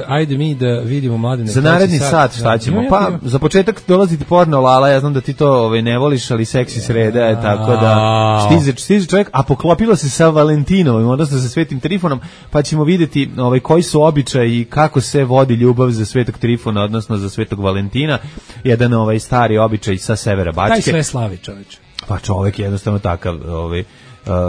ajde mi da vidimo Mladene. Za naredni sat šta ćemo? Da, pa za početak dolazi ti porno Lala, ja znam da ti to ovaj, ne voliš, ali seksi sreda je tako da stiže, stiže čovjek, a poklopilo se sa Valentinom, odnosno sa Svetim Trifonom, pa ćemo vidjeti ovaj, koji su običaji i kako se vodi ljubav za Svetog Trifona, odnosno za Svetog Valentina, jedan ovaj, stari običaj sa severa Bačke. Taj sve slavi čovječ. Pa čovjek je jednostavno takav, ovaj,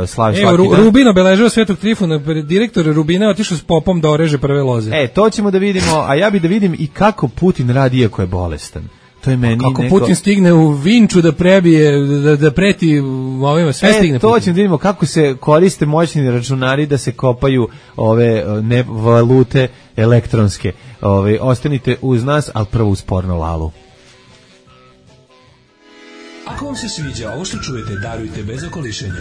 Uh, slavi Evo, Ru, Rubin obeležava Svetog Trifuna, direktor Rubina je otišao s popom da oreže prve loze. E, to ćemo da vidimo, a ja bi da vidim i kako Putin radi iako je bolestan. To je meni kako neko... Putin stigne u Vinču da prebije, da, da preti ovima, sve e, stigne to Putin. ćemo da vidimo kako se koriste moćni računari da se kopaju ove ne, valute elektronske. Ove, ostanite uz nas, ali prvo uz porno Lalu. Ako vam se sviđa ovo što čujete, darujte bez okolišenja.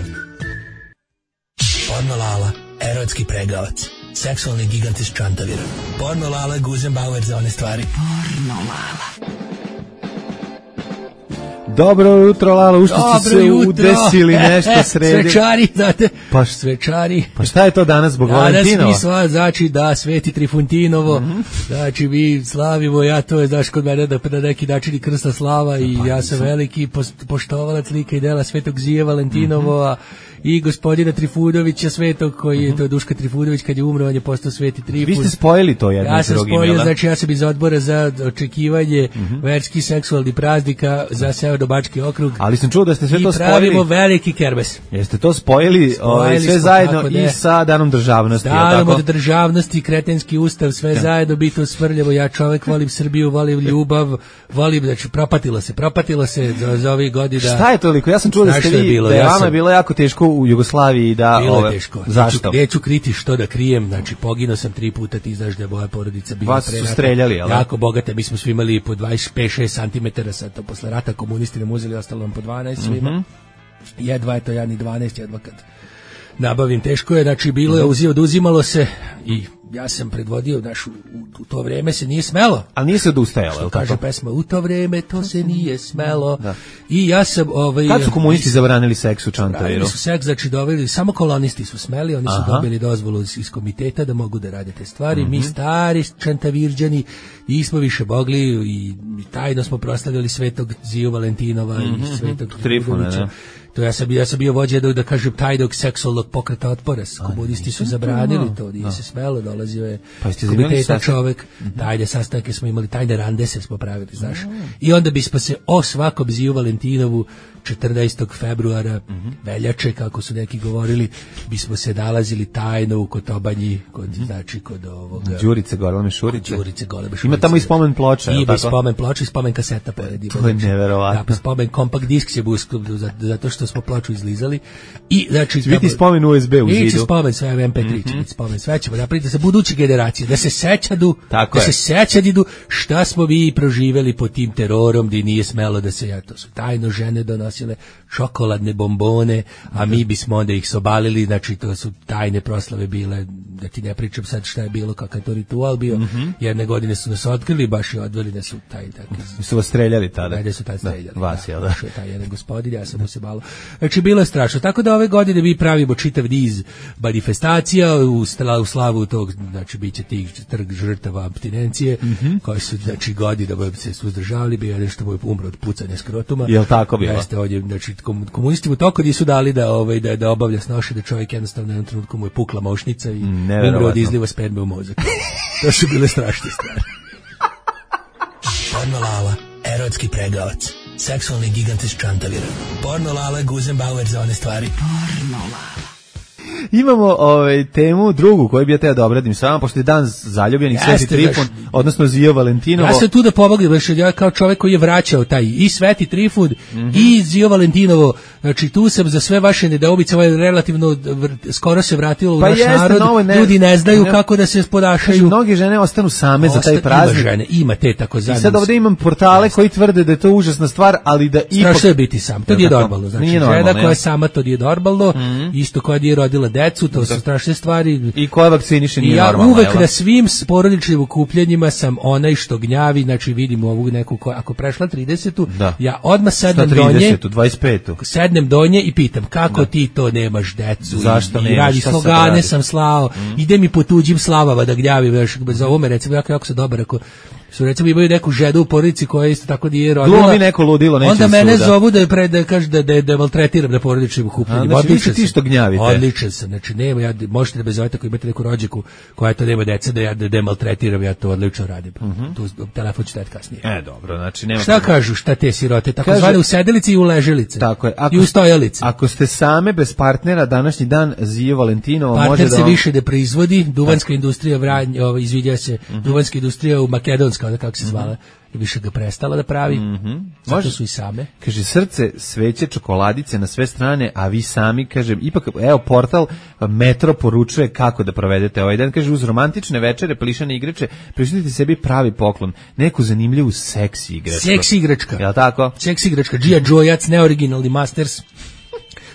Porno Lala, erotski pregavac, seksualni gigant iz Čantavira. Porno Lala, Guzenbauer za one stvari. Porno Lala. Dobro jutro, Lala, ušto ste se udesili nešto sredi. Svečari, znate, pa, svečari. Pa šta je to danas zbog danas Valentinova? Danas mi sva, znači da, Sveti Trifuntinovo, mm-hmm. znači mi slavimo, ja to je, znaš, kod mene da na neki način i krsta slava i pa, ja sam veliki poštovalac lika i dela Svetog Zije Valentinova, mm-hmm. i gospodina Trifunovića Svetog, koji je, mm-hmm. to je Duška Trifunović, kad je umro, on je postao Sveti Trifun. Vi ste spojili to jedno ja s drugim, Ja sam spojio, znači ja sam iz odbora za očekivanje mm-hmm. verskih seksualnih praznika za Severno-Bački okrug. Ali sam čuo da ste sve I to spojili. I pravimo veliki kerbes. Jeste to spojili, spojili sve zajedno i sa Danom državnosti. Danom od državnosti, kretenski ustav, sve ja. zajedno, biti usvrljivo. Ja čovjek volim Srbiju, volim ljubav, volim, znači propatilo se, propatilo se za, za ovih godina. Šta je toliko? Ja sam čuo da ste vi, bilo, da je ja vama sam... bilo jako teško u Jugoslaviji da... Bilo ove, je teško. Zašto? Neću, neću kriti što da krijem, znači poginuo sam tri puta, ti znaš da je moja porodica bila vas su streljali, ali? Jako bogata, mi smo svi imali po dvadeset pet šest centimetara, sad to posle rata komunisti nam uzeli, ostalo nam po dvanaest svima. Mm-hmm. Jedva je to, ja ni dvanaest, jedva kad nabavim, teško je, znači bilo je, uzio, oduzimalo se i ja sam predvodio, znaš, u, u to vreme se nije smelo. Ali nije se odustajalo, što kaže pesma, u to vreme to se nije smelo. Da. I ja sam... Ovaj, kad su komunisti zabranili seks u Čantaviru? Zabranili su seks, znači doveli, samo kolonisti su smeli, oni su Aha. dobili dozvolu iz, iz komiteta da mogu da rade te stvari. Mm-hmm. Mi stari Čantavirđani nismo više mogli i, i tajno smo proslavljali Svetog Ziju Valentinova mm-hmm. i Svetog Trifuna. To ja sam, ja sam bio vođa da, da kažem tajnog seksualnog pokreta otpora. Komunisti su zabranili to, nije no. se smelo dole dolazio je pa komitetan čovek, mm-hmm. tajne sastanke smo imali, tajne randese smo pravili, znaš. Mm. I onda bismo se o svakom Ziju Valentinovu četrnaestog februara, mm-hmm. veljače, kako su neki govorili, bismo se nalazili tajno u Kotobanji, kod, mm-hmm. znači kod ovoga... Đurice Goleme Šurice. Đurice Goleme Šurice. Ima tamo i spomen ploča. Ima i spomen ploča i spomen kaseta pored. To je neverovatno. Da, spomen kompakt disk se buskao, zato što smo ploču izlizali. I, znači, će biti spomen U S B u zidu. I će spomen sve M P tri, mm-hmm. će biti spomen sve ćemo napraviti za buduće generacije, da se sećadu, tako da je. se sećadu šta smo vi proživeli pod tim terorom, gdje nije smelo da se, ja, to su tajno žene donosile čokoladne bombone, a mi bismo onda ih sobalili, znači to su tajne proslave bile, da ti ne pričam sad šta je bilo, kakav je to ritual bio, mm-hmm. jedne godine su nas otkrili, baš i odveli nas u taj taki. Su vas streljali tada? Ajde su taj streljali. Da, vas, jel da? Da, taj jedan gospodin, ja sam mu se malo. Znači bilo je strašno, tako da ove godine mi pravimo čitav niz manifestacija u, u slavu tog, znači bit će tih trg žrtava apstinencije, mm-hmm. koji su, znači godinama se suzdržavali, bio je što mu je umro od pucanja skrotuma. Jel tako bilo? Jeste ovdje, znači komunisti mu toko nisu dali da ovaj da da obavlja snoše, da čovjek jednostavno u jednom trenutku mu je pukla mošnica i umro od izliva sperme u mozak. To su bile strašne stvari. Porno Lala, erotski pregavac, seksualni gigant iz Čantavira. Porno Lala, Guzenbauer za one stvari. Porno Lala. Imamo ovaj temu drugu koju bi ja teo da obradim s vama, pošto je dan zaljubljenih, Sveti Trifun, odnosno Zio Valentinovo. Ja sam tu da pomognem, ja kao čovjek koji je vraćao taj i Sveti Trifun mm-hmm. i Zio Valentinovo, znači tu sam za sve vaše nedoumice, ovaj relativno skoro se vratilo u pa naš jeste, narod, no, ne, ljudi ne znaju ne, kako da se ponašaju. Mnoge žene ostanu same Osta, za taj praznik. Ima žene, ima te tako zadnje. I sad ovdje imam portale koji tvrde da je to užasna stvar, ali da ipak... Strašno je biti sam, to nije normalno. Znači, žena koja je sama, to nije normalno, mm-hmm. isto koja nije rodila decu, to su strašne stvari. I koja vakciniše nije ja normalno. Ja uvek jel? Na svim porodičnim okupljenjima sam onaj što gnjavi, znači vidim ovu neku, ko, ako prešla tridesetu, da. Ja odmah sednem donje, dvadeset petu sednem donje i pitam kako da. Ti to nemaš decu. Zašto i, nemaš? I radi slogane sam slao, mm. ide mi po tuđim slavama da gnjavim, još bez ovome recimo, jako, jako se dobar, ako su recimo imaju neku ženu u porodici koja isto tako nije rodila. Glumi neko ludilo, neće onda mene suda. Zovu da je pre da kaže da da da maltretiram na porodičnim okupljenjima. Znači vi ste ti što gnjavite. Odličan sam, znači nema ja možete da bez oveta ako imate neku rođaku koja to nema dece da ja da, da maltretiram, ja to odlično radim. Mm-hmm. Tu telefon ću dati kasnije. E dobro, znači nema. Šta problem. Kažu šta te sirote, tako kaže, zvane u sedelici i u leželici. Tako je. Ako, i u stojalici. Ako ste same bez partnera današnji dan Zio Valentinovo partner može da se on... više ne proizvodi, duvanska industrija Vranje, ovaj izvidja se, mm-hmm. duvanska industrija u Makedonska, onda kako se zvala. Mm-hmm. Više ga prestala da pravi, mm-hmm. zato su i same. Kaže, srce, sveće, čokoladice na sve strane, a vi sami, kaže, ipak, evo, portal Metro poručuje kako da provedete ovaj dan. Kaže, uz romantične večere, plišane igrače, prišljite sebi pravi poklon, neku zanimljivu seksi igračku. Seksi igračka. Jel' tako? Seksi igračka, G I. Joejac, neoriginalni Masters.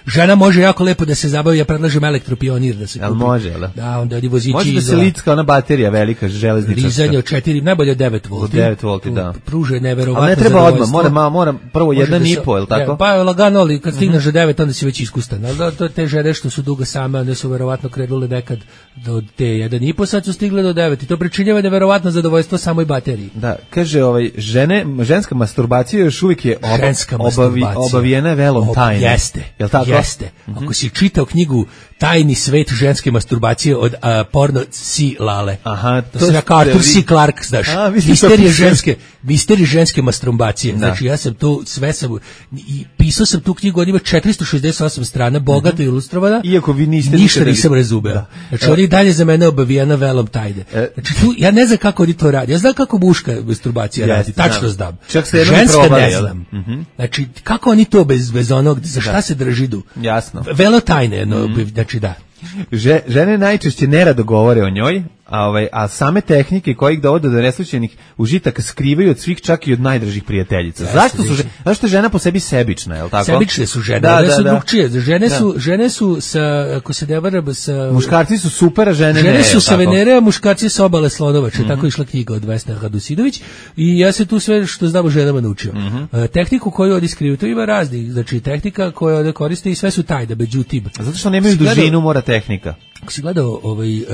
Žena može jako lepo da se zabavi, ja predlažem elektropionir da se kupi. Jel može, jel? Da, onda odi vozići može da se licka ona baterija velika, železničarska. Rizanje od četiri, najbolje od devet volti. devet volti, da. Pruže neverovatno. Ali ne treba odmah, mora, mora prvo jedan i po, jel tako? Pa je lagano, ali kad stigneš do devet, onda si već iskustan. Ali to te žene što su dugo same, one su verovatno krenule nekad do te jedan i po, sad su stigle do devet. I to pričinjava neverovatno zadovoljstvo samoj bateriji. Da, kaže, ovaj, žene, ženska masturbacija još uvijek je oba, obavi, obavijena velom tajne. Jeste, jel tako? Jeste. Ako si čitao knjigu Tajni svet ženske masturbacije od uh, porno C. Lale. Aha, to, to se kao Arthur C. Clarke, znaš. A, misterije ženske, misterije ženske masturbacije. Da. Znači ja sam tu sve sam i pisao sam tu knjigu, ona ima četiristo šezdeset osam strana, bogato mm-hmm. ilustrovana. Iako vi niste ništa nisam razumeo. Da. Znači ona je dalje za mene obavijena velom tajne. E. Znači tu ja ne znam kako oni to radi. Ja znam kako muška masturbacija ja, radi. Tačno znam. Čak se ženska probali, ne znam. Mm-hmm. Znači kako oni to bez bez onog za šta da. Se držidu? Jasno. Velo tajne, no, mm. znači da. Že, žene najčešće nerado govore o njoj, a, ovaj, a same tehnike koje ih dovode do neslućenih užitaka skrivaju od svih, čak i od najdražih prijateljica. Ja, zašto su zašto je žena po sebi sebična, je l' tako? Sebične su žene, da, one da, su da. drugčije. Žene da. su žene su sa, ako se ne varam, sa muškarci su super, a žene, žene ne. Žene su sa Venere, a muškarci sa obale Slonovače. Mm-hmm. Tako je išla knjiga od Vesne Radusidović i ja se tu sve što znam o ženama naučio. Mm-hmm. Uh, tehniku koju oni skriju, to ima raznih, znači tehnika koju oni koriste i sve su tajne, međutim. Zato što nemaju dužinu, mora tehnika. Ako si gledao ovaj, uh,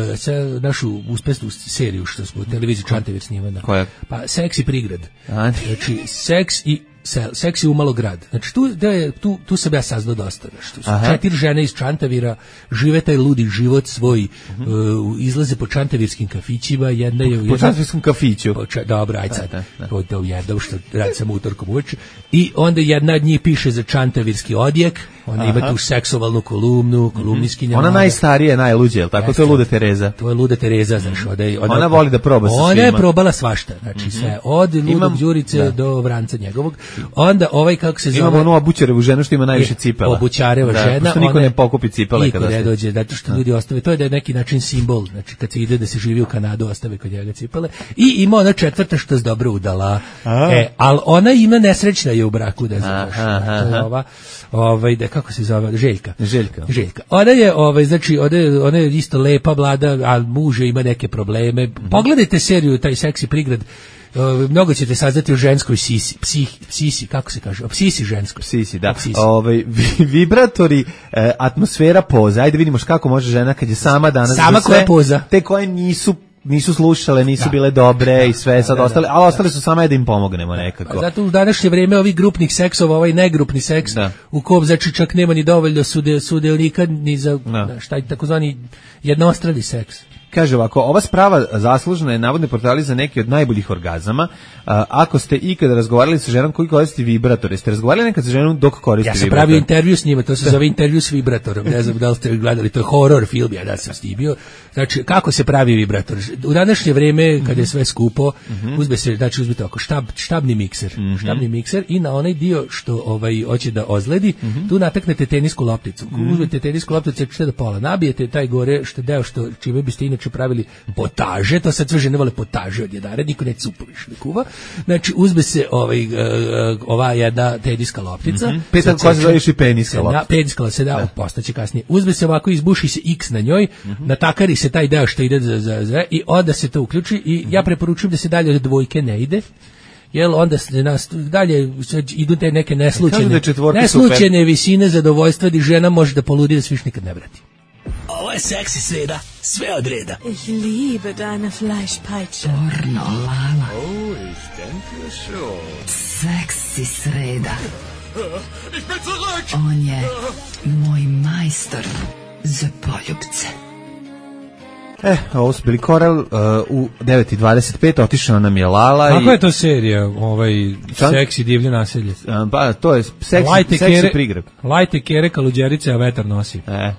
našu uspešnu seriju što smo u televiziji Čantavir snimana, koja? Pa Seks i prigrad. A, znači, seks i sel, seks je umalo grad. Znači tu, da je, tu, tu sam ja saznao dosta. Znači, su četiri žene iz Čantavira, žive taj ludi život svoj, uh-huh. uh, izlaze po čantavirskim kafićima, jedna je... Po jedna, čantavirskom kafiću. Po ča, dobro, aj sad, to je ujedno što radi sam utorkom uveče. I onda jedna od njih piše za čantavirski odjek, ona Aha. ima tu seksualnu kolumnu, kolumniskinja. Ona najstarija, najluđa, jel tako? To je Luda Tereza. To je Luda Tereza, znaš, ona, ona, ona voli da proba sa svima. Ona je probala svašta, znači mm-hmm. sve, od Ludog Đurice da. do Vranca njegovog. Onda ovaj, kako se zove... Imamo onu obućarevu ženu što ima najviše cipela. Obućareva da, žena. Pošto niko ne pokupi cipele kada se... dođe, zato što ljudi ostave, to je da je neki način simbol, znači kad se ide da se živi u Kanadu, ostave kod njega cipele. I ima ona četvrta što je dobro udala. A. E, ali ona ima nesrećna je u braku, da znaš. To je ova, ovaj, da, kako se zove, Željka. Željka. Željka. Ona je, ovaj, znači, ona je, ona je isto lepa mlada, a muž ima neke probleme. Mm-hmm. Pogledajte seriju, taj Seksi prigrad, uh, mnogo ćete saznati o ženskoj sisi, psih, psisi, kako se kaže, o psisi ženskoj. Psisi, da. Ove, vibratori, e, atmosfera poza, ajde vidimo kako može žena kad je sama danas. Sama koja poza. Te koje nisu nisu slušale, nisu da. bile dobre i sve sad da, da, ostale, ali ostale su samo da im pomognemo nekako. A zato u današnje vrijeme ovih grupnih seksova, ovaj negrupni seks, da. u kom znači čak nema ni dovoljno sude, sudelnika ni za da. šta je takozvani jednostrani seks. Kaže ovako, ova sprava zaslužena je navodne portali za neki od najboljih orgazama. A, ako ste ikada razgovarali sa ženom koji koristi vibrator, jeste razgovarali nekad sa ženom dok koristi vibrator? Ja sam pravio intervju s njima, to se zove intervju s vibratorom. Ne znam da li ste gledali, to je horror film, ja da sam snimio. Znači, kako se pravi vibrator? U današnje vrijeme, kad je sve skupo, mm-hmm. uzme se, znači uzmite oko štab, štabni mikser, mm-hmm. štabni mikser i na onaj dio što ovaj hoće da ozledi, mm-hmm. tu nataknete tenisku lopticu. Mm-hmm. Uzmete tenisku lopticu, ćete do pola, nabijete taj gore što deo što čime biste inače pravili potaže, to sad sve žene vole potaže od jedara, niko neće supoviš ne kuva. Znači, uzme se ovaj, uh, ova jedna teniska loptica. Mm-hmm. Petan koja se zove i peniska loptica. Peniska se da, da. postaće kasnije. Uzme se ovako, izbuši se X na njoj, mm-hmm. natakari se taj deo što ide za, za, za i onda se to uključi i mm-hmm. ja preporučujem da se dalje od dvojke ne ide. Jel onda se nas dalje idu te neke neslučajne, neslučajne visine zadovoljstva di žena može da poludi da se više nikad ne vrati. Ovo je seksi sreda, sve od reda. Ich liebe deine Fleischpeitsche. Pornolala. Oh, ich denke schon. Seksi sreda. Ich bin zurück. On je moj majstor za poljubce. E, ovo su bili Korel, uh, u devet i dvadeset pet otišao nam je Lala. Kako i... je to serija, ovaj, Čan... seksi divlje naselje? Uh, pa, to je seksi, seksi prigreb. Lajte kere kaluđerice, a vetar nosi. E.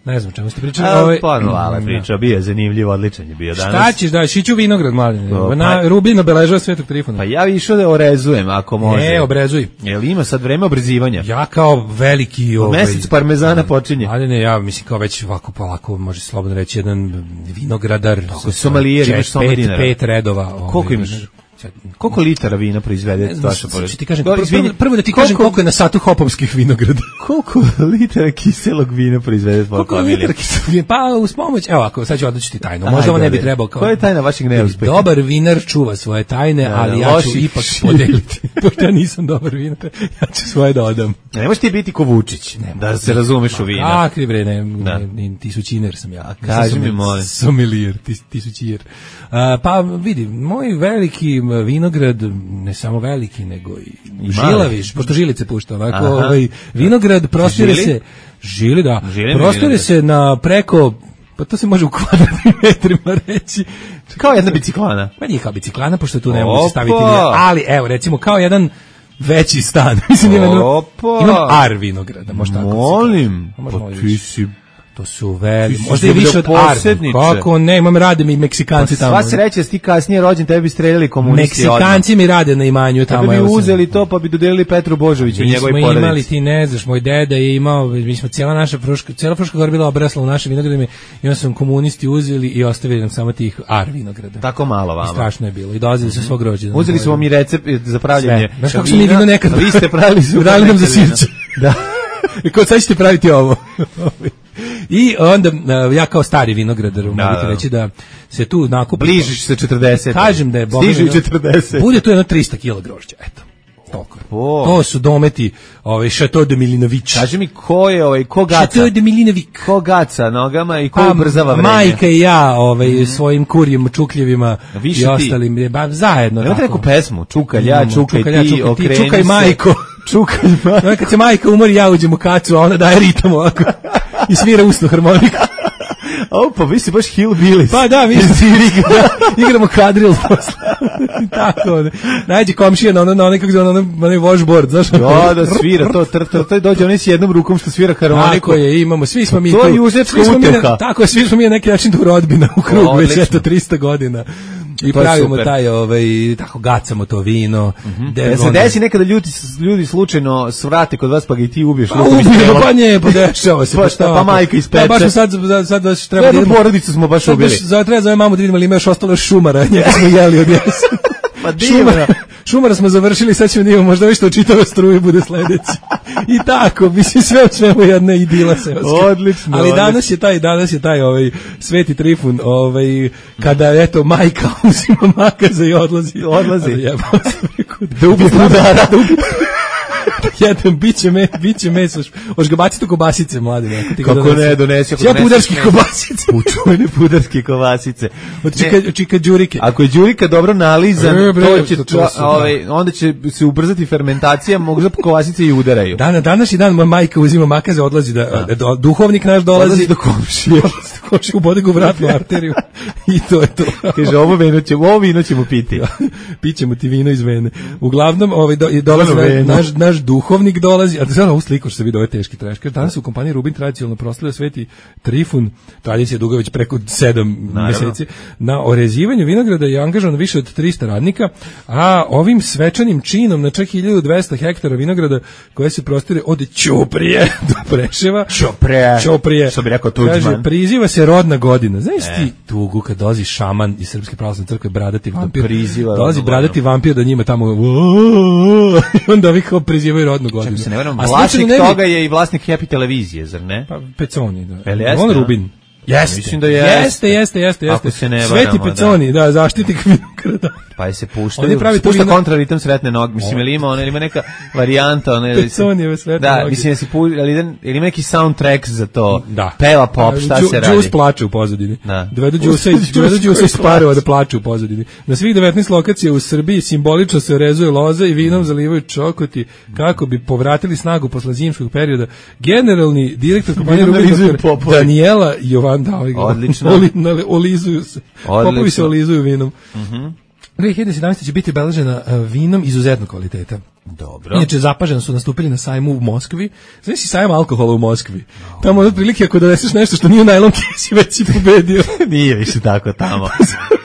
Ne znam čemu ste pričali. A, ovaj, pa, Lala priča, bio je zanimljiv, odličan je bio danas. Šta ćeš da, šiću vinograd mali. Na Rubin obeležava Svetog Trifuna. Pa ja išao da orezujem, ako može. Ne, obrezuj. Jel ima sad vreme obrezivanja? Ja kao veliki... Ovaj, mesec parmezana počinje. Ali ne, ja mislim kao već ovako polako, može slobodno reći, jedan vinogradar. Tako, somalijer, imaš soma dinara. Pet redova. Koliko ovaj, imaš? Koliko litara vina proizvede vaša porodica? Ti kažem, prvo, prvo da ti kažem koliko je na satu hopovskih vinograda. Koliko litara kiselog vina proizvede tvoja familija? Koliko litara kiselog vina? Pa uz pomoć, evo ako, sad ću odlučiti tajnu. Možda ovo ne bi trebao kao... Koja je tajna vašeg neuspeha? Dobar vinar čuva svoje tajne, da, ali ja ću ipak podeliti. Pošto ja nisam dobar vinar, ja ću svoje da odam. Ne možeš ti biti ko Vučić, da se razumeš u vina. Kakvi bre, ne, ti su činer sam ja. Kaži mi, molim. Sommelier, ti su činer. Pa vidi, moj veliki vinograd, ne samo veliki, nego i, I žilaviš, pošto žilice pušta, ovako, ovaj, vinograd prostire se, žili, da, žili prostire se na preko, pa to se može u kvadratnim metrima reći. Kao jedna biciklana. Pa nije kao biciklana, pošto tu ne mogu se staviti, ali evo, recimo, kao jedan veći stan. Mislim, imam, imam ar vinograda, možda tako. Molim, pa ti si... To su veli, možda i više od Arne. Kako ne, imam rade mi Meksikanci pa, tamo. Sva sreća, ti kasnije rođen, tebi bi streljali komunisti. Meksikanci odmah. Mi rade na imanju tamo. Tebi bi uzeli to, pa bi dodelili Petru Božoviću i njegovoj porodici. Mi smo imali, ti ne znaš, moj deda je imao, mi smo cijela naša Fruška, cijela Fruška Gora bila obrasla u našim vinogradima i onda su komunisti uzeli i ostavili nam samo tih ar vinograda. Tako malo vama. I strašno je bilo. I dolazili su svog rođena. Uzeli su vam i recept za pravljenje. Znaš kako smo mi vino nekad. Vi ste pravili su. Dali nam za sirće. Da. I ko sad ćete praviti ovo? I onda ja kao stari vinogradar mogu ti reći da se tu nakupi. Bližiš se četrdeset. Kažem da je Stižu četrdeset. Bude tu jedno trista kilograma grožđa, eto. Toliko. To su dometi ovaj Chateau de Milinović. Kaži mi ko je ovaj ko gaca? Chateau de Milinović. Ko gaca nogama i ko ubrzava vreme? Majka i ja, ovaj mm. svojim kurjim čukljevima i ostalim, ba, zajedno. Imate neku pesmu, čukaj ja, čukaj, čukaj ti, čukaj, okreni ti, čukaj majko. Čukaj majko. Kad se majka umori, ja uđem u kacu, a ona daje ritam ovako i svira usnu harmoniku. O, pa vi si baš hillbillies. Pa da, mi da, igramo kadril posle. Tako, ne. Najđe komšija na ono, na onaj, kako zove, na onaj washboard, znaš? Da, da, svira, to, tr, tr, to dođe, on s jednom rukom što svira harmoniku. Tako je, imamo, svi smo mi to tu. To je južnjačka uteha. Tako je, svi smo mi na neki način tu rodbina u krugu, već eto trista godina. I pravimo taj, ovaj, tako gacamo to vino. Mm-hmm. De, se desi nekada ljudi, ljudi slučajno svrate kod vas pa ga i ti ubiješ. Pa ubijemo, pa nije, pa dešava se. Pa šta, pa majka ispeče. Pa baš sad, sad, sad baš treba da idemo. Porodicu smo baš ubili. Sad treba zove mamu da vidimo ali ima još ostalo šumara, njega smo jeli od jesen. Pa šumara, šumara smo završili, sad ćemo da imamo možda što čitava struja bude sledeći. I tako, mislim sve od svemu jedna idila seoska. Odlično. Ali danas je taj, danas je taj ovaj Sveti Trifun, ovaj kada eto majka uzima makaza i odlazi. Odlazi. Jebao se preko. Da ubije budara. Da ubije. Jedan biće me, biće meso. Hoš ga baciti u kobasice, mladi, neko ti ga kako ne donesi. Ja pudarski kobasice. Učuvene pudarske kobasice. Od čika, čika đurike. Ako je đurika dobro nalizan, e, bre, to će, to, to su, ovaj, onda će se ubrzati fermentacija, mogu da kobasice i udaraju. Dana, danas je dan, moja majka uzima makaze, odlazi da, da. Do, duhovnik naš dolazi. Odlazi do komšije. Komšije ubode ga u vratnu arteriju. I to je to. Kaže, ovo vino ćemo, ovo vino ćemo piti. Pićemo ti vino iz vene. Uglavnom, ovaj, do, dolazi na, naš, naš duhovnik dolazi, a da sad ovu sliku što se vidi, ovo je teški trešker. Danas u kompaniji Rubin tradicionalno proslavlja Sveti Trifun, tradicija duga već preko sedam meseci, na orezivanju vinograda je angažovano više od trista radnika, a ovim svečanim činom na čak hiljadu dvesta hektara vinograda koje se prostire od Ćuprije do Preševa. Ćuprije. Ćuprije. Što bi rekao Tuđman. Kaže, priziva se rodna godina. Znaš e. ti tugu kad dolazi šaman iz Srpske pravoslavne crkve, bradati vampir. Dolazi bradati vampir da njima tamo onda vi kao prizivaju rodnu godinu. Se ne verujem, vlasnik ne toga je i vlasnik Happy televizije, zar ne? Pa Peconi, da. Jeste, on Rubin. Jeste. Mislim da jeste. Jeste, jeste, jeste, jeste. Se ne Sveti Peconi, da, da zaštitnik vinograda. Pa je se puštaju. Pušta kontraritam sretne noge. Mislim, ili ima, ona, ili ima neka varijanta. Ona, Peconijeve sretne da, noge. Da, mislim, si pu, ali ili ima neki soundtrack za to. Da. Peva pop, šta Đu, se radi? Đus plače u pozadini. Da. Dovedu Đusa iz Parova da plače u pozadini. Na svih devetnaest lokacija u Srbiji simbolično se orezuje loza i vinom zalivaju čokoti kako bi povratili snagu posle zimskog perioda. Generalni direktor kompanije Rubin Daniela Jovan da ovaj Odlično. Olizuju se. Popovi se olizuju vinom. Mhm. dve hiljade sedamnaeste. će biti obeležena vinom izuzetnog kvaliteta. Dobro. Inače, zapaženo su nastupili na sajmu u Moskvi. Znaš si sajam alkohola u Moskvi? No. Tamo od prilike ako doneseš nešto što nije u najlon kesi, već si pobedio. Nije više tako tamo.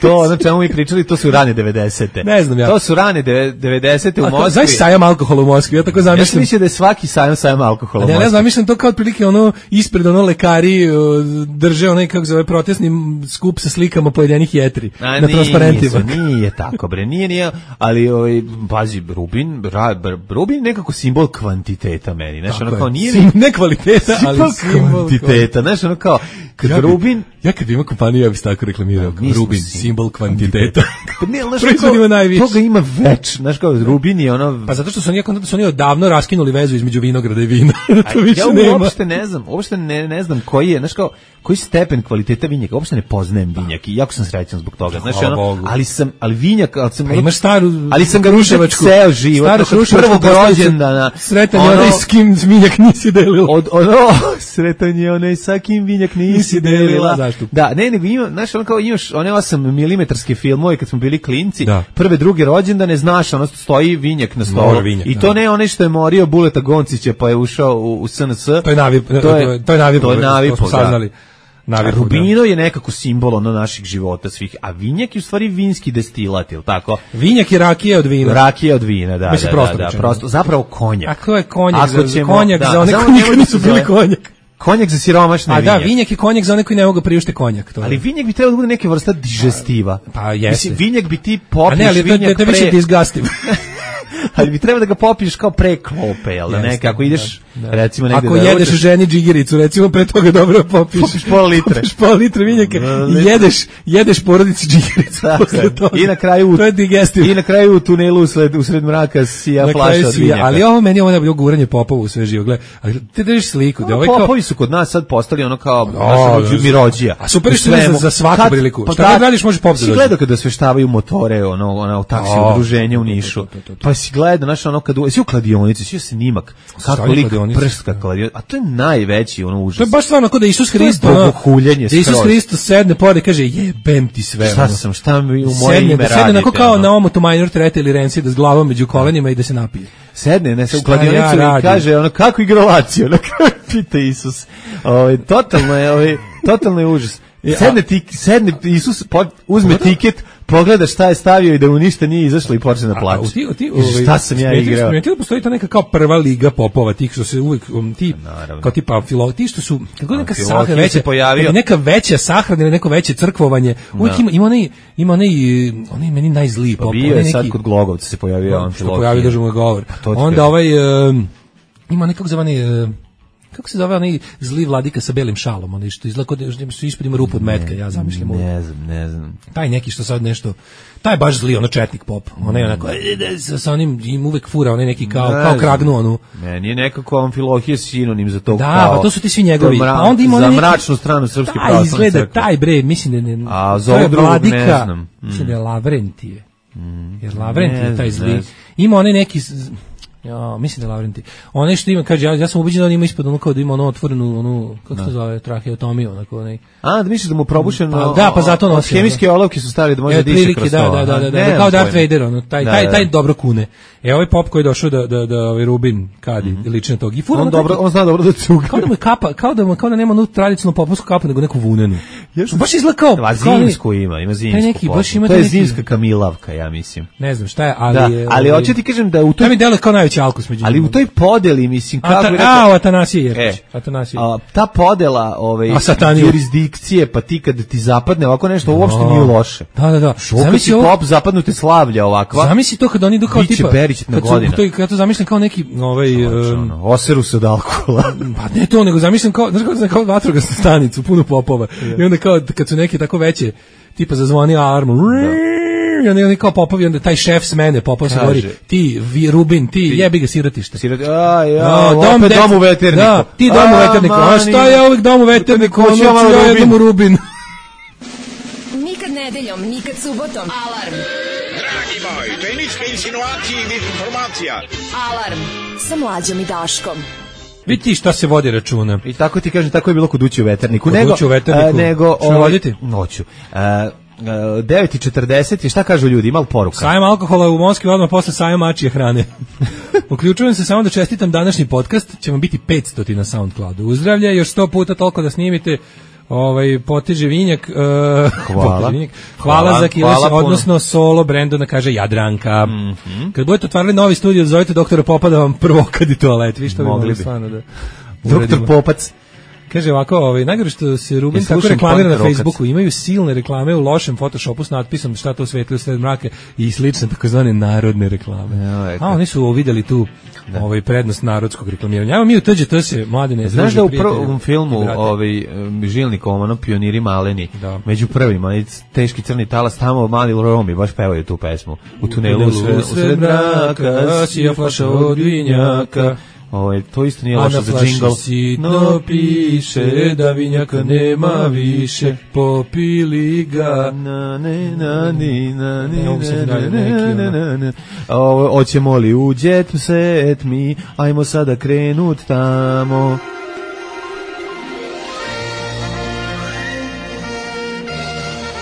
To, ono čemu mi pričali, to su rane devedesete. Ne znam ja. To su rane devedesete u Moskvi. Znaš sajam alkohola u Moskvi? Ja tako zamišljam. Ja sam mislio da je svaki sajam sajam alkohola u Moskvi. Ne, ne zamišljam to kao od prilike ono ispred ono lekari drže onaj kako zove protestni skup sa slikama pojedinih jetri A, na transparentima. Nije, nije tako bre, nije, nije, ali ovaj pazi Rubin, Rubin nekako simbol kvantiteta meni, znači ono kao nije Sim, ne kvaliteta, ali simbol kvantiteta, znači ono kao kad ja bi, Rubin, ja kad ima kompaniju ja bih tako reklamirao, kao Rubin simbol kvantiteta. Pa ne, znači toga ima već, znači kao Rubin je ono. Pa zato što su oni da su oni odavno raskinuli vezu između vinograda i vina. To više ja nema. uopšte ne znam, uopšte ne ne znam koji je, znači kao koji stepen kvaliteta vinjaka, uopšte ne poznajem vinjak i jako sam srećan zbog toga. Znači ono, ali sam ali vinjak, ali sam pa imaš staru, ali sam ga ruševačku ceo život, od prvog rođendana. Sretan je onaj s kim vinjak nisi delila. Od ono sretan je onaj sa kim vinjak nisi delila. Da, ne, nego ima, znaš, ono kao imaš one osam milimetarske filmove kad smo bili klinci, da. Prve, druge rođendane, znaš, ono stoji vinjak na stolu. Vinjak, I to da. Ne onaj što je morio Buleta Goncića pa je ušao u, u S N S. To je navi, to je, to je navi, to je navi, to smo saznali. A Rubino je nekako simbol ono naših života svih, a vinjak je u stvari vinski destilat, ili tako? Vinjak je rakija od vina. Rakija od vina, da, Mislim, da, prosto da, da, prosto, zapravo konjak. A ko je konjak? Ako za, ćemo, konjak da, za one koji nikad nisu bili konjak. Konjak za siromašne vinjak. A da, vinjak je konjak za one koji ne mogu priušte konjak. To ali vinjak bi trebalo da bude neka vrsta digestiva. Pa jeste. Mislim, vinjak bi ti popiješ vinjak pre... A ne, ali to je više disgustive. Ali bi trebalo da ga popiješ kao pre klope, jel da ne, kako ideš, recimo negde ako da jedeš ručaš, ženi džigericu, recimo pre toga dobro popiš. Popiš pola litre. Popiš pola litre vinjaka i jedeš, jedeš porodici džigericu. I na kraju, to je digestiv. I na kraju u tunelu usled, usred mraka sija flaša od vinjaka. Ali ovo meni je ovo najbolje guranje popova u sve živo. Gle, ti držiš sliku. Da, ovaj kao... Popovi su kod nas sad postali ono kao o, naša mirođija. A super što je za, za svaku kad, priliku. Pa šta god radiš može pop da dođe. Si gledao kada sveštavaju motore, ono, ono, u taksi udruženje u Nišu. Pa si gledao, znaš, ono, kad si u kladionici, si snimak, kako lik prska kladionica. A to je najveći, ono, užas. To je baš stvarno kao da Isus Hristos, da Isus Hristos sedne pored i kaže, jebem ti sve. Šta sam, šta mi u moje ime radite? Sedne onako kao na omotu minor trete ili renci, da s glavom među kolenima i da se napije. Sedne, ne, se u kladionicu i kaže, ono, kako igra Lazio, ono, pita Isus. Ovaj totalno je, ovaj totalno je užas. Sedne ti, sedne Isus, uzme tiket, pogleda šta je stavio i da mu ništa nije izašlo i počne da plače. Ti, ti, ovaj, šta sam ja igrao? Ti postoji ta neka kao prva liga popova, tih što se uvek um, ti naravno. Kao tipa filo, ti što su kako neka sahrana veća pojavio, neka veća sahrana ili neko veće crkvovanje. Uvek ima ima onaj ima onaj onaj meni najzliji pop, bio je sad kod Glogovca se pojavio on filo. Pojavio držimo govor. Onda ovaj um, ima nekog zvani uh, kako se zove onaj zli vladika sa belim šalom, onaj što izgleda kao su ispod ima rupu od metka, ja zamišljam. Ne znam, ne znam. Taj neki što sad nešto, taj baš zli, ono četnik pop, onaj onako, sa onim im uvek fura, onaj neki kao, kao kragnu onu. Ne, nije nekako Amfilohije sinonim za to da, kao. Da, pa to su ti svi njegovi. Mra, pa onda ima za neki, mračnu stranu srpske pravoslavne crkve. Taj izgleda, taj bre, mislim da ne, a za ovog drugog ne znam. Mm. Mislim da je Lavrentije. Mm. Jer Lavrentije taj zli. Ima onaj neki... Ja, mislim da Lavrenti. One što ima, kaže, ja, ja sam ubeđen da on ima ispod ono kao da ima ono otvorenu, onu, kako se zove, traheotomiju, onako, onaj. A, da misliš da mu probušeno... Pa, da, pa zato nosi. Hemijske olovke su stavili da može da diše kroz to. Da, da, da, da, da, kao Darth Vader, ono, taj, da, taj, da. taj dobro kune. E, ovaj pop koji je došao da, da, da, ovaj Rubin kadi, mm-hmm. liči na tog. I on, dobro, on zna dobro da cuga. Kao da mu je kapa, kao da, mu, kao da nema onu tradicionalnu popovsku kapu, nego neku vunenu. Još baš izgleda kao... A zimsku ima, ima zimsku neki, baš ima to je zimska kamilavka, ja mislim. Ne znam šta je, ali je... Ali hoću ti kažem da u toj... To mi deluje kao najveći alkus među ali u toj podeli, mislim, kako Ata, bi rekao... A, Atanasije Jerkić. E, Atanasije. A, ta podela ovaj, jurisdikcije, pa ti kad ti zapadne ovako nešto, no. uopšte nije loše. Da, da, da. Zamisli ovo... pop zapadnute slavlja ovakva. Zamisli to kad oni idu kao tipa... Kad su, to, kad to zamišljam kao neki... Ovaj, um, oseru se od alkohola. Pa ne to, nego zamišljam kao, znaš kao, kao vatrogasnu stanicu, puno popova. Yeah. I onda kao, kad su neke tako veće, tipa zazvoni alarm, i onda je kao popovi, onda taj šef s mene, popov se govori, ti, vi, Rubin, ti, ti. jebi ga sirotište. Siroti, a, ja, no, dom, opet dom u veterniku. Da, ti dom u veterniku, a šta je uvijek dom u veterniku, ono ću ja jednom u Rubin. Nikad nedeljom, nikad subotom. Alarm. Dragi moj, tehničke insinuacije i informacija. Alarm sa Mlađom i Daškom. Vidi šta se vodi računa. I tako ti kažem, tako je bilo kod ući u veterniku. Kod nego, ući u veterniku. A, nego, što ovaj, voditi? Noću. A, devet i četrdeset i šta kažu ljudi, ima li poruka? Sajam alkohola u Moskvi odmah posle sajam mačije hrane. Uključujem se samo da čestitam današnji podcast, će vam biti petsto na SoundCloudu. Uzdravlja, još sto puta toliko da snimite. Ovaj poteže vinjak, uh, hvala. Vinjak. hvala hvala za kiles, odnosno solo Brendona, kaže Jadranka. Mm-hmm. Kad budete otvarali novi studio, zovite doktora Popa da vam prvo kadi toalet, vi što bi mogli stvarno da doktor Popac. Kaže ovako, ovaj najgore što se Rubin tako reklamira na Facebooku, imaju silne reklame u lošem Photoshopu s natpisom šta to svetli u sred mraka i slične takozvane narodne reklame. Ja, a oni su videli tu da. ovaj prednost narodskog reklamiranja. Evo mi u T Ž T se mladine. Znaš da u prvom filmu ovaj Žilnik Omano pioniri maleni da. Među prvima i teški crni talas tamo mali Romi baš pevaju tu pesmu. U tunelu u sred mraka sija flaša od vinjaka. Ovo, to isto nije loše za džingl. A na flaši sitno piše da vinjaka nema više, popili ga. Na, ne, na, ni, na, ni, na, na, na. Oćemo li u jet set mi, ajmo sada krenut tamo.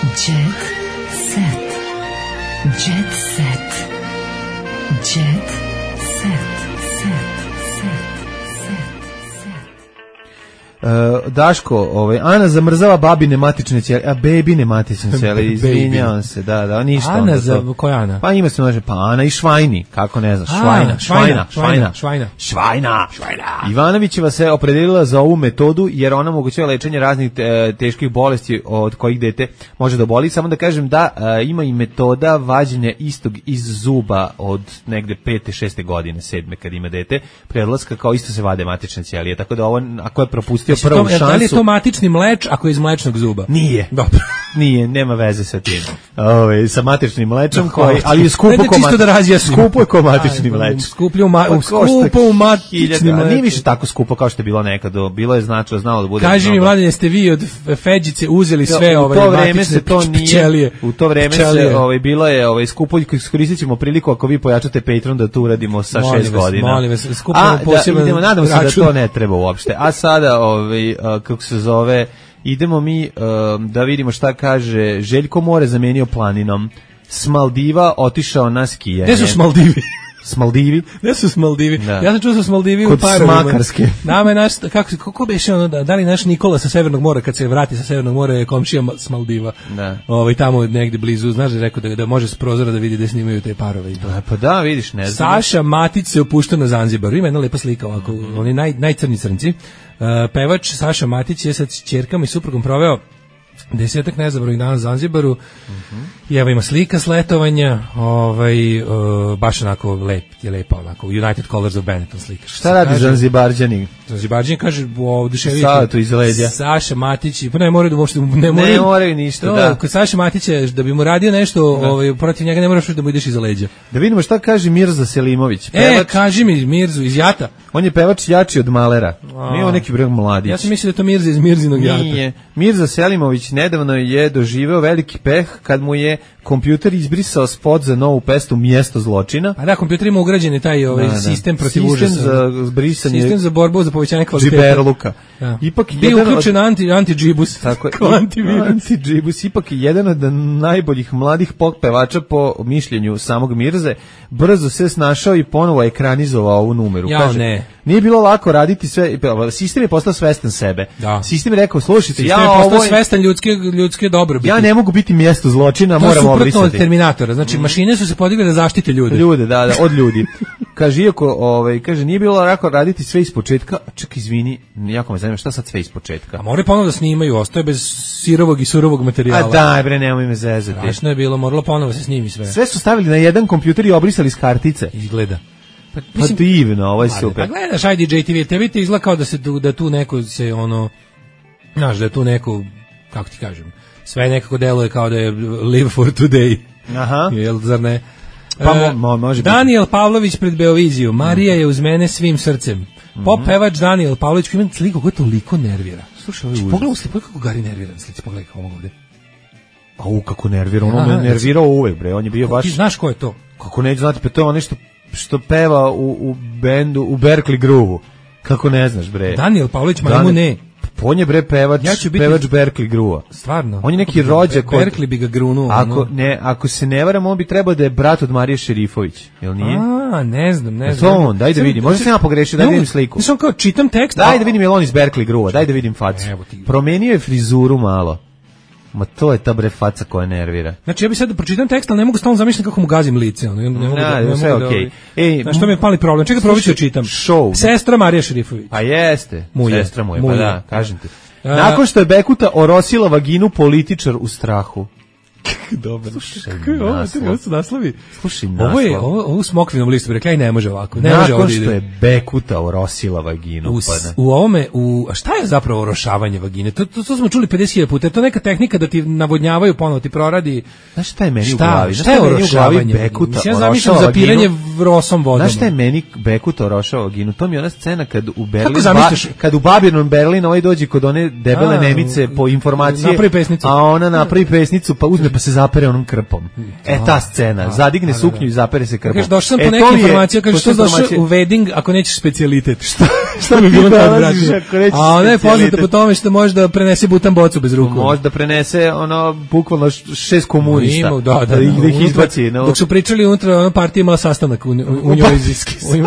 Jet set. Jet set. Jet set. Uh, Daško, ovaj, Ana zamrzava babine matične ćelije, a bebine matične ćelije, izvinjavam se, da, da, ništa. Ana, za, koja Ana? Pa ima se može, pa Ana i Švajni, kako ne znaš, Švajna, Švajna, Švajna, Švajna, Švajna, Švajna. Ivanovićeva se opredelila za ovu metodu, jer ona omogućava lečenje raznih te, teških bolesti od kojih dete može da oboli. Samo da kažem da a, ima i metoda vađenja istog iz zuba od negde pete, šeste godine, sedme, kad ima dete, predlaska, kao isto se vade matične ćelije, tako da ovo, ako je propustio prvu to, šansu... Da li je to matični mleč ako je iz mlečnog zuba? Nije. Dobro. Nije, nema veze sa tim. Ove, sa matičnim mlečom, koji, ali je skupo ko čisto da razjasnimo. Skupo je ko matični mleč. Skuplje u, ma, u skupo u matični mleč. Nije više tako skupo kao što je bilo nekada. Bilo je značilo, znalo da bude... Kaži mi, Mladene, ste vi od Feđice uzeli sve ove matične pčelije? U to vreme se ovaj, bilo je ovaj, skupo, iskoristit ćemo priliku ako vi pojačate Patreon da to uradimo sa molim šest vas, godina. Molim vas, skupimo posebno... Idemo, nadamo se da to ne treba uopšte. A sada, ovaj, kako se zove... Idemo mi um, da vidimo šta kaže Željko More zamenio planinom. S Maldiva otišao na skijanje. Gde su Maldivi? S Maldivi? Gde su s Maldivi? Da. Ja sam čuo sa s Maldivi kod u parovima. Smakarske. Nama je naš, kako, kako beše ono, da, da li naš Nikola sa Severnog mora, kad se vrati sa Severnog mora, je komšija s Maldiva. Da. Ovaj, tamo negde blizu, znaš da je rekao da, da može s prozora da vidi da snimaju te parove. I to. A, pa da, vidiš, ne znam. Saša Matić se opušta na Zanzibaru. Ima jedna lepa slika ovako, mm. oni naj, najcrnji crnci. Uh, pevač Saša Matić je sa ćerkama i suprugom proveo desetak nezabravnih dana na Zanzibaru. Mm-hmm. I evo ima slika s letovanja, ovaj, uh, baš onako lep, je lepa onako, United Colors of Benetton slika. Šta radi Zanzibarđani? Zanzibarđani kaže, oduševiti. Sada tu iz leđa. Saša Matić, pa ne moraju da uopšte, ne moraju. Ne moraju ništa, to, da. Kod Saša Matića, da bi mu radio nešto, da. ovaj, protiv njega ne moraš da mu ideš iza leđa. Da vidimo šta kaže Mirza Selimović. Pevač, e, kaži mi Mirzu iz Jata. On je pevač jači od Malera. Nije on neki breg mladić. Ja sam mislio da je to Mirza iz Mirzinog Jata. Nije. Mirza Selimović nedavno je doživeo veliki peh kad mu je kompjuter izbrisao spot za novu pesmu Mjesto zločina. A da, kompjuter ima ugrađeni taj ovaj, da, da. sistem protiv sistem užasa. Za brisanje, sistem za borbu za povećanje kvaliteta. Džiberluka. Da. Ipak bio uključen anti anti-džibus. Tako je. Antivirus. Anti-džibus. Ipak je jedan od najboljih mladih pop pevača po mišljenju samog Mirze. Brzo se snašao i ponovo ekranizovao ovu numeru. Ja, kaže, ne. Nije bilo lako raditi sve. Sistem je postao svestan sebe. Da. Sistem je rekao, slušajte, ja je postao svestan ljudske ljudske dobrobiti. Ja ne mogu biti mjesto zločina, to moram obrisati. To je suprotno od Terminatora. Znači, mm. mašine su se podigle da zaštite ljude. Ljude, da, da, od ljudi. Kaže, iako, ovaj, kaže, nije bilo lako raditi sve ispočetka. Ček, izvini, jako me zanima, šta sad sve ispočetka? A moraju ponovo da snimaju, ostaje bez sirovog i surovog materijala. A daj, bre, nemoj me zezati. Strašno je bilo, moralo ponovo se snimi sve. Sve su stavili na jedan kompjuter i obrisali s kartice. Izgleda. Pa, mislim, pa divno, ovo je super. Pa gledaš, ajde J T V, tebi ti izgleda kao da, se, da tu neko se, ono, znaš, da je tu neko, kako ti kažem, sve nekako deluje kao da je live for today. Aha. Jel, zar ne? Pa mo, mo, može Daniel biti. Pavlović pred Beoviziju. Marija je uz mene svim srcem. Mm-hmm. Pop pevač Daniel Pavlović koji ima sliku koja toliko nervira. Slušaj, ovaj pogledaj u sliku kako Gari nervira na slici, pogledaj kako ovog ovde. A u kako nervira, ono me nervirao uvek, bre, on je bio baš... Ti znaš ko je to? Kako neću znati, pa to je ono što, što peva u, u bendu, u Berkeley Groove-u. Kako ne znaš, bre? Daniel Pavlović, ma mu ne. On je bre pevač, ja biti, pevač Berkeley Groove-a. Stvarno? On je neki rođak od... Berkeley bi ga grunuo. Ako, ne, ako se ne varam, on bi trebao da je brat od Marije Šerifović, jel nije? A, ne znam, ne znam. To on, daj da vidim. Možda sam ja pogrešio, daj da vidim sliku. Mislim kao čitam tekst. Daj da vidim je on iz Berkeley Groove-a, daj da vidim facu. Promenio je frizuru malo. Ma to je ta bre faca koja nervira. Znači ja bih sad da pročitam tekst, ali ne mogu stalno zamišljati kako mu gazim lice. Ne, ne mogu da, ne sve mogu da, okej. Ej, znaš što mi je pali problem? Čekaj, probat ću da čitam. Show. Sestra Marija Šerifović. Pa jeste, mu je, sestra mu je, mu pa je. da, kažem ti. Nakon što je Bekuta orosila vaginu, političar u strahu. Dobro. Slušaj, ovo su naslovi. Slušaj, ovo je ovo, ovo u smokvinom listu, rekla i ne može ovako. Ne Nakon može ovdje što je Bekuta orosila vaginu. U, pa ne. u ovome, u, a šta je zapravo orošavanje vagine? To, to, to smo čuli pedeset hiljada puta. Je to neka tehnika da ti navodnjavaju ponovo, ti proradi. Znaš šta je meni šta, u glavi? Šta je orošavanje? Bekuta Mislim, ja zamišljam zapiranje rosom vodom. Znaš šta je meni Bekuta orošava vaginu? To mi je ona scena kad u Berlin, ba, kad u Babylon Berlin ovaj dođe kod one debele a, Nemice po informacije, napravi pesnicu. A ona napravi pesnicu, pa uzme pa se zapere onom krpom. E, ta scena, zadigne suknju i zapere se krpom. Kažeš, došao sam po neke informacije, kažeš, što došao u wedding ako nećeš specijalitet. Šta, šta bi bilo tako, brate? A ona je poznata po tome što može da prenese butan bocu bez ruku. Može da prenese, ono, bukvalno šest komunista. Ima, da, da, da ih izbaci. No. Dok su pričali unutra, ona partija imala sastanak u, u, u njoj.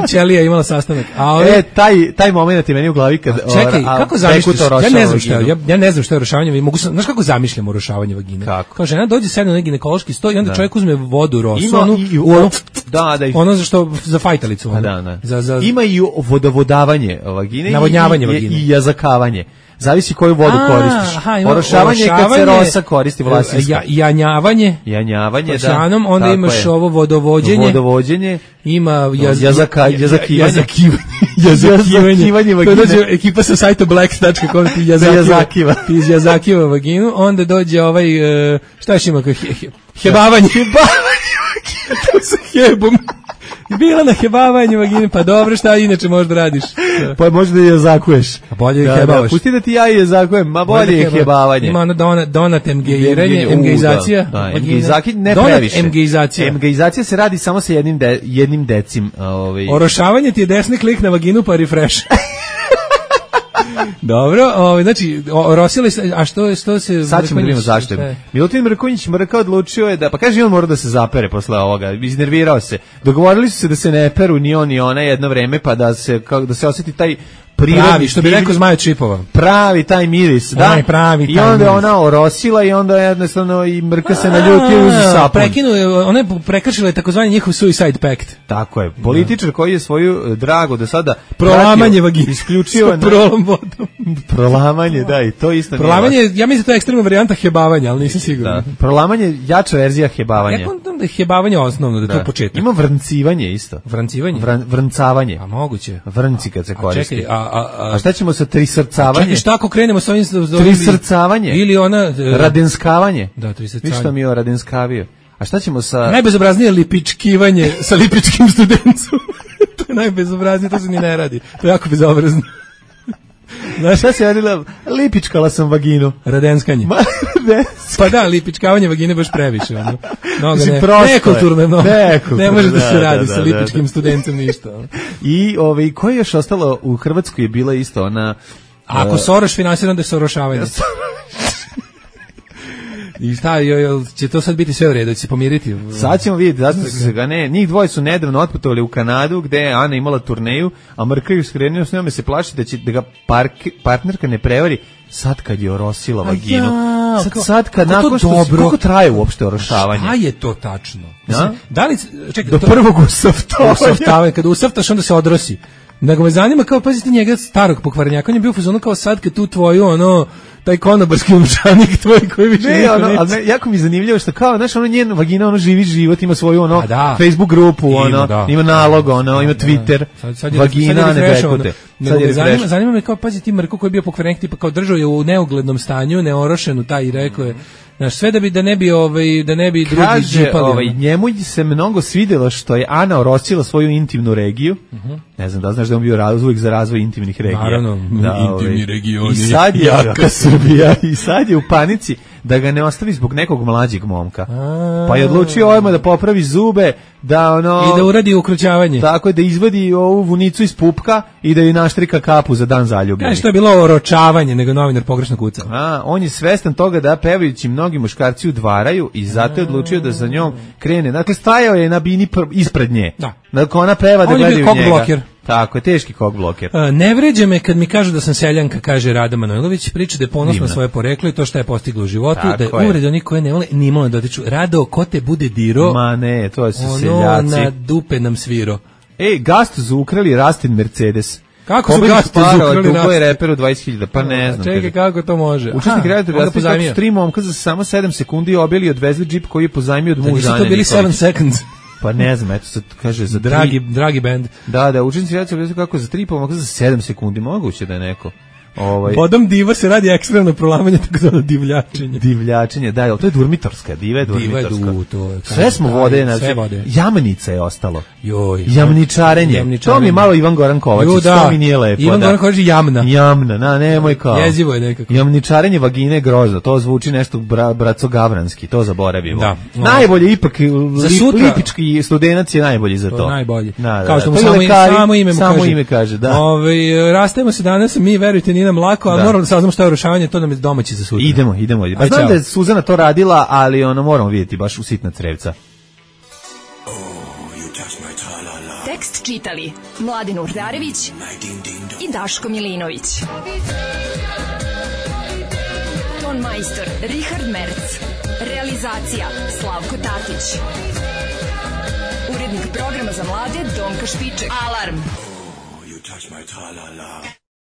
U Ćelija imala sastanak. A ove, e, taj, taj moment je meni u glavi kad... A čekaj, a, kako zamišljaš? Ja ne znam šta je, ja, ja ne znam šta je orošavanje. Mogu, znaš kako zamišljam orošavanje vagine? Kako? Kao žena dođe sedne na neki ginekološki sto i onda da. čovjek uzme vodu rosu, ima onu, i, u ono, da, da, ono za što, za fajtalicu. Ono, da, da. Za, za, ima i vodovodavanje vagine navodnjavanje i, vagine. i, i jazakavanje. Zavisi koju vodu A, koristiš. Aha, orošavanje je kad se rosa koristi vlasinska. Ja, janjavanje. Janjavanje, da. Šanom, onda tako imaš je. Ovo vodovođenje. Vodovođenje. Ima jaz, jazaka, jazakivanje. Jazakivanje. Jazakivanje vagine. To dođe ekipa sa sajta blacks dot com ti jazakiva. Ti iz jazakiva vaginu. Onda dođe ovaj, šta još ima? He, he, hebavanje. Hebavanje vagine. To sa hebom. Bila na hebavanju vagine, pa dobro, šta inače možda radiš? Pa možda je zakuješ. A bolje da, je hebavaš. Da, pusti da ti ja je zakujem, ma bolje je hebavanje. Ima ono donat, donat emgeiranje, emgeizacija. Da, da emgeizacija ne donat previše. Emgeizacija. Emgeizacija se radi samo sa jednim, de, jednim decim. Ovaj. Orošavanje ti je desni klik na vaginu pa refresh. Dobro, ovaj znači orosili se, a što što se sad ćemo vidimo zašto. Milutin Mrkonjić Mrka odlučio je da pa kaže on mora da se zapere posle ovoga, iznervirao se. Dogovorili su se da se ne peru ni on ni ona jedno vreme pa da se kako da se oseti taj pravi, što bi rekao Zmaja Čipova. Pravi taj miris, da. Aj, pravi taj I onda miris. ona orosila i onda jednostavno i Mrka se naljutio uz sapun. Prekinuo, ona je prekršila takozvani njihov suicide pact. Tako je. Političar koji je svoju drago do sada prolamanje vagine isključio na prolom vodom. Prolamanje, da, i to isto. Prolamanje, ja mislim da to je ekstremna varijanta hebavanja, ali nisam siguran. Da. Prolamanje jača verzija hebavanja. Ja kontam da je hebavanje osnovno, da, da. To je početak. Ima vrncivanje isto. Vrancivanje? Vran, vrncavanje. A moguće. Vrnci kad se koristi. Čekaj, a A, a, a šta ćemo sa trisrcavanje? Čekaj, šta ako krenemo sa ovim... Trisrcavanje? Ili ona... Uh, radenskavanje? Da, trisrcavanje. Viš što mi je radenskavio? A šta ćemo sa... Najbezobraznije lipičkivanje sa lipičkim studencom. To je najbezobraznije, to se ni ne radi. To je jako bezobrazno. Znaš šta se radila? Lipičkala sam vaginu. Radenskanje. Ma, pa da, lipičkavanje vagine baš previše. Ono. Mnogo ne, nekulturno je mnogo. Ne može da se da, radi da, sa lipičkim da, da. studencem ništa. Ono. I ovaj, koje je još ostalo u Hrvatskoj je bila isto ona... Ako uh, Soroš finansira, onda je sorošavanje. I šta, jel, će to sad biti sve u redu, će se pomiriti? Sad ćemo vidjeti, zašto se ga ne. Njih dvoje su nedavno otputovali u Kanadu, gde je Ana imala turneju, a Mrka ju skrenio s njome se plaši da će da ga park, partnerka ne prevari sad kad je orosila vaginu. Ja, sad, sad kad nakon što se, kako traje uopšte orošavanje? Šta je to tačno? Mislim, da li, čekaj, do to, prvog usaftavanja. Usaftavanje, kada usaftaš onda se odrosi. Nego me zanima kao, pazite njega starog pokvarenjaka, on je bio u fazonu kao sad kad tu tvoju, ono, taj konobarski umčanik tvoj koji više ne, ono, ali ne, jako mi je zanimljivo što kao, znaš, ono njen vagina, ono živi život, ima svoju, ono, da. Facebook grupu, ima, ono, da. Ima nalog, ono, da, ima Twitter, sad, sad je, vagina, sad je ne bekute. Sad je zanima, zanima me kao, pazi ti Mrko koji je bio pokvarenik, tipa kao držao je u neuglednom stanju, neorošenu taj i rekao je, znaš, sve da bi da ne bi ovaj da ne bi drugi kaže, džipali. Ovaj njemu se mnogo svidelo što je Ana orosila svoju intimnu regiju. Uh-huh. Ne znam da znaš da on bio razvoj za razvoj intimnih regija. Naravno, da, intimni ovaj, regioni. I sad je jaka Srbija i sad je u panici da ga ne ostavi zbog nekog mlađeg momka. A, pa je odlučio ovima da popravi zube, da ono i da uradi ukrućavanje. Tako je, da izvadi ovu vunicu iz pupka i da joj naštrika kapu za dan zaljubljenih. Ne, što je bilo oročavanje, nego novinar pogrešno kucao. A, on je svestan toga da pevajući mnogi muškarci udvaraju i zato je odlučio da za njom krene. Dakle, stajao je na bini pr- ispred nje. Da. Dakle, ona peva da gledaju njega. On je bio bloker. Tako je, teški kog bloker. Uh, ne vređe me kad mi kažu da sam seljanka, kaže Rada Manojlović, priča da je ponosna na svoje poreklo i to što je postigla u životu, tako da je uvrede onih koje ne vole, ni malo dotiču. Rado, ko te bude diro? Ma ne, to su ono seljaci. Na dupe nam sviro. Ej, Gastu su ukrali Rastin Mercedes. Kako su Gastu ukrali Rastin? Je reperu dvadeset hiljada, pa ne znam. Čekaj, kako to može? Učesnik Rastin Mercedes tri momka za samo sedam sekundi obili i odvezli džip koji je pozajmio od muža. Nisu to bili sedam seconds. Pa ne znam, eto sad kaže za dragi tri... dragi bend. Da, da, učenici reći kako za tri pomaka za sedam sekundi moguće da je neko. Ovaj Bodom diva se radi ekstremno prolamanje, tako zvano divljačenje. Divljačenje, da, to je durmitorska, diva je durmitorska. Diva je du, to je. Sve smo vode, znači, sve vode. Jamnica je ostalo. Joj. Jamničarenje. Jamničarenje. To mi je malo Ivan Goran Kovačić, jo, da. To mi nije lepo. Ivan da. Goran Kovačić jamna. Jamna, na, nemoj kao. Jezivo je nekako. Jamničarenje vagine je grozno, to zvuči nešto bra, braco gavranski, to zaboravimo. Da. Najbolje ipak, za sutra, lipički studenac je najbolji za to. To je najbolji. Da, da, kao što mu to samo, lekari, samo ime mu samo kaže. ime kaže, da. Ove, rastajemo se danas, mi verujte nije nam lako, ali da. moramo da saznamo šta je urušavanje, to nam je domaći za sutra. Idemo, idemo. Pa znam da je Suzana to radila, ali ono moramo vidjeti baš u sitna crevca. Tekst čitali Mladin Urdarević i Daško Milinović. Ton majstor Richard Merc. Realizacija Slavko Tatić. Urednik programa za mlade Donka Špiček. Alarm! Oh, you touch my tra-la-la.